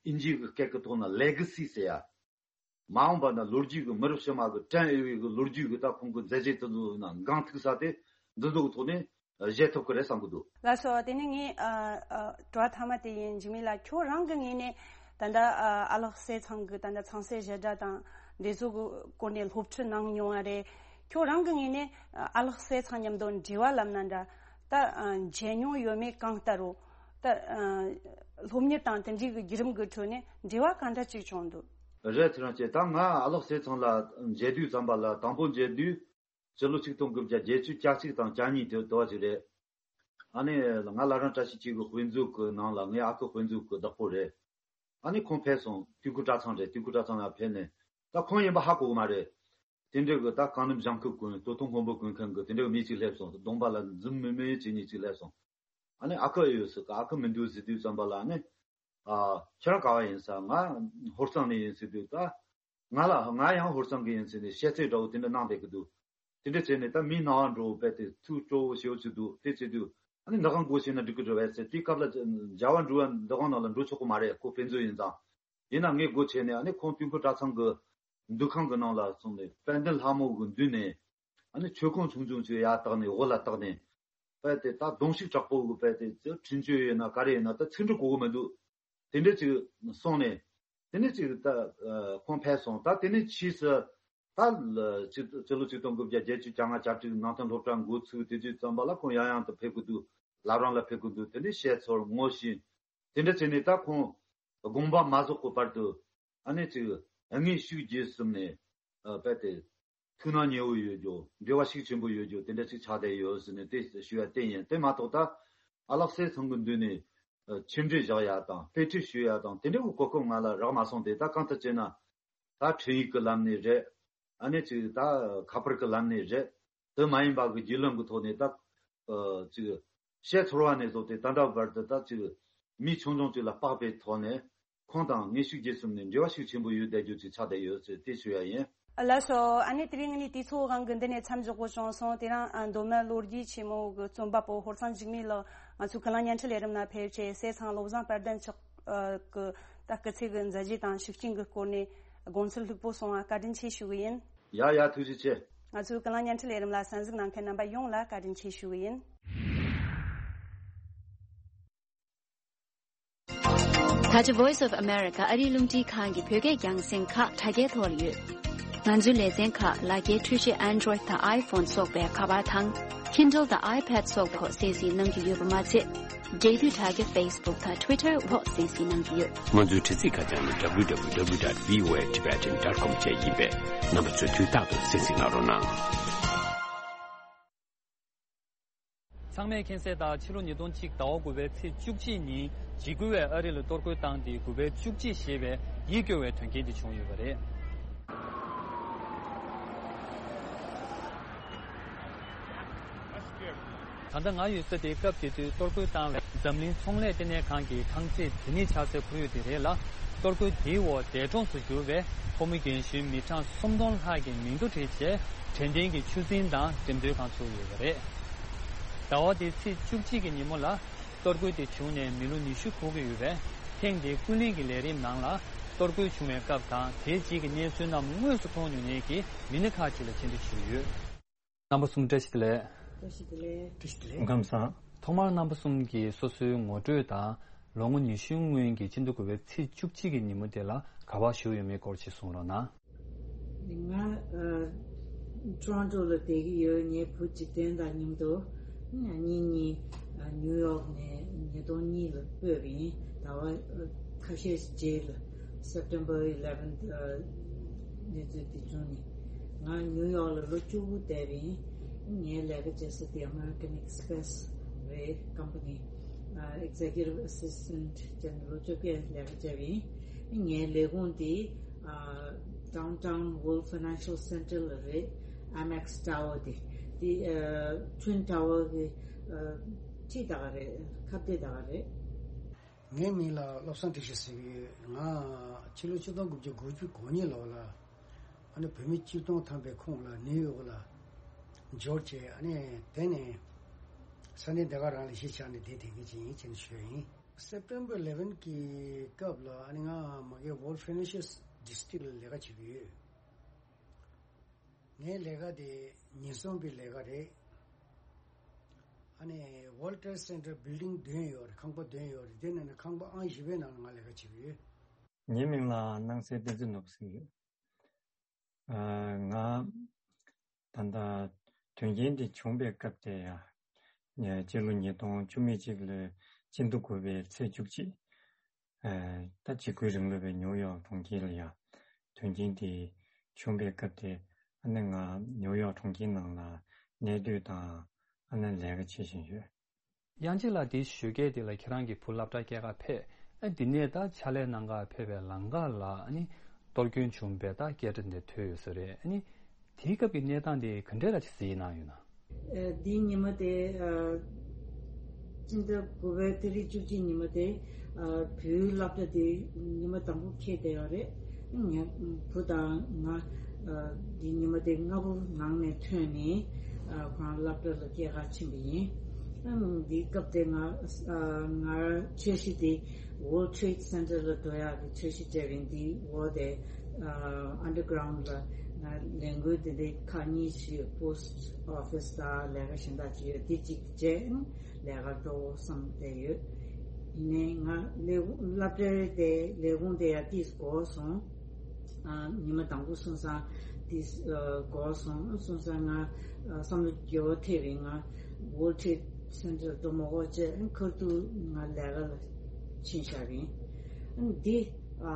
ཨིན་ཇིའི་གི་སྐད་ཀྱི་ཐོག་ན་ལེ་ག་སི་ཟེར་ཡ། མ་འོངས་པ་ན་ལོ་རྒྱུས་ཀྱི་མི་རབས་ཕྱི་མ་གི་དྲན་འོས་པའི་གི་ལོ་རྒྱུས་ཀྱི་ད་ཁོང་གི་མཛད་རྗེས་དེ་ཚོ་ན་འགངས་ཐུག་ས་དེ་འདི་ཚོ་གི་ཐོག་ནས་བཞེས་ཐུབ་ཀྱི་རེད་བསམ་གི་འདུག། ལགས་སོ། དེ་ནས་ངས་ཨ་ཨ་དྲི་བ་མཐའ་མ་དེ་ཡིན། འཇིགས་མེད་ལགས། ཁྱོད་རང་གི་ངོས་ནས་ད་ལྟ་ཨ་ཨ་ལགས་སྲས་ཚང་གི་ད་ལྟ་ཚངས་སྲས་བཞད་སྒྲ་དང་འདི་ཚོ་གི་སྐོར་ནས་སློབ་ཁྲིད་གནང་མྱོང་བ་རེད། ཁྱོད་རང་གི་ངོས་ནས་ཨ་ཨ་ལགས་སྲས་ཚང་མཉམ་དུ་འབྲེལ་བ་ལབ་ན་འདྲ། ད་ཨ་མཇལ་མྱོང་ཡོད་མེད་གང་ལྟར་རོ། ད་ཨ་སློབ་གཉེར་དང་དེ་འདྲའི་གི་བརྒྱུད་རིམ་གི་ཁྲོད་ནས་འབྲེལ་བ་གང་འདྲ་ཅིག་བྱུང་འདུག། རེད། ཚེ་རིང་ཅེ། ད་ང་ཨ་ལགས་སྲས་ཚང་ལ་མཇལ་དུས་ཙམ་པ་ལ། དང་པོ་མཇལ་དུས་སྤྱི་ལོ་ཆིག་སྟོང་དགུ་བརྒྱ་བརྒྱད་ཅུ་གྱ་གཅིག་དང་གྱ་གཉིས་དེ་དུ་བ་ཞིག་རེད། ཨ་ནི་ང་བླ་བྲང་བཀྲ་ཤིས་འཁྱིལ་གྱི་དཔེ་མཛོད་ཀྱི་ནང་ལ། ངའི་ཨ་ཁུ་དཔེ་མཛོད་ཀྱི་བདག་པོ་རེད། ཨ་ནི་ཁོང་ཕེབས་སོང་། དུས་འཁོར་གྲྭ་ཚང་རེད། དུས་འཁོར་གྲྭ་ཚང་ལ་ཕེབས་ནས། ད་ཁོང་ཡིན་པ་ཧ་གོ་གི་མ་རེད། དེ་འདྲ་གི་ད་གང་འདུམ་ཞང་ཁུ་ཀུན། སྟོད་ཐུང་སྔོན་པོ་ཀུན་མཁན་གི་དེ་འདྲ་གི་མི་གཅིག་སླེབས་སོང་། གདོང་པ་ལ་འཛུམ་དམུལ་དམུལ་བྱེད་མཁན་གཅིག་སླེབས་སོང་། ཨ་ནི་ཨ་ཁུ་ཨེ་ཡོད་ཟེར་གི། ཨ་ཁུ་མི་འདུག་ཟེར་དུས་ཙམ་པ་ལ། ཨ་ནི་ཨ་ཁྱེད་རང་ག་བ་ཡིན་ཟེར། ང་ཧོར་གཙང་ནས་ཡིན་ཟེར་དུས། ད་ང་ལ་ང་ཡང་ཧོར་གཙང་གི་ཡིན་ཟེར་ནས་བཤད་ཚིག་འདྲ་བོ་དེ་འདྲ་གནང་བསྡད་ཀྱི་འདུག། དེ་འདྲ་བྱས་ནས་ད་མིའི་སྣང་བ་འགྲོ་བས་དེ་ཐུགས་སྤྲོ་བོ་ཞེ་པོ་ཅིག་འདུག། དེ་བྱེད་དུས་ཨ་ནི་འདི་གང་སྒོ་ཕྱེ་ན་འགྲིག་གི་རེད་བས་ཟེར། དེའི་སྐབས་ལ་མཇལ་བ་འགྲོ་བ་འདི་གང་ནང་ལ་འགྲོ་ཆོག་གི་མ་རེད། ཁོ་དཔེ་མཛོད་ཡིན་ཙང་། ཡིན་ན་ངས་སྒོ་ཕྱེ་ནས། ཨ་ནི་ཁོང་དུས་འཁོར་གྲྭ་ཚང་གི་འདུ་ཁང་གི་ནང་ལ་སོང་ནས། དཔལ་ལྡན་ལྷ་མོ་གི་མདུན་ནས། ཨ་ནི་མཆོད་ཁང་ཆུང་ཆུང་ཅིག་ཡར་བཏེགས་ནས། འོག་ལ་བཏེགས་ནས། དཔལ་དེ་ད་གདོང་ཞིག་དྲག་པོ་གི་དཔལ་དེ་ཚོ་འཕྲིན་བཅོལ་ཡོད་ན་ག་རེ་ཡིན་ན་ད་ཚིག་འབྲུ་གོ་གི་མི་འདུག། དེ་འདྲ་ཅིག་སོང་ནས། དེ་ནས་ཅིག་ད་ཨ་ཁོང་ཕེབས་སོང་། ད་དེ་ནས་ཕྱིས་སུ་ད་ལ་ཅིག་སྤྱི་ལོ་ཆིག་སྟོང་དགུ་བརྒྱ་བརྒྱད་ཅུ་གྱ་ལྔ་གྱ་དྲུག་ནང་བསྟན་སློབ་གྲྭ་འགོ་ཚུགས་དུས་ཙམ་པ་ལ་ཁོང་ཡང་ཡང་དུ་ཕེབས་ཀྱི་འདུག། བླ་བྲང་ལ་ཕེབས་ཀྱི་འདུག། དེ་ནས་བཤད་ཚོར་ངོ་ཤེས། དེ་འདྲ་བྱས་ནས་ད་ཁོང་དགོངས་པ་མ་རྫོགས་ཀྱི་བར་དུ། ཨ་ནི་ཅིག་དངོས་ཤུགས་བརྒྱུད་གསུམ་ནས་ཨ་དཔལ་དེ་ཐུགས་སྣང་ཉེ་བོ་ཡོད་རྒྱུ། འབྲེལ་བ་ཤུགས་ཆེན་པོ་ཡོད་རྒྱུ། དེ་འདྲ་ཅིག་ཆགས་བསྡད་ཡོད་ཟེར་ནས་དེ་ཞུ་ཡ་དེ་ཡིན། དེ་མ་གཏོགས་ད་ཨ་ལགས་སྲས་ཚང་གི་མདུན་ནས་ཨ་ཆིབས་འགྲོས་བཞག་ཡ་དང་། དཔེ་ཁྲིད་ཞུ་ཡ་དང་། དེ་འདྲ་གི་གོ་སྐབས་ང་ལ་རག་མ་སོང་སྟེ། ད་གང་ལྟར་བྱས་ན་ད་འཕྲིན་ཡིག་གི་ལམ་ནས་རེད། ཨ་ནི་ཅིག་ད་ཁ་པར་གི་ལམ་ནས་རེད། དེ་མ་ཡིན་པ་གི་བརྒྱུད་ལམ་གི་ཐོག་ནས་ད་ཨ་ཅིག་བཤད་ཚོར་བ་ནས་བཟུང་སྟེ་ད་ལྟ་བར་དུ་ད་ཅིག་མི་ཆུང་ཆུང་ཅིག་ལ་དཔག་པའི་ཐོག་ནས་ཁོང་དང་དངོས་ཤུགས་བརྒྱུད་གསུམ་ནས་འབྲེལ་བ་ཤུགས་ཆེན་པོ་ཡོད་བསྡད་རྒྱུ་ཅིག་ཆགས་བསྡད་ཡོད་ཟེར་དེ་ཞུ་ཡ་ཡིན། ལགས་སོ། ཨ་ནི་དེ་རིང་ངས་དུས་ཚོད་དབང་གིས་འདི་ནས་མཚམས་འཇོག་དགོས་བྱུང་སོང་། དེ་རིང་ཨ་མདོ་སྨད་ལོ་རྒྱུས་ཆེན་མོ་གི་རྩོམ་པ་པོ་ཧོར་གཙང་འཇིགས་མེད་ལགས་ང་ཚོའི་ཀུན་གླེང་བརྙན་འཕྲིན་ལས་རིམ་ལ་ཕེབས་བྱས། སྲས་ཚང་བློ་བཟང་དཔལ་ལྡན་མཆོག་ཨ་གི་ད་སྐུ་ཚེ་གི་མཛད་རྗེས་དང་ཤུགས་རྐྱེན་གི་སྐོར་ནས་དགོངས་ཚུལ་ལྷུག་པོ་གསུང་བ་བཀའ་དྲིན་ཆེ་ཞུ་གི་ཡིན། ཡ་ཡ། ཐུགས་རྗེ་ཆེ། ང་ཚོའི་ཀུན་གླེང་བརྙན་འཕྲིན་ལས་རིམ་ལ་གསན་གཟིགས་གནང་མཁན་རྣམ་པ་ཡོངས་ལ་བཀའ་དྲིན་ཆེ་ཞུ་གི་ཡིན། ད་ཆ་Voice of America ཨ་རིའི་རླུང་འཕྲིན་ཁང་གི་བོད་སྐད་རྒྱང་སྲིང་ཁག་དྲ་རྒྱའི་ཐོག་ལ་ཡོད། ང་ཚོའི་ལེ་ཚན་ཁག་ལག་འཁྱེར་འཕྲུལ་ཆས་Android དང་iPhone སོགས་པའི་ཁ་པར་དང་Kindle དང་iPad སོགས་ཐོག་གསན་གཟིགས་གནང་རྒྱུ་ཡོད་པ་མ་ཚད། འབྲེལ་ཡོད་དྲ་རྒྱ་Facebook་དང་Twitter་འོག་གསན་གཟིགས་གནང་གི་ཡོད། ང་ཚོའི་དྲ་ཚིགས་ཁ་བྱང་ནི་W W W dot V O A Tibetan dot com་བཅས་ཡིན་པས། རྣམ་པ་ཚོས་དུས་རྟག་ཏུ་གསན་གཟིགས་གནང་རོགས་གནང་། ཚང་མས་མཁྱེན་གསལ་ལྟར་ཕྱི་ལོ་ཉིས་སྟོང་གཅིག་ཟླ་བ་དགུ་པའི་ཚེས་བཅུ་གཅིག་ཉིན་འཇིགས་སྐུལ་བས་ཨ་རི་ལ་གཏོར་རྒོལ་བཏང་སྟེ་དགུ་པའི་བཅུ་གཅིག་ཞེས་པའི་ཡིད་སྐྱོ་བའི་དོན་རྐྱེན་དེ་བྱུང་ཡོད་པ་རེད། ད་ལྟ་ང་ཡོད་ས་དེ་སྐབས་དེ་དུས་གཏོར་རྒོལ་བཏང་བའི་འཛམ་གླིང་ཚོང་ལས་ལྟེ་གནས་ཁང་གི་ཁང་བརྩེགས་དེ་ནས་ཆགས་སའི་ཁོར་ཡུག་དེ་རེད་ལ། གཏོར་རྒོལ་དེའི་འོག་འདས་གྲོངས་སུ་གྱུར་བའི་ཕོ་མོ་རྒན་གཞོན་མི་གྲངས་སུམ་སྟོང་ལྷག་གི་མིང་ཐོ་བྲིས་རྗེས་དྲན་རྟེན་གྱི་ཆུ་རྫིང་དང་འགྲེམས་སྟོན་ཁང་བཙུགས་ཡོད་པ་རེད། ཟླ་བ་འདིའི་ཚེས་བཅུ་གཅིག་གི་ཉིན་མོ་ལ་གཏོར་རྒོལ་དེ་བྱུང་ནས་མི་ལོ་ཉི་ཤུ་འཁོར་གྱི་ཡོད་པས། ཐེངས་འདིའི་ཀུན་གླེང་གི་ལས་རིམ་ནང་ལ་གཏོར་རྒོལ་བྱུང་བའི་སྐབས་དང་དེའི་རྗེས་ཀྱི་གནས་ཚུལ་རྣམས་དངོས་སུ་མཐོང་མྱོང་མཁན་གྱི་མི་སྣ་ཁག་ཅིག་ལ་ཕྱད་འབྲེལ་ཞུས་ཡོད། རྣམ་པ་གསུམ་བཀྲ་ཤིས་བདེ་ལེགས། བཀྲ་ཤིས་བདེ་ལེགས། བཀྲ་ཤིས་བདེ་ལེགས། སྐུ་ཁམས་བཟང་། ཐོག་མར་རྣམ་པ་གསུམ་གྱིས་སོ་སོའི་ངོ་སྤྲོད་དང་། ལོ་ངོ་ཉི་ཤུའི་སྔོན་གྱི་སྤྱི་ཟླ་དགུ་པའི་ཚེས་བཅུ་གཅིག་གི་ཉིན་མོ་དེ་ལ་ག་པར་བཞུགས་ཡོད་མེད་སྐོར་ཅིག་གསུང་རོགས་གནང་། ང་ཨ་ཊོ་རོན་ཊོ་ལ་བསྡད་ཀྱི་ཡོད། ངའི་བུ་འཇིག་རྟེན་དང་མཉམ་དུ་གཉིས་གཉིས་ཨ་ནིའུ་ཡོག་ནས་ཉིས་སྟོང་གཉིས་ལ་སྤོས་པ་ཡིན། ཟླ་བ་ཁ་ཤས་རྗེས་ལ་September eleventh་ཨ་གནས་ཚུལ་འདི་བྱུང་ནས། ང་ནིའུ་ཡོག་ལ་ལོ་བཅུ་དགུ་བསྡད་པ་ཡིན། ངའི་ལས་ཀ་བྱེད་ས་དེ་American Express་རེད། ཀམ་པ་ནི་ཨ་Executive Assistant་བྱས་ནས་ལོ་བཅོ་བརྒྱད་ལས་ཀ་བྱས་པ་ཡིན། ངའི་ལས་ཁུངས་དེ་ཨ་Downtown World Financial Center་ལ་རེད། Amex Tower་དེ་དེ་ཨ་Twin Tower་གི་ཨ་འཁྲིས་ད་ག་རེད། ཁ་གཏད་ད་ག་རེད། ངའི་མིང་ལ་བློ་བཟང་བཀྲ་ཤིས་ཟེར་གྱི་ཡོད། ང་ཕྱི་ལོ་ཆིག་སྟོང་དགུ་བརྒྱ་དགུ་བཅུ་གོ་གཉིས་ལོ་ལ་ཨ་ནི་བོད་མི་བཅུ་སྟོང་ཐམ་པའི་ཁོངས་ལ་ནིའུ་ཡོག་ལ་འབྱོར་བྱས། ཨ་ནི་དེ་ནས་ས་གནས་དེ་ག་རང་ལ་གཞིས་ཆགས་ནས་བསྡད་བསྡད་མཁན་ཅིག་ཡིན་ཅེས་ཞུས་ཡིན། September eleven་གི་སྐབས་ལ་ཨ་ནི་ང་མ་གི་World Financial District་ལ་ལས་ཀ་བྱེད་ཀྱི་ཡོད། ངའི་ལས་ཀ་དེ་ཉེན་སྲུང་པའི་ལས་ཀ་རེད། ཨ་ནི་World Trade Center Building་བདུན་ཡོད་རེད། ཁང་པ་བདུན་ཡོད་རེད། དེ་ནང་ནས་ཁང་པ་ཨང་བཞི་པའི་ནང་ལ་ང་ལས་ཀ་བྱེད་ཀྱི་ཡོད། ངའི་མིང་ལ་སྣང་གསལ་བསྟན་འཛིན་ནོར་བུ་ཟེར་གྱི་ཡོད། ཨ་ང་ད་ལྟ་དོན་རྐྱེན་དེ་བྱུང་པའི་སྐབས་དེ་ཡ། ཉ་སྤྱི་ལོ་ཉིས་སྟོང་བཅུ་མེད་གཅིག་ལོའི་སྤྱི་ཟླ་དགུ་པའི་ཚེས་བཅུ་གཅིག་ཨ་ད་འཇིགས་སྐུལ་རིང་ལུགས་པའི་ནིའུ་ཡོག་གྲོང་ཁྱེར་ལ་ཡ་དོན་རྐྱེན་དེ་བྱུང་པའི་སྐབས་དེ། ཨ་ནི་ང་ནིའུ་ཡོག་གྲོང་ཁྱེར་ནང་ལ་གནས་སྡོད་དང་ཨ་ནི་ལས་ཀ་བྱེད་བཞིན་ཡོད། དབྱངས་ཅན་ལགས། དེའི་ཞོགས་ཀས་དེ་ལ་ཁྱེད་རང་གི་བུ་སློབ་གྲྭ་སྐྱེལ་གར་ཕེབས། ཨ་དེ་ནས་ད་ཕྱག་ལས་གནང་གར་ཕེབས་པའི་ལམ་ཁ་ལ་ཨ་ནི་གཏོར་སྐྱོན་བྱུང་བའི་ད་སྐད་སྒྲ་འདི་ཐོས་ཡོད་ས་རེད། ཨ་ནི་དེའི་སྐབས་ཀྱི་གནས་སྟངས་དེ་ག་འདྲས་ལ་ཅིག་གཟིགས་གནང་ཡོད་ན། ཨ་དེའི་ཉི་མ་དེ་ཨ་སྤྱི་ཟླ་དགུ་པའི་ཏ་རིག་བཅུ་གཅིག་ཉི་མ་དེ་ཨ་བུའི་སློབ་གྲྭ་དེ་ཉི་མ་དང་པོ་འཁེལ་བསྡད་ཡོད་རེད། ངའི་བུ་དང་ང་ཨ་དེའི་ཉི་མ་དེ་སྔ་པོ་ངང་ནས་ཐོན་ནས་ཨ་ཁོ་རང་སློབ་གྲྭ་ལ་སྐྱེལ་གར་ཕྱིན་པ་ཡིན། ཨ་འདིའི་སྐབས་དེ་ང་ཨ་ང་འཆར་གཞི་དེ་World Trade Center་ལ་འགྲོ་ཡག་གི་འཆར་གཞི་བྱས་པ་ཡིན། དེའི་འོག་དེ་ཨ་underground་ལ་ང་ལས་འགུལ་དེ་འདྲའི་ཁག་གཉིས་ཤིག་post office་དང་ལས་ཀ་གཞན་དག་ཅིག་ཡོད། དེ་གཅིག་བྱས་ལས་ཀ་འགྲོ་བསམ་བསྡད་ཡོད། ཡིན་ནའི་ང་ལས་ཁུངས་སློབ་གྲྭའི་དེ་ལས་ཁུངས་དེ་ཡང་ཏིས་འགོར་སོང་། ཨ་ཉི་མ་དང་པོ་སོང་ཙང་ཏིས་ཨ་འགོར་སོང་། སོང་ཙང་ང་ཨ་བསམ་བློ་བདེ་བོ་ཐེབས་པས་ང་World Trade Center་འགྲོ་མ་དགོས་བྱས་ཁ་ཐུག་ང་ལས་ཀ་ལ་ཕྱིན་བཞག་པ་ཡིན། ཨ་འདི་ཨ་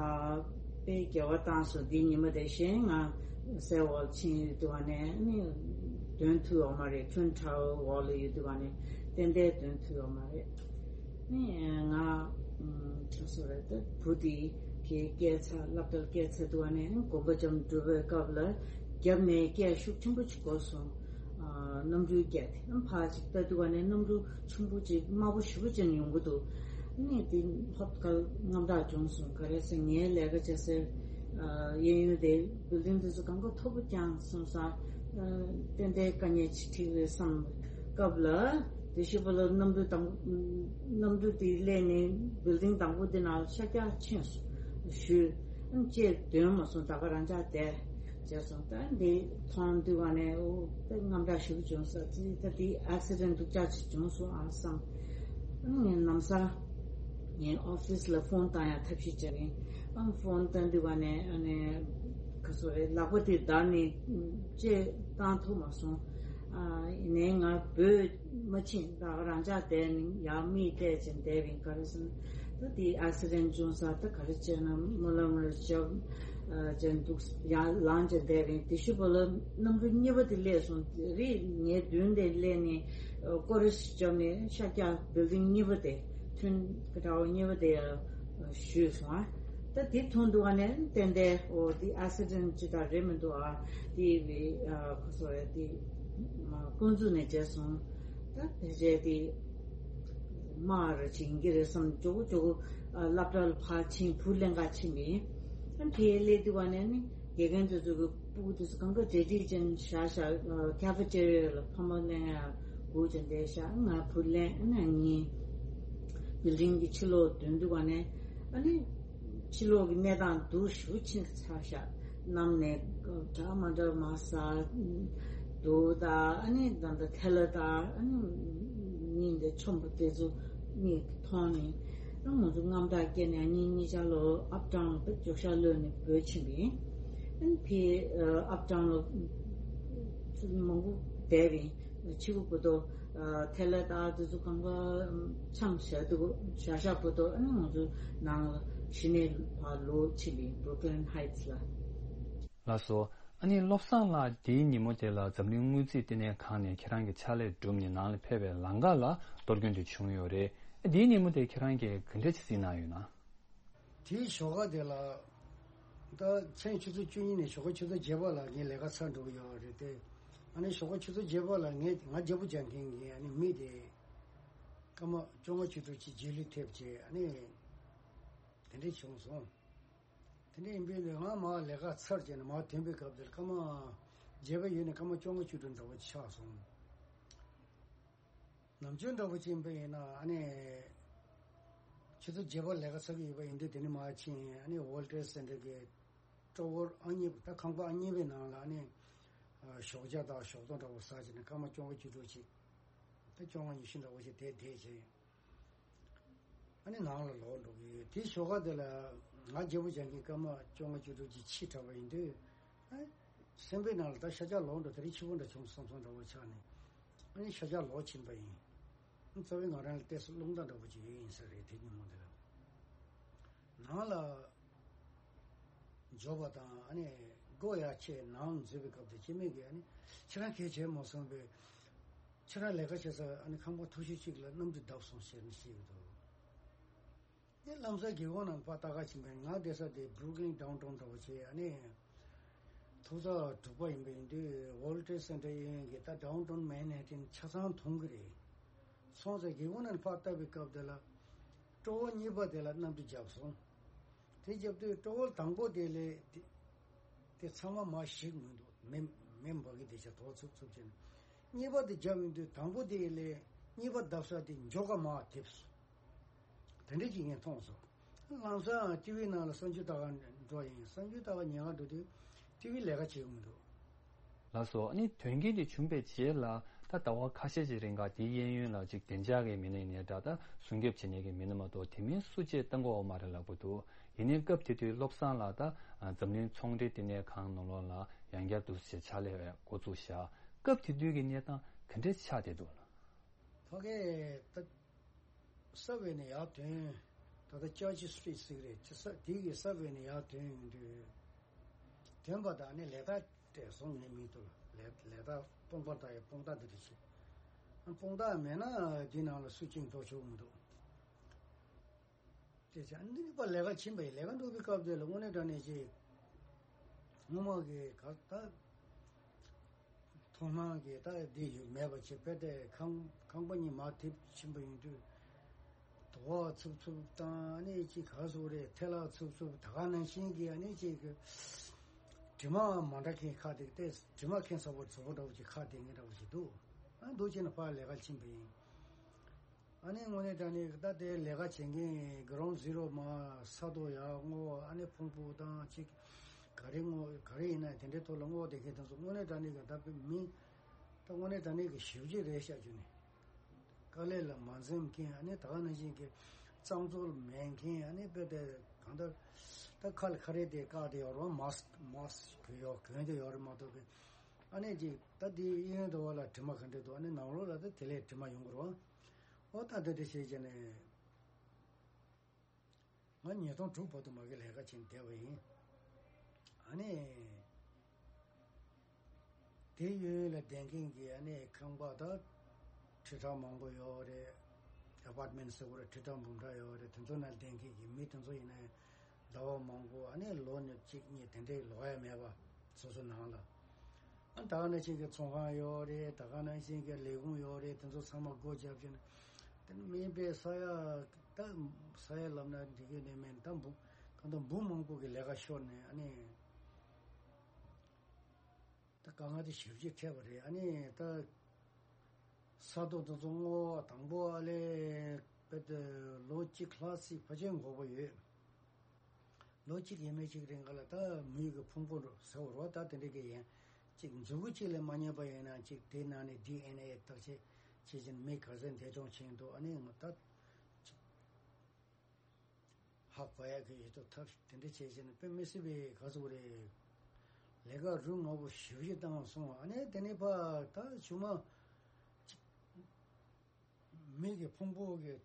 དཔེ་དགེ་བ་བཏང་སོང་། འདི་ཉི་མ་དེ་གཞན་ང་སའི་འོག་ཕྱིན་ཡོད་དུས་ནས་ཨ་ནི་འདོན་ཐུབ་ཡོད་མ་རེད། Twin Tower་འོག་ལ་ཡོད་དུས་ནས་ཏན་ཏན་འདོན་ཐུབ་ཡོད་མ་རེད། ནི་ང་ཨ་སོ་རེད་ད། བུ་དེ་གའི་སྐྱེལ་ཚར། སློབ་གྲྭར་སྐྱེལ་ཚར་དུས་ནས་དགོན་པ་འགྲམ་འགྲོ་བའི་སྐབས་ལ་རྒྱབ་ནས་སྐད་ཤུགས་ཆེན་པོ་ཅིག་གོ་སོང་། ཨ་གནམ་གྲུའི་སྐད་དེ་ཕར་ཅིག་ལྟ་དུས་ནས་གནམ་གྲུ་ཆེན་པོ་ཅིག་དམར་པོ་ཞེ་པོ་ཅིག་ཡོང་གི་འདུག་ནི་དེ་ཧོབ་ཁ་དངངས་སྐྲག་བྱུང་སོང་། ག་རེ་ཟེར་ངའི་ལས་ཀ་བྱེད་སའི་ཨ་གཡས་གཡོན་དེ་building་དེ་ཚོ་གང་ག་མཐོ་པོ་བརྐྱངས་སོང་ཙང་ཨ་ཏན་ཏན་དཀའ་ངལ་ཅིག་འཕྲད་ཀྱི་རེད་བསམ་སྐབས་ལ། དེ་ཤུ་པ་ལ་གནམ་གྲུ་དང་གནམ་གྲུ་དེ་སླེབས་ནས་building་དང་པོ་དེ་ནང་ཤར་རྒྱག་ཕྱིན་སོང་། ཞུས་ཨ་ཅེས་འདོན་མ་སོང་། ད་ག་རང་འཇགས་བསྡད་བྱས་སོང་། ད་འདི་མཐོང་དུས་ནས་ཨོ་དཔེ་དངངས་སྐྲག་ཞེ་པོ་བྱུང་ས་ཅི། ད་འདི་accident་སྡུག་ཅག་ཅིག་བྱུང་སོང་ཨ་བསམ། ཨ་ནི་ངས་ལམ་སང་ངའི་office་ལ་phone་བཏང་ཡག་ཐབས་ཤེས་བྱས་ཡིན། ཨ་phone་བཏང་དུས་ནས་ཨ་ནི་ག་སོ་རེད། ལག་པ་དེ་བརྡར་ནས་ཅེས་བཏང་ཐུབ་མ་སོང་། ཡིན་ནའི་ང་བོད་མ་ཕྱིན་ད་རང་ཅག་བསྡད་ནས་ཡར་མིག་བལྟས་ཅིང་བསྡད་པའི་ག་རེ་ཟེར་ན། ད་དེ་ཨེག་སི་ཌེན་བྱུང་ས་ད་ག་རེ་བྱས་ན་སྨོན་ལམ་རེ་བྱས། ཅན་འདུག་ཡར་ལངས་ཅིང་བསྡད་པའི་དེ་ཤུ་པོ་ལ་གནམ་གྲུ་གཉིས་པ་དེ་སླེབས་སོང་། རེད་ངའི་མདུན་དེ་སླེབས་ནས་སྐོར་ར་ཞིག་བརྒྱབ་ནས་ཤར་རྒྱག་བིལ་ཌིང་གཉིས་པ་དེ་ཐོན་གྲྭ་བ་གཉིས་པ་དེ་ཞུས་སོང་ཨ། ད་དེ་མཐོང་འདུག་ཨ་ནས་ཏན་ཏན་འོ་དེ་ཨེག་སི་ཌེན་ཅི་ད་རེད་མི་འདུག་ཨ། དེ་བི་ཁོ་སོ་ཡ་དེ་ཀུན་རྫོབ་ནས་བྱས་སོང་། ད་དེ་རྗེས་དེ་མ་ར་ཅིག་ཡིན་གྱི་རེད་བསམ་ཇོ་བོ་ཇོ་བོ་སློབ་གྲྭ་ལ་ཕར་ཕྱིན་བུ་ལེན་ག་ཕྱིན་པ་ཡིན། ཨ་དེ་སླེབས་དུས་བ་ནས་ནི་དགེ་རྒན་དེ་ཚོ་གི་སྤུ་གུ་དེ་ཚོ་གང་ག་གྲ་སྒྲིག་ཅན་བཞག་བཞག་ཁ་ཕེ་ཊེ་རི་ཡ་ལ་ཕ་མ་ལེན་ཡ་སྒུག་ཅིང་བསྡད་བཞག་ང་བུ་ལེན་ཨ་ནི་ངའི་བིལ་ཌིང་གི་ཕྱི་ལོགས་ཐོན་དུས་བ་ནས་ཨ་ནི་ཕྱི་ལོགས་ཀྱི་གནས་སྟངས་སྡུག་ཞེ་པོ་ཕྱིན་ཚར་བཞག་གནམ་ནས་འདྲ་མ་འདྲ་མ་ཟ་འདུག་ད་ཨ་ནི་ད་ལྟ་ཐལ་ལ་ད་ཨ་ནི་གཉིས་འདི་ཆོམ་པོ་དེ་ཚོ་གཉིས་མཐོང་ནས། ང་ཚོ་རྔམ་སྐྲག་སྐྱེས་ནས་གཉིས་གཉིས་ཆར་ལོ་ཨབ་ཊའུན་དུ་རྒྱུག་ཤར་གློད་ནས་བྲོས་ཕྱིན་པ་ཡིན། ཨ་ནི་ཕའི་ཨབ་ཊའུན་ལ་ཚུར་མང་པོ་བསྡད་པ་ཡིན། ཕྱི་པོ་བུ་དོ་ཐལ་ལ་ད་དེ་ཚོ་གང་ག་ཆང་བཞག་འདུག་བཞག་བཞག་བུ་དོ་ཨ་ནི་ང་ཚོ་ནང་ལ་གཞི་ནས་ཕར་ལོག་ཕྱིན་པ་ཡིན་Brooklyn Heights་ལ། ལགས་སོ། ཨ་ནི་བློ་བཟང་ལགས་དེའི་ཉིན་མོ་དེ་ལ་འཛམ་གླིང་དངུལ་རྩིས་ལྟེ་གནས་ཁང་ནས་ཁྱེད་རང་གི་ཕྱག་ལས་བསྒྲུབས་ནས་ནང་ལ་ཕེབས་པའི་ལམ་ཁ་ལ་གཏོར་སྐྱོན་དེ་བྱུང་ཡོད་རེད། ཨ་དེའི་ཉིན་མོ་དེ་ཁྱེད་རང་གིས་ག་འདྲ་ཞིག་གཟིགས་གནང་ཡོད་ན། དེའི་ཞོགས་ཀ་དེ་ལ་ད་ཕྱི་ཆུ་ཚོད་བཅུ་གཉིས་ནས་ཞོགས་ཀ་ཆུ་ཚོད་བརྒྱད་པ་ལ་ངའི་ལས་ཀ་ཚར་འགྲོ་གི་ཡོད་རེད་དེ། ཨ་ནི་ཞོགས་ཀ་ཆུ་ཚོད་བརྒྱད་པ་ལ་ངས་ང་རྒྱལ་པོ་རྒྱག་མཁན་གྱི་ཨ་ནི་མི་དེ་སྐར་མ་བཅོ་ལྔ་བཅུ་དྲུག་ཅིག་རྗེས་ལུས་ཐེབས་བྱས་ཨ་ནི་དེ་འདྲ་བྱུང་སོང་། དེ་འདྲ་ཡིན་པས་ལས་ང་མར་ལས་ཀ་ཚར་བྱས་ནས་མར་ཐོན་པའི་སྐབས་དེར་སྐར་མ་བརྒྱད་པ་ཡོལ་ནས་སྐར་མ་བཅོ་ལྔ་བཅུ་དྲུག་འདྲ་བོ་ཆགས་སོང་། ནམ་རྒྱུན་འདྲ་བོ་ཅིག་ཡིན་པ་ཡིན་ན་ཨ་ནི་ཆུ་ཚོད་བརྒྱད་པར་ལས་ཀ་ཚར་གྱི་ཡོད་པ་ཡིན་དུས་དེ་ནས་མར་ཕྱིན་ཨ་ནི་World Trade Center་གི་ཊ་ཝར་ཨང་གཉིས་པ་ད་ཁང་པ་ཨང་གཉིས་པའི་ནང་ལ་ཨ་ནི་ཞོགས་ཇ་དང་ཞོགས་ཏོག་འདྲ་བོ་ཟ་བྱས་ནས་སྐར་མ་བཅོ་ལྔ་བཅུ་དྲུག་ཅིག་ད་བཅོ་ལྔ་ཉི་ཤུ་འདྲ་བོ་ཅིག་དེ་བསྡད་བྱས། ཨ་ནི་ནང་ལ་ལོག་འགྲོ་གི་ཡོད། དེའི་ཞོགས་ཀ་དེ་ལ་ང་རྒྱལ་པོ་རྒྱག་མཁན་སྐར་མ་བཅོ་ལྔ་བཅུ་དྲུག་ཅིག་ཕྱིས་དྲགས་པ་ཡིན་དུས། ཨ། སེམས་པའི་ནང་ལ་ད་ཤར་རྒྱག་ལོག་འགྲོ་དེ་རིང་ཕྱི་པོ་འདྲ་བྱུང་བསམ་སོང་འདྲ་བོ་ཆགས་ནས། ཨ་ནི་ཤར་རྒྱག་ལོག་ཕྱིན་པ་ཡིན། རྩ་བའི་ང་རང་ལ་ཏོག་ཙམ་རླུང་རྟ་འདྲ་བོ་ཅིག་ཡོད་ཡིན་ས་རེད་དེ་ཉིན་མོ་དེ་ལ། ནང་ལ་འབྱོར་བ་དང་ཨ་ནི་སྒོ་ཡར་ཕྱེ་ནང་འཛུལ་བའི་སྐབས་དེ་སྐྱེ་དམན་གྱིས་ཨ་ནི་ཁྱེད་རང་གལ་ཆེ་མ་སོང་པས། ཁྱེད་རང་ལས་ཀ་བྱེད་ས་ཨ་ནི་ཁང་པ་མཐོ་ཤོས་གཅིག་ལ་གནམ་གྲུ་བརྡབས་སོང་ཟེར་ནས་བཤད་ཀྱི་འདུག་དེ་ལམ་སང་སྒེའུ་ཁུང་ནང་ཕར་ལྟ་ག་ཕྱིན་པས་ང་བསྡད་ས་དེ་Brooklyn Downtown་འདྲ་བོ་བྱས་ཨ་ནི། ཐོག་བརྩེགས་དྲུག་པ་ཡིན་པ་ཡིན་དུས་World Trade Center་གཡས་གཡོན་གྱི་ད་Downtown Manhattan་ཆ་ཚང་མཐོང་གི་རེད། སོང་ཙང་སྒེའུ་ཁུང་ནང་ཕར་ལྟ་བའི་སྐབས་དེ་ལ། ཊ་ཝར་གཉིས་པ་དེ་ལ་གནམ་གྲུ་བརྒྱབ་སོང་། དེ་རྒྱབ་དུས་ཊ་ཝར་དང་པོ་དེ་ལས་དེ་དེ་ཚང་མ་མར་ཞིག་མི་འདུག་མེ་མེ་འབར་གི་དེ་ཆ་དོག་ཚུབ་ཚུབ་བྱས་ནས། གཉིས་པ་དེ་བརྒྱབ་ཡོང་དུས་དང་པོ་དེ་ལས་གཉིས་པ་བརྡབ་ས་དེ་མགྱོགས་ག་མར་ཐེབས་སོང་། དེ་འདྲ་ཅིག་ངས་མཐོང་སོང་། ལམ་སང་ཊི་ཝི་ནང་ལ་གསར་འགྱུར་ལྟ་ག་འགྲོ་ཡིན། གསར་འགྱུར་ལྟ་ག་ཉན་ག་འགྲོ་དུས་ཊི་ཝི་ལས་ཀ་བྱེད་ཀྱི་མི་འདུག་ལགས་སོ། ཨ་ནི་དོན་རྐྱེན་དེ་བྱུང་བའི་རྗེས་ལ་ད་ཟླ་བ་ཁ་ཤས་ཀྱི་རིང་ག་དེའི་གཡས་གཡོན་ལ་ཅིག་བདེ་འཇགས་ཀྱི་མི་སྣ་ཡིན་ནའི་འདྲ་ད་སྲུང་སྐྱོབ་བྱེད་མཁན་གྱི་མི་སྣ་མ་གཏོགས་དེ་མིན་སུ་གཅིག་བཏང་གི་ཡོད་མ་རེད་ལབ་ཀྱི་འདུག་ཡིན་ནའི་སྐབས་དེ་དུས་བློ་བཟང་ལགས་ད་འཛམ་གླིང་ཚོང་འབྲེལ་ལྟེ་གནས་ཁང་ནང་ལོགས་ལ་ཡང་བསྐྱར་དུ་ཞིག་ཕྱག་ལས་འགོ་བཙུགས་བཞག་སྐབས་དེ་དུས་ཀྱི་གནས་སྟངས་ག་འདྲས་ཆགས་བསྡད་འདུག་ལགས། ཕ་གི་ད་སབ་ཝེ་ནས་ཡར་ཐོན། ད་ལྟ་Church Street་ཟེར་གི་རེད། ཅི་ས་དེ་གི་སབ་ཝེ་ནས་ཡར་ཐོན་ཡོང་དུས། ཐོན་པ་དང་ནི་ལས་ཀ་སྤྲད་སོང་ངས་མི་འདུག་ལས་ལས་ཀ་སྤོང་པ་དང་ཡང་སྤོང་ཐག་འདི་འདྲ་བྱེད། སྤོང་ཐག་མེད་ན་འདི་ནང་ལ་སུ་གཅིག་འགྲོ་ཆོག་མི་འདུག་དེ་ཚེ་འདི་ནི་པ་ལས་ཀ་ཕྱིན་པ་ཡིན། ལས་ཀ་འགྲོ་བའི་སྐབས་དེ་ལ་དངོས་གནས་དྲང་གནས་ཅིག་སྔོན་མ་གི་ག་ད་མཐོང་སྣང་གི་ད་འདི་ཡོད་མེད་པ་ཅིག་དཔེ་དེ་ཁང་ཁང་པ་གཉིས་མར་ཐེབས་ཕྱིན་པ་ཡིན་དུས། དོ་བ་འཚུབ་འཚུབ་དང་ཨ་ནི་ཅིག་ག་སོ་རེད། ཐལ་ལག་འཚུབ་འཚུབ་ད་ག་ནང་བཞིན་གྱི་ཨ་ནི་ཅིག་གི་དྲི་མ་མ་འདྲ་མཁན་ཁ་དེ་ཏེ་དྲི་མ་མཁན་ཚ་བོ་ཚ་བོ་འདྲ་བོ་ཅིག་ཁ་དེ་ངན་འདྲ་བོ་ཅིག་འདུག་ཨ་འདུག་ཅེ་ན་ཕར་ལས་ཀ་ཕྱིན་པ་ཡིན། ཨ་ནི་དངོས་གནས་དྲང་གནས་ད་དེ་ལས་ཀ་བྱེད་མཁན་Ground Zero་མ་ས་རྡོ་ཡར་སྔོ་ཨ་ནི་ཕུང་པོ་དང་ཅིག་ག་རེ་སྔོ་ག་རེ་ཡིན་ན་དེ་འདྲའི་ཐོག་ལ་སྔོ་དེ་མཁན་དེ་ཚོ་དངོས་གནས་དྲང་གནས་ཀྱི་ད་མི་ད་དངོས་གནས་དྲང་གནས་ཀྱི་ཞེ་པོ་ཅིག་རེད་ཤག་རྒྱུ་ནི། དཀའ་ལས་ལ་མ་འཛེམ་མཁན་ཨ་ནི་ད་ག་ནང་བཞིན་གྱི་གཙང་བཙོག་མེད་མཁན་ཨ་ནི་དཔེ་དེ་གང་ལྟར་ད་ཁ་ལ་ཁ་རས་དེ་བཀག་དེ་ཡོད་རེད། མཱསི་མཱསི་གྱོན་ཡོད་གྱོན་དེ་ཡོད་རེད་མ་གཏོགས་པའི་ ཨ་ནི་ཅིག་ད་དེའི་གཡས་གཡོན་དུ་བ་ལ་དྲི་མ་ག་འདྲ་འདུག་ཨ་ནི་ནང་ལོགས་ལ་ད་དེ་ལས་དྲི་མ་ཡོང་གི་རེད་བ། ཨོ་ད་དེ་འདྲ་བྱས་བྱས་ནས། ང་ཉིས་སྟོང་དྲུག་བར་དུ་མ་གི་ལས་ཀ་བྱས་བསྡད་པ་ཡིན། ཨ་ནི། དེ་གཡས་གཡོན་ལ་བསྡད་མཁན་གྱི་ཨ་ནི་ཁང་པ་དང་། ཁྲི་ཕྲག་མང་པོ་ཡོད་རེད། ཨ་པར་ཊི་མེན་ཊི་ཟེར་དགོས་རེད། ཁྲི་ཕྲག་འབུམ་ཕྲག་ཡོད་རེད། དེ་ཚོ་ནང་བསྡད་མཁན་གྱི་མི་དེ་ཚོ་ཡིན་ན་ཟླ་བ་མང་པོ་ཨ་ནི་ལོ་ནི་གཅིག་གཉིས་དེ་འདྲའི་ལོག་ཡ་མེད་པ། སོ་སོ་ནང་ལ། ཨ་ད་ག་ནང་བཞིན་གྱི་ཚོང་ཁང་ཡོད་རེད། ད་ག་ནང་བཞིན་གྱི་ལས་ཁུངས་ཡོད་རེད། དེ་ཚོ་ཚང་མ་སྒོ་བརྒྱབ་བྱས་ནས། དེ་ནི་མིན་པའི་ས་ཡ། ད་ས་ཡ་ལབ་ན་འགྲིག་གི་ནི་མིན། ད་འབུམ། གང་ལྟར་འབུམ་མང་པོ་གི་ལས་ཀ་ཤོར་ནས་ཨ་ནི། ད་དཀའ་ངལ་དེ་ཞེ་པོ་ཅིག་འཕྲད་པ་རེད། ཨ་ནི་ད་ས་རྡོ་དེ་ཚོ་བརྔོ་བ་དང་པོ་ཨ་ལས་བེད་ལོ་གཅིག་ལྷག་ཙམ་ཕལ་ཆེར་འགོར་བ་ཡོད། ལོ་གཅིག་ཡས་མས་གཅིག་རིང་ག་ལ་ད་མིའི་གི་ཕུང་པོ་ཟེར་བ་རེད་བ། ད་དེ་འདྲ་གི་ཡན་གཅིག་མཛུ་གུ་གཅིག་ལས་མ་རྙེད་པ་ཡིན་ན་གཅིག་དེ་ནང་ནས་ཌི་ཨེན་ཨེ་བརྟག་དཔྱད་བྱེད་བཞིན་མི་ག་ཚད་འདས་གྲོངས་ཕྱིན་འདུག་ཨ་ནི་ང་ད་གཅིག་ཧ་གོ་ཡ་གི་ཡོད་དོ། ཐབས་དེ་འདྲ་བྱས་བྱས་ནས་དཔེ་མི་སྲིད་པའི་ག་ཚོད་རེད། ལས་ཀ་རུ་ངོ་བོ་ཞེ་པོ་ཅིག་བཏང་སོང་། ཨ་ནི་དེ་ནས་ཕར་ད་ཆུང་མ་གཅིག་མི་གི་ཕུང་པོ་གི་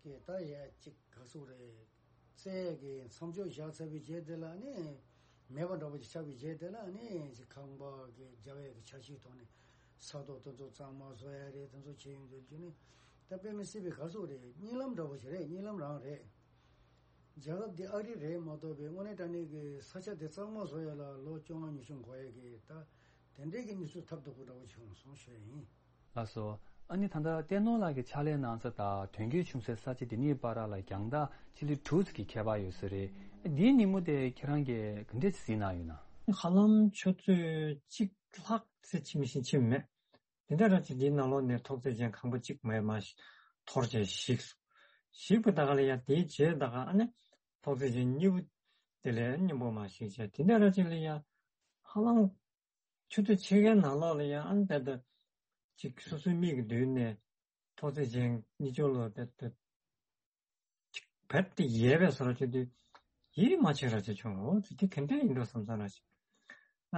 གི་ད་ཡ་གཅིག་ག་ཟེར་རེད། རྩྭ་གི་མཚམས་སྦྱོར་བཞག་ཚར་བའི་རྗེས་དེ་ལ་ནི་མེད་པ་འདྲ་པོ་ཅིག་ཆགས་པའི་རྗེས་དེ་ལ་ནི་ཅིག་ཁང་པ་གི་རྒྱབ་ཡ་གི་ཆ་ཤས་ཐོག་ནས་ས་རྡོ་དེ་ཚོ་གཙང་མ་བཟོ་ཡ་རེད། དེ་ཚོ་བྱེད་ཡོང་དུས་ཀྱི་ནི་ད་དཔེ་མི་སྲིད་པའི་ག་ཟེར་རེད། གཉིད་ལམ་འདྲ་པོ་ཞིག་རེད། གཉིད་ལམ་རང་རེད། རྒྱལ་ཁབ་འདི་ཨ་རི་རེད་མ་གཏོགས་པའི་དངོས་གནས་དྲང་གནས་ཀྱི་ས་ཆ་དེ་གཙང་མ་བཟོ་ཡ་ལ་ལོ་བཅོ་ལྔ་ཉི་ཤུ་འགོར་ཡ་གི་ད་དེ་འདྲའི་གི་གནས་ཚུལ་ཐབས་སྡུག་པོ་འདྲ་པོ་བྱུང་སོང་ཞུ་ཡ་ཡིན། ལགས་སོ། ཨ་ནི་ད་ལྟ་བསྟན་ནོར་ལགས་ཀྱིས་ཕྱག་ལས་གནང་ས་དང་དོན་འཁྱོལ་བྱུང་སའི་ས་ཆ་འདི་གཉིས་བར་ལ་རྒྱང་ཐག་ཕྱི་ལི་དྲུག་ཙམ་གྱི་ཁྱད་པར་ཡོད་ས་རེད། འདིའི་ཉིན་མོ་དེ་ཁྱེད་རང་གིས་ག་འདྲས་གཟིགས་གནང་ཡོད་ན། ཧ་ལམ་ཆུ་ཚོད་གཅིག་ལྷག་ཙམ་ཕྱིན་མི་ཤེས་ཕྱིན་མེད། དེ་འདྲ་ར་ཅིག་དེའི་ནང་ལོགས་ནས་ཐོག་བརྩེགས་ཅན་ཁང་པ་གཅིག་མེད་མ་ཞིག་འཐོར་བྱས་ཞིག་སོང་། ཞིག་པ་ད་ག་ལ་ཡ་དེའི་རྗེས་ད་ག་ཨ་ནི་ཐོག་བརྩེགས་ཅན་གཉིས་པོ་དེ་ལས་སྙོམས་པོ་མ་ཞིག་བྱས། དེ་འདྲ་ར་ཅིག་ལ་ཡ་ཧ་ལམ་ཆུ་ཚོད་ཕྱེད་ཀའི་ནང་ལོགས་ལ་ཡ་ཨ་ནི་ད་ལྟ་ཅིག་སོ་སོའི་མིག་གི་མདུན་ནས་ཐོག་བརྩེགས་ཅན་གཉིས་ཆུང་ལོ་ད་ལྟ་རྦད་དེ་ཡལ་བའི་བཟོ་འདྲ་བྱེད་དུས་ཡིད་མ་ཆེས་ར་ཅིག་བྱུང་། འོ་ཙི་དེ་ག་འདྲ་ཡིན་འགྲོ་བསམ་བསམ་ར་ཅིག་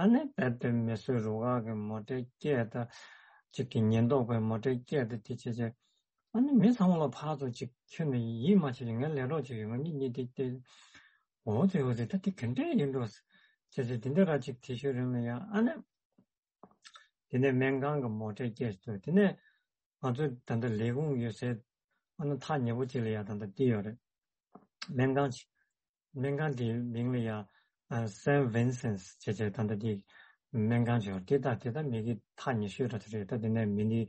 ཨ་ནི་རྦད་དེ་མི་གསོད་རུ་ཁག་གི་མོ་ཊའི་སྐད་དང་། ཅིག་གི་ཉེན་རྟོག་པའི་མོ་ཊའི་སྐད་དང་དེ་བྱས་བྱས། ཨ་ནི་མི་ཚང་མ་ལ་ཕར་ཚུར་ཅིག་ཁྱོན་ནས་ཡིད་མ་ཆེས་ཀྱི་ངའི་ལས་གྲོགས་ཅིག་ཡོད། ང་གཉིས་གཉིས་དེ་དེ། འོ་ཙི་འོ་ཙི་ད་དེ་ག་འདྲ་ཡིན་འགྲོ་བྱས་བྱས་དེ་འདྲ་ར་ཅིག་དེ་ཤོད་རིང་ལ་ཡང་ཨ་ནི། དེ་ནས་སྨན་ཁང་གི་མོ་ཊའི་སྐད་ཞིག་ཐོས། དེ་ནས་ང་ཚོ་ད་ལྟ་ལས་ཁུངས་ཡོད་སའི་ཨ་ནི་ཐག་ཉེ་པོ་ཅིག་ལ་ཡ་ད་ལྟ་བསྡད་ཡོད་རེད། སྨན་ཁང་ཅིག་སྨན་ཁང་དེའི་མིང་ལ་ཡ་ཨ་སེན་ཝིན་སེན་སི་བྱས་བྱས་ད་ལྟ་དེ་སྨན་ཁང་ཅིག་ཡོད་རེད། དེ་ད་དེ་ད་མི་གི་ཐག་ཉེ་ཤོས་འདྲ་ཅིག་རེད། ད་དེ་ནས་མི་ནི་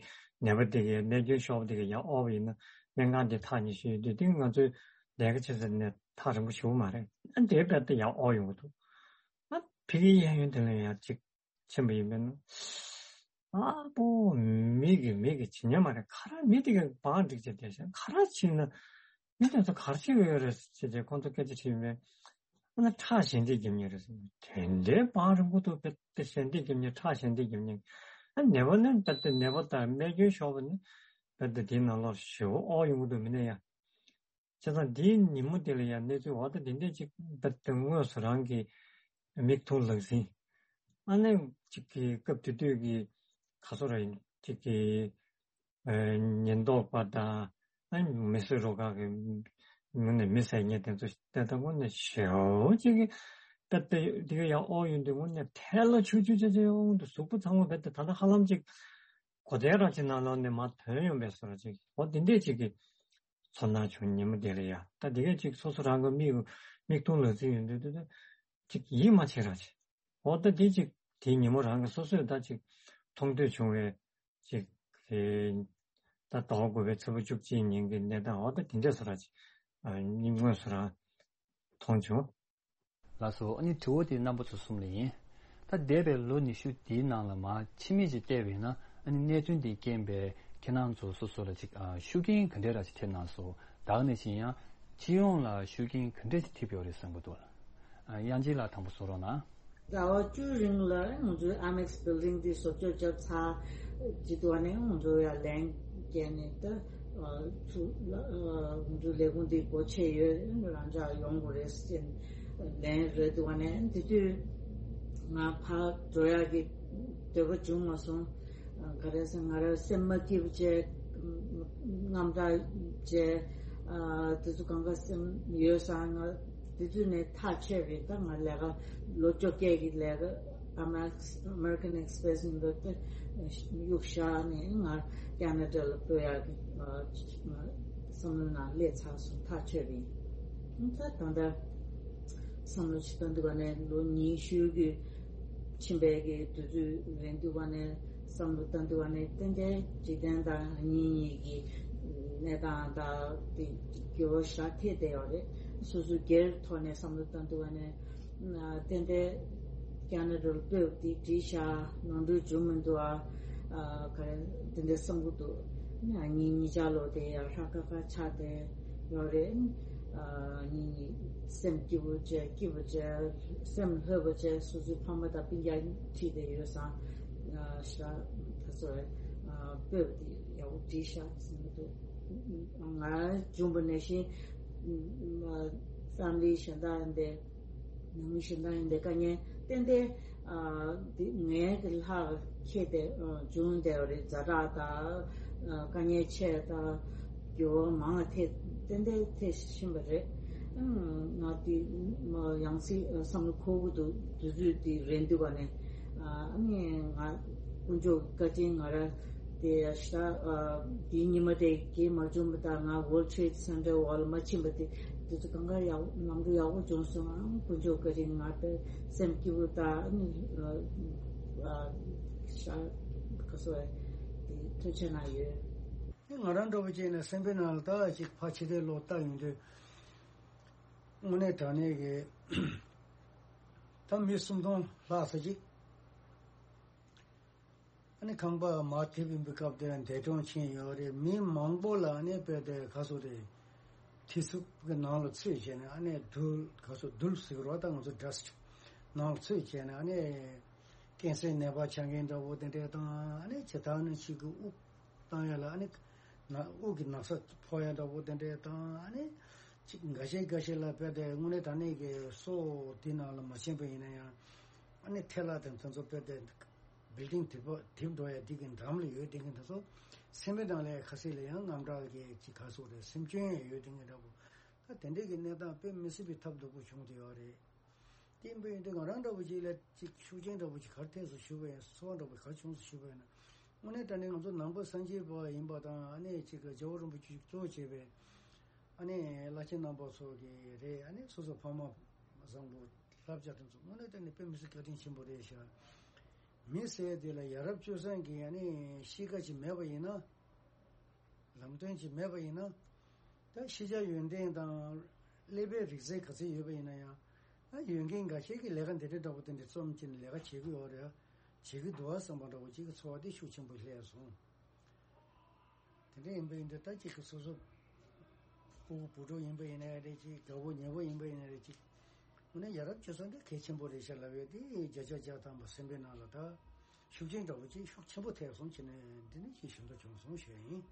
ནད་པ་དེ་གའི་རྨས་སྐྱོན་ཤོར་བ་དེ་གའི་ཡ་དབོར་བ་ཡིན་ན་སྨན་ཁང་དེ་ཐག་ཉེ་ཤོས་ཡོད་དུས། དེ་ང་ཚོའི་ལས་ཀ་བྱེད་ས་ནས་ཐག་རིང་པོ་ཞེ་པོ་མ་རེད། ཨ་དེ་རྦད་དེ་ཡ་དབོར་ཡོང་གི་འདུག་ཨ་ཕ་གིའི་གཡས་གཡོན་དེ་ལ་ཡ་ཅིག་ཕྱིན་པ་ཡིན་པས་ན། ཨ་པོ། མི་གི་མི་གི་ཇི་སྙམ་མ་རེད། ག་རེ་མི་དེ་ག་བང་སྒྲིག་བྱས་བསྡད་ཤག་ག་རེ་བྱས་ན་མི་དེ་ཚོ་ག་རེ་བྱེད་ཀྱི་ཡོད་རེད་ཟེར་བྱས་ཁོང་ཚོ་སྐད་ཆ་དྲིས་པས། ཨ་ན་ཁྲག་ཞལ་འདེབས་རྒྱབ་མཁན་རེད་ཟེར། དེ་འདྲའི་བང་རིང་པོ་འདུག་དཔེ་དེ་ཞལ་འདེབས་རྒྱབ་མཁན། ཁྲག་ཞལ་འདེབས་རྒྱབ་མཁན། ཨ་ནད་པ་ནི་ད་ལྟ་ནད་པ་དང་རྨས་སྐྱོན་ཤོར་བ་ནི་ད་ལྟ་དེའི་ནང་ལོགས་ཞེ་པོ་དབོར་ཡོང་གི་འདུག་མི་ནས་ཡ། བྱས་ཙང་དེའི་ཉིན་མོ་དེ་ལ་ཡང་གནས་ཚུལ་འོ་ད་དེ་འདྲས་ཅིག་རྦད་དེ་དངོས་སུ་རང་གི་མིག་མཐོང་ལག་ཟིན། ཨ་ནི་ཅིག་གི་སྐབས་དེ་དུས་ཀྱི་ག་སོ་ར་ཡིན་ཅིག་གི་ཨ་ཉེན་རྟོག་པ་དང་ཨ་མི་གསོད་རུ་ཁག་གི་ངོས་ནས་མི་བསད་མཁན་དེ་ཚོ་ལྟ་ད་དངོས་གནས་ཞེ་པོ་ཅིག་གི་རྦད་དེ་དེ་ག་ཡང་དབོར་ཡོང་དུས་དངོས་གནས་ཐལ་ལ་ཆུ་ཆུ་ཆུ་ཆུ་ཡོང་དུས་གཟུགས་པོ་ཚང་མ་རྦད་དེ་ད་ལྟ་ཧ་ལམ་ཅིག་གོ་དེ་རང་ཅིག་ནང་ལོགས་ནས་མར་ཐོན་ཡོང་བའི་བཟོ་འདྲ་ཅིག་འོ་དེ་འདྲས་ཅིག་གི་ཚོར་སྣང་བྱུང་། ཉིན་མོ་དེ་ལ་ཡ་ད་དེ་གས་ཅིག་སོ་སོ་རང་གི་མིག་མིག་མཐོང་ལག་ཟིན་ཡོང་དུས་དེ་ཅིག་ཡིད་མ་ཆེས་རང་ཅིག་འོ་ད་དེ་ཅིག་དེའི་ཉིན་མོ་རང་གི་སོ་སོས་ད་ཅིག་མཐོང་ཐོས་བྱུང་བའི་ཅིག་དེ་ད་ཟླ་བ་དགུ་པའི་ཚེས་པ་བཅུ་གཅིག་ཉིན་གྱི་གནས་སྟངས་འོ་ད་དེ་འདྲས་བཟོ་འདྲ་ཅིག་ཨ་དངོས་སུ་རང་མཐོང་བྱུང་། ལགས་སོ། ཨ་ནི་དྲི་བ་དེ་རྣམ་པ་ཚོ་གསུམ་ལ་ཡིན། ད་འདས་པའི་ལོ་ཉི་ཤུ་འདིའི་ནང་ལ་མར་ཕྱི་མིག་ཅིག་བལྟས་པ་ཡིན་ན། ཨ་ནི་གནད་དོན་འདིའི་རྐྱེན་པས་ཁྱེད་རང་ཚོ་སོ་སོ་ལ་ཅིག་ཨ་ཤུགས་རྐྱེན་ག་འདྲས་ར་ཅིག་ཐེབས་གནང་སོང་། ད་ག་ནང་བཞིན་ཡང་སྤྱི་ཡོངས་ལ་ཤུགས་རྐྱེན་ག་འདྲས་ཅིག་ཐེབས་ཡོད་རེད་བསམ་གྱི་འདུག་ཨ་དབྱངས་ཅན་ལགས་དང་པོ་གསུང་རོགས་གནང་། ཟླ་བ་བཅུ་རིང་ལ་ང་ཚོའི་ཨ་མེག་སི་བིལ་ཌིང་འདི་བཟོ་བཅོས་བརྒྱབ་ཚར་རྗེས་དུ་ནས་ང་ཚོ་ཡར་ལན་བརྒྱབ་ནས་ད་ཚུར་ང་ཚོའི་ལས་ཁུངས་འདི་སྒོ་ཕྱེ་ཡོད། རང་འཇགས་ཡོང་དགོས་རེད་ཟེར་ལན་རེད་འདུག་བ་ནས་དེ་དུས་ང་ཕར་འགྲོ་ཡག་གི་ འདོད་པ་བྱུང་མ་སོང་། ག་རེ་ཟེར། ང་རང་སེམས་མ་སྐྱིད་པ་བྱས། དངངས་སྐྲག་བྱས། དེ་ཚོ་གང་ག་སེམས་ཡོད་ས་ང་དེ་ཚོ་ནས་ཐག་ཆོད་པས། ད་ང་ལས་ཀ་ལོ་བཅོ་བརྒྱད་ཀྱི་ལས་ཀ་Amex- American Express ཡིན་པ་དེ་གཡུག་བཞག་ནས་ང་ཁེ་ན་ཌ་ལ་སྤོ་ཡག་གི་བསམ་བློ་ནང་སླེབས་ཚར་སོང་། ཐག་ཆོད་པས། ད་ད་ལྟ་བསམ་བློ་ཞིག་བཏང་དུས་ག་ནས་ལོ་ཉི་ཤུ་གི་ཕྱིན་པའི་གི་དུས་ཚོད་རན་དུས་ག་ནས་བསམ་བློ་བཏང་དུས་ག་ནས་ཏན་ཏན་འཇིག་རྟེན་དང་གཉེན་ཉེ་གི་གནས་སྟངས་དང་དེ་འགྱུར་བ་ཞེ་དྲག་ཐེབས་བསྡད་ཡོད་རེད། སོ་སོ་སྒེར་ཐོག་ནས་བསམ་བློ་བཏང་དུས་ག་ནས་ཏན་ཏན་ཁེ་ན་ཌ་ལ་སྤོས་པ་དེ་འགྲིག་ཤག་ནོར་འཁྲུལ་བྱུང་མི་འདུག་ཨ། ག་རེ་དེ་འདྲ་བསམ་གྱི་འདུག་ཉིན་ཉིན་ཆ་ལོ་དེ་ཡང་ཧྲ་ཁ་ཁ་ཆགས་བསྡད་ཡོད་རེད། ཨ་ནི་སེམས་སྐྱིད་པོ་བྱས། སྐྱིད་པོ་བྱས། སེམས་ལྷོད་པོ་བྱས། སོ་སོའི་ཕ་མ་དང་སྤུན་ཀྱག་ཁྲིད་བསྡད་ཡོད་ཙང་། ཨ་ཤ་ད་ཚོ་ཨ་སྤོས་པ་དེ་ཡག་པོ་འགྲིག་ཤག་བསམ་གྱི་འདུག་ང་བྱུང་བ་ནང་བཞིན་ཨ་ཕེ་མི་ལི་གཞན་དག་ཡིན་པས། ནང་མི་གཞན་དག་ཡིན་པས་དཀའ་ངལ་ཏན་ཏན་ཨ་འདི་ངའི་གི་ལྷག་ཁྱེད་དེ་ཨ་བྱུང་བསྡད་པ་རེད། ཛ་དྲག་དང་ཨ་དཀའ་ངལ་ཆེ་དང་འགྱུར་བ་མང་ཐེབས། ཏན་ཏན་ཐེབས་ཕྱིན་པ་རེད། ཨ་ང་དེ་ཡང་སྲིད་བསམ་བློ་འཁོར་གྱི་འདུག་དུས་ཚོད་དེ་རན་དུས་ག་ནས་ཨ་ནི་ང་དཀོན་མཆོག་བཀའ་དྲིན་ང་རང་དེ་ཤ་ཨ་དེའི་ཉི་མ་དེ་གས་མ་བྱུང་བ་དང་། ང་World Trade Center འོག་ལ་མ་ཕྱིན་པ་དེ། དེ་ཚོ་གང་ག་ཡག་ལམ་འགྲོ་ཡག་པོ་བྱུང་སོང་། ཨང་དཀོན་མཆོག་བཀའ་དྲིན། ང་དཔེ་སེམས་སྐྱིད་པོ་དང་ཨ་ནི་ཨ་ཤ་ཁ་སོ་དེ་ཐུགས་རྗེ་གནང་ཡོད། དེ་ང་རང་འདྲ་པོ་བྱས་ན་སེམས་པའི་ནང་ལ་ད་ཅིག་ཕར་ཕྱི་བལྟས་ལོག་བལྟས་ཡོང་དུས། དངོས་གནས་དྲང་གནས་ཀྱི་ད་མི་སུམ་སྟོང་ལྷག་ཙམ་ཅིག་ཨ་ནི་ཁང་པ་མར་ཐེབས་ཡིན་པའི་སྐབས་དེར་འདས་གྲོངས་ཕྱིན་ཡོད་རེད། མི་མང་པོ་ལ་ཨ་ནི་དཔེ་དེ་ག་སོ་རེད། ཐེ་ཚུགས་ཀྱི་ནང་ལ་ཚུད་བྱས་ནས་ཨ་ནི་རྡུལ་ག་སོ་རྡུལ་ཟེར་རོ། ད་ང་ཚོ་dust ནང་ལ་ཚུད་བྱས་ནས་ཨ་ནི་ཀན་སར་ནད་པ་ཆགས་མཁན་འདྲ་བོ་དེ་འདྲས་དང་། ཨ་ནི་ཇི་ལྟར་ནི་ཅིག་གི་དབུགས་བཏང་ཡ་ལ་ཨ་ནི་ན་དབུགས་ཀྱི་ན་ཚ་ཕོག་ཡ་འདྲ་བོ་དེ་འདྲས་དང་། ཨ་ནི་ཅིག་འགའ་ཤས་འགའ་ཤས་ལ་དཔེ་དེ་དངོས་གནས་དྲང་གནས་ཀྱི་སོ་དེ་ནང་ལ་མ་ཕྱིན་པ་ཡིན་ན་ཡང་ཨ་ནི་ཐལ་བ་དང་དེ་ཚོ་དཔེ་དེ་building དེ་པ་དེབ་འགྲོ་ཡ་དེ་གི་འགྲམ་ལ་ཡོད་དེ་གི་འདྲ་ཚོ། སེམས་པའི་ནང་ལ་ཁ་ཟས་ལ་ཡང་དངངས་སྐྲག་གི་ཅིག་ག་སོ་རེད། སེམས་སྐྱོན་ཡང་ཡོད་དེ་གི་འདྲ་བོ། ད་དེ་འདྲས་ཀྱི་གནས་སྟངས་དཔེ་མི་སྲིད་པའི་ཐབས་སྡུག་པོ་བྱུང་བསྡད་ཡོད་རེད། དེ་ཡིན་པ་ཡིན་དུས་ང་རང་འདྲ་བོ་ཅིག་ལ་ཅིག་ཤུགས་རྐྱེན་འདྲ་བོ་ཅིག་ག་རེ་ཐེབས་སོང་ཞུས་པ་ཡིན། ཚོར་བ་འདྲ་བོ་ག་རེ་བྱུང་སོང་ཞུས་པ་ཡིན་ན། དངོས་གནས་དྲང་གནས་ང་ཚོ་ནང་པ་སངས་རྒྱས་པ་ཡིན་པ་དང་། ཨ་ནི་ཅིག་རྒྱལ་བ་རིན་པོ་ཆེ་གཙོ་བོ་བྱས་པའི་ཨ་ནི་བླ་ཆེན་རྣམ་པ་ཚོ་གི་རེད། ཨ་ནི་སོ་སོ་ཕ་མ་བཟང་པོ་བསླབ་བྱ་དེ་ཚོ་དངོས་གནས་དྲང་གནས་དཔེ་མི་སྲིད་བཀའ་དྲིན་ཆེན་པོ་རེད་ཤག་མི་ཟེར་དེ་ལ་ཡ་རབས་སྤྱོད་བཟང་གི་ཨ་ནི་གཤིས་ཀ་ཅིག་མེད་པ་ཡིན་ན། ལམ་སྟོན་ཅིག་མེད་པ་ཡིན་ན། ད་ཤེས་བྱ་ཡོན་ཏན་དང་ཀླད་པའི་རིག་རྩལ་ག་ཚོད་ཡོད་པ་ཡིན་ན་ཡང་། ད་ཡོད་མཁན་འགའ་ཤས་ཀྱིས་ལས་ཀ་འདི་འདྲ་འདྲ་པོ་དེ་འདྲ་རྩོམ་གྱིན་ལས་ཀ་བྱེད་ཀྱི་ཡོད་རེད། བྱེད་ཀྱི་འདུག་བ་བསམ་པ་འདྲ་པོ་ཅིག་གི་ཚོར་བ་དེ་ཤུགས་ཆེན་པོ་སླེབས་སོང་། དེ་འདྲ་ཡིན་པ་ཡིན་དུས་ད་ཅིག་གི་སོ་སོ་ཕྲུ་གུ་བུ་ཕྲུག་ཡིན་པ་ཡིན་ན་རེད། ཅིག་དགའ་པོ་ཉེ་པོ་ཡིན་པ་ཡིན་ན་རེད། ཅིག་དངོས་གནས་ཡ་རབས་སྤྱོད་བཟང་འདི་གལ་ཆེན་པོ་རེད་ཤག་ལབ་ཡོད་དེ། བརྒྱ་ཆ་བརྒྱ་ཐམ་པ་སེམས་པའི་ནང་ལ་ད་ཤུགས་རྐྱེན་འདྲ་པོ་ཅིག་ཤུགས་ཆེན་པོ་ཐེབས་སོང་བྱས་ནས་འདི་ནས་ཅིག་ཞུ་འདོད་བྱུང་སོང་ཞུ་ཡ་ཡིན།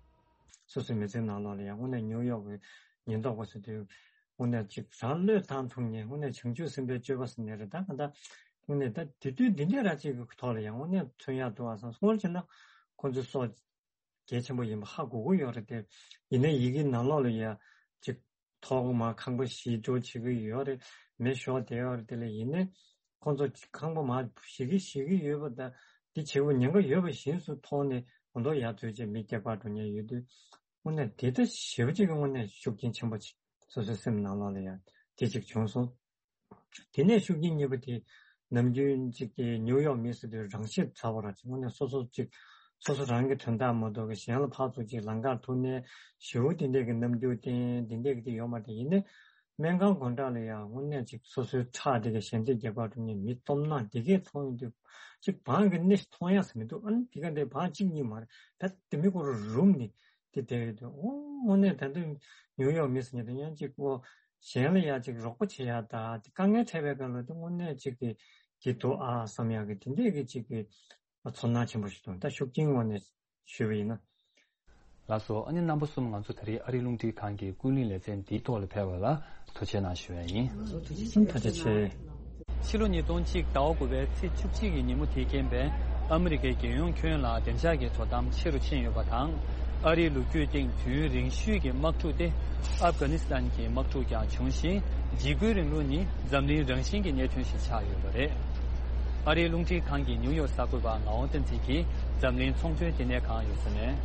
སོ་སོའི་མི་ཚེའི་ནང་ལོགས་ལ་ཡང་དངོས་གནས་ནིའུ་ཡོག་གི་ཉེན་རྟོག་པ་ཚོ་དུས་དངོས་གནས་ཅིག་རང་བློས་བཏང་ཐུབ་མཁན་དངོས་གནས་བྱང་ཆུབ་སེམས་དཔའི་སྤྱོད་པ་ཟེར་ནས་རེད། ད་ག་ད་དངོས་གནས་ད་དེ་དུས་འདི་འདྲའི་ར་ཅིག་གི་ཐོག་ལ་ཡང་དངོས་གནས་མཚོན་ཡག་འདུག་ཨ་བསམ། སྔོན་ཆད་ན་ཁོང་ཚོའི་སྲོག་གལ་ཆེན་པོ་ཡིན་པ་ཧ་གོ་གི་ཡོད་རེད་དེ། ཡིན་ནའི་ཡི་གེ་ནང་ལོགས་ལ་ཡ་ཅིག་ཐོག་མར་ཁང་པ་བཞེས་འགྲོ་བྱེད་ཀྱི་ཡོད་རེད། མེ་ཤོར་བསྡད་ཡོད་རེད། དེ་ལ་ཡིན་ནའི་ཁོང་ཚོ་ཁང་པ་མར་བཞེས་ཀྱི་བཞེས་ཀྱི་ཡོད་པ་དང་། དེ་བྱེད་དགོས་ཉེན་ཁ་ཡོད་པ་བཞིན་དུ་མཐོང་ནས་ང་ཚོ་ཡར་འཛུལ་བྱས་མི་སྐྱེལ་པར་འགྲོ་མཁན་ཡོད་དུས། དངོས་གནས་དེ་ལྟ་ཞེ་པོ་ཅིག་གི་དངོས་གནས་ཤུགས་རྐྱེན་ཆེན་པོ་ཅིག་སོ་སོའི་སེམས་ནང་ལོགས་ལ་ཡང་དེ་ཅིག་བྱུང་སོང་། དེ་ནས་ཤུགས་རྐྱེན་གཉིས་པ་དེ་ནམ་རྒྱུན་ཅིག་གི་ནིའུ་ཡོག་མི་ཟེར་དུས་རང་ཤེད་ཚ་བོ་ར་ཅིག་དངོས་གནས་སོ་སོ་ཅིག་སོ་སོ་རང་གི་དོན་དག་མ་གཏོགས་གཞན་ལ་ཕར་ཚུར་ཅིག་ལམ་ཁར་ཐུག་ནས་ཞེ་པོ་དེ་འདྲས་ཀྱི་རྣམ་འགྱུར་བསྟན་དེ་འདྲས་ཀྱི་དེ་ཡོད་མ་རེད། ཡིན་ནའི་སྨན་ཁང་སྒོ་འགྲམ་ལ་ཡང་དངོས་གནས་ཅིག་སོ་སོའི་ཁྲག་དེ་ག་ཞལ་འདེབས་རྒྱག་པར་འགྲོ་མཁན་མི་སྟོབས་ན་དེ་གས་མཐོང་ཡོང་དུས་ཅིག་བང་གི་སྣེ་ཞིག་མཐོང་ཡག་ཟེར་མི་འདུག་ཨ་ནི་དེ་ག་འདྲའི་བང་གཅིག་གཉིས་མ་རེད། ད་དེ་མི་ཁོ་རང་རུམ་ནས་དེ་བསྡད་ཡོད་དུས། ཨོ་དངོས་གནས་ད་དུང་ནིའུ་ཡོག་མི་ཟེར་མཁན་དེ་ཡང་ཅིག་ཨོ་གཞན་ལ་ཡང་ཅིག་རོགས་པ་བྱེད་ཡག་ད་དེ་དཀའ་ངལ་འཕྲད་པའི་སྐབས་ལ་དེ་དངོས་གནས་ཅིག་གི་གི་འདུག་ཨ་བསམ་ཡག་གི་དེ་འདྲས་ཀྱི་ཅིག་གི་ཚོར་སྣང་ཆེན་པོ་ཞིག་འདུག་ད་ཤུགས་རྐྱེན་ངོས་ནས་ཞུས་པ་ཡིན་ན། ལགས་སོ། ཨ་ནི་རྣམ་པ་གསུམ་ང་ཚོ་ད་རེས་ཨ་རིའི་རླུང་འཕྲིན་ཁང་གི་ཀུན་གླེང་ལེ་ཚན་འདིའི་ཐོག་ལ་ཕེབས་པ་ལ་ཐུགས་རྗེ་གནང་ཞུ་ཡ་ཡིན། ཐུགས་རྗེ་ཆེ། ཕྱི་ལོ་ཉིས་སྟོང་གཅིག་ཟླ་བ་དགུ་པའི་ཚེས་བཅུ་གཅིག་གི་ཉིན་མོ་དེའི་རྐྱེན་པས་ ཨ་མི་རི་ཀའི་རྒྱལ་ཡོངས་ཁྱོན་ལ་བདེ་འཇགས་ཀྱི་དོ་དམ་ཆེ་རུ་ཕྱིན་ཡོད་པ་དང་། ཨ་རིའི་ལོ་རྒྱུས་སྟེང་དུས་ཡུན་རིང་ཤོས་ཀྱི་དམག་འཁྲུག་སྟེ། ཨབ་གྷ་ནི་སི་ཐན་གྱི་དམག་འཁྲུག་ཀྱང་བྱུང་ཞིང་། འཇིགས་སྐུལ་རིང་ལུགས་ནི་འཛམ་གླིང་རང་བཞིན་གྱི་གནད་དོན་ཞིག་ཆགས་ཡོད་པ་རེད། ཨ་རིའི་རླུང་འཕྲིན་ཁང་གི་ནིའུ་ཡོག་གསར་འགོད་པ་ངག་དབང་བསྟན་འཛིན་གྱིས་འཛམ་གླིང་ཚོང་དོན་བདེ་གནས་ཁང་ཡོད་ས་ནས།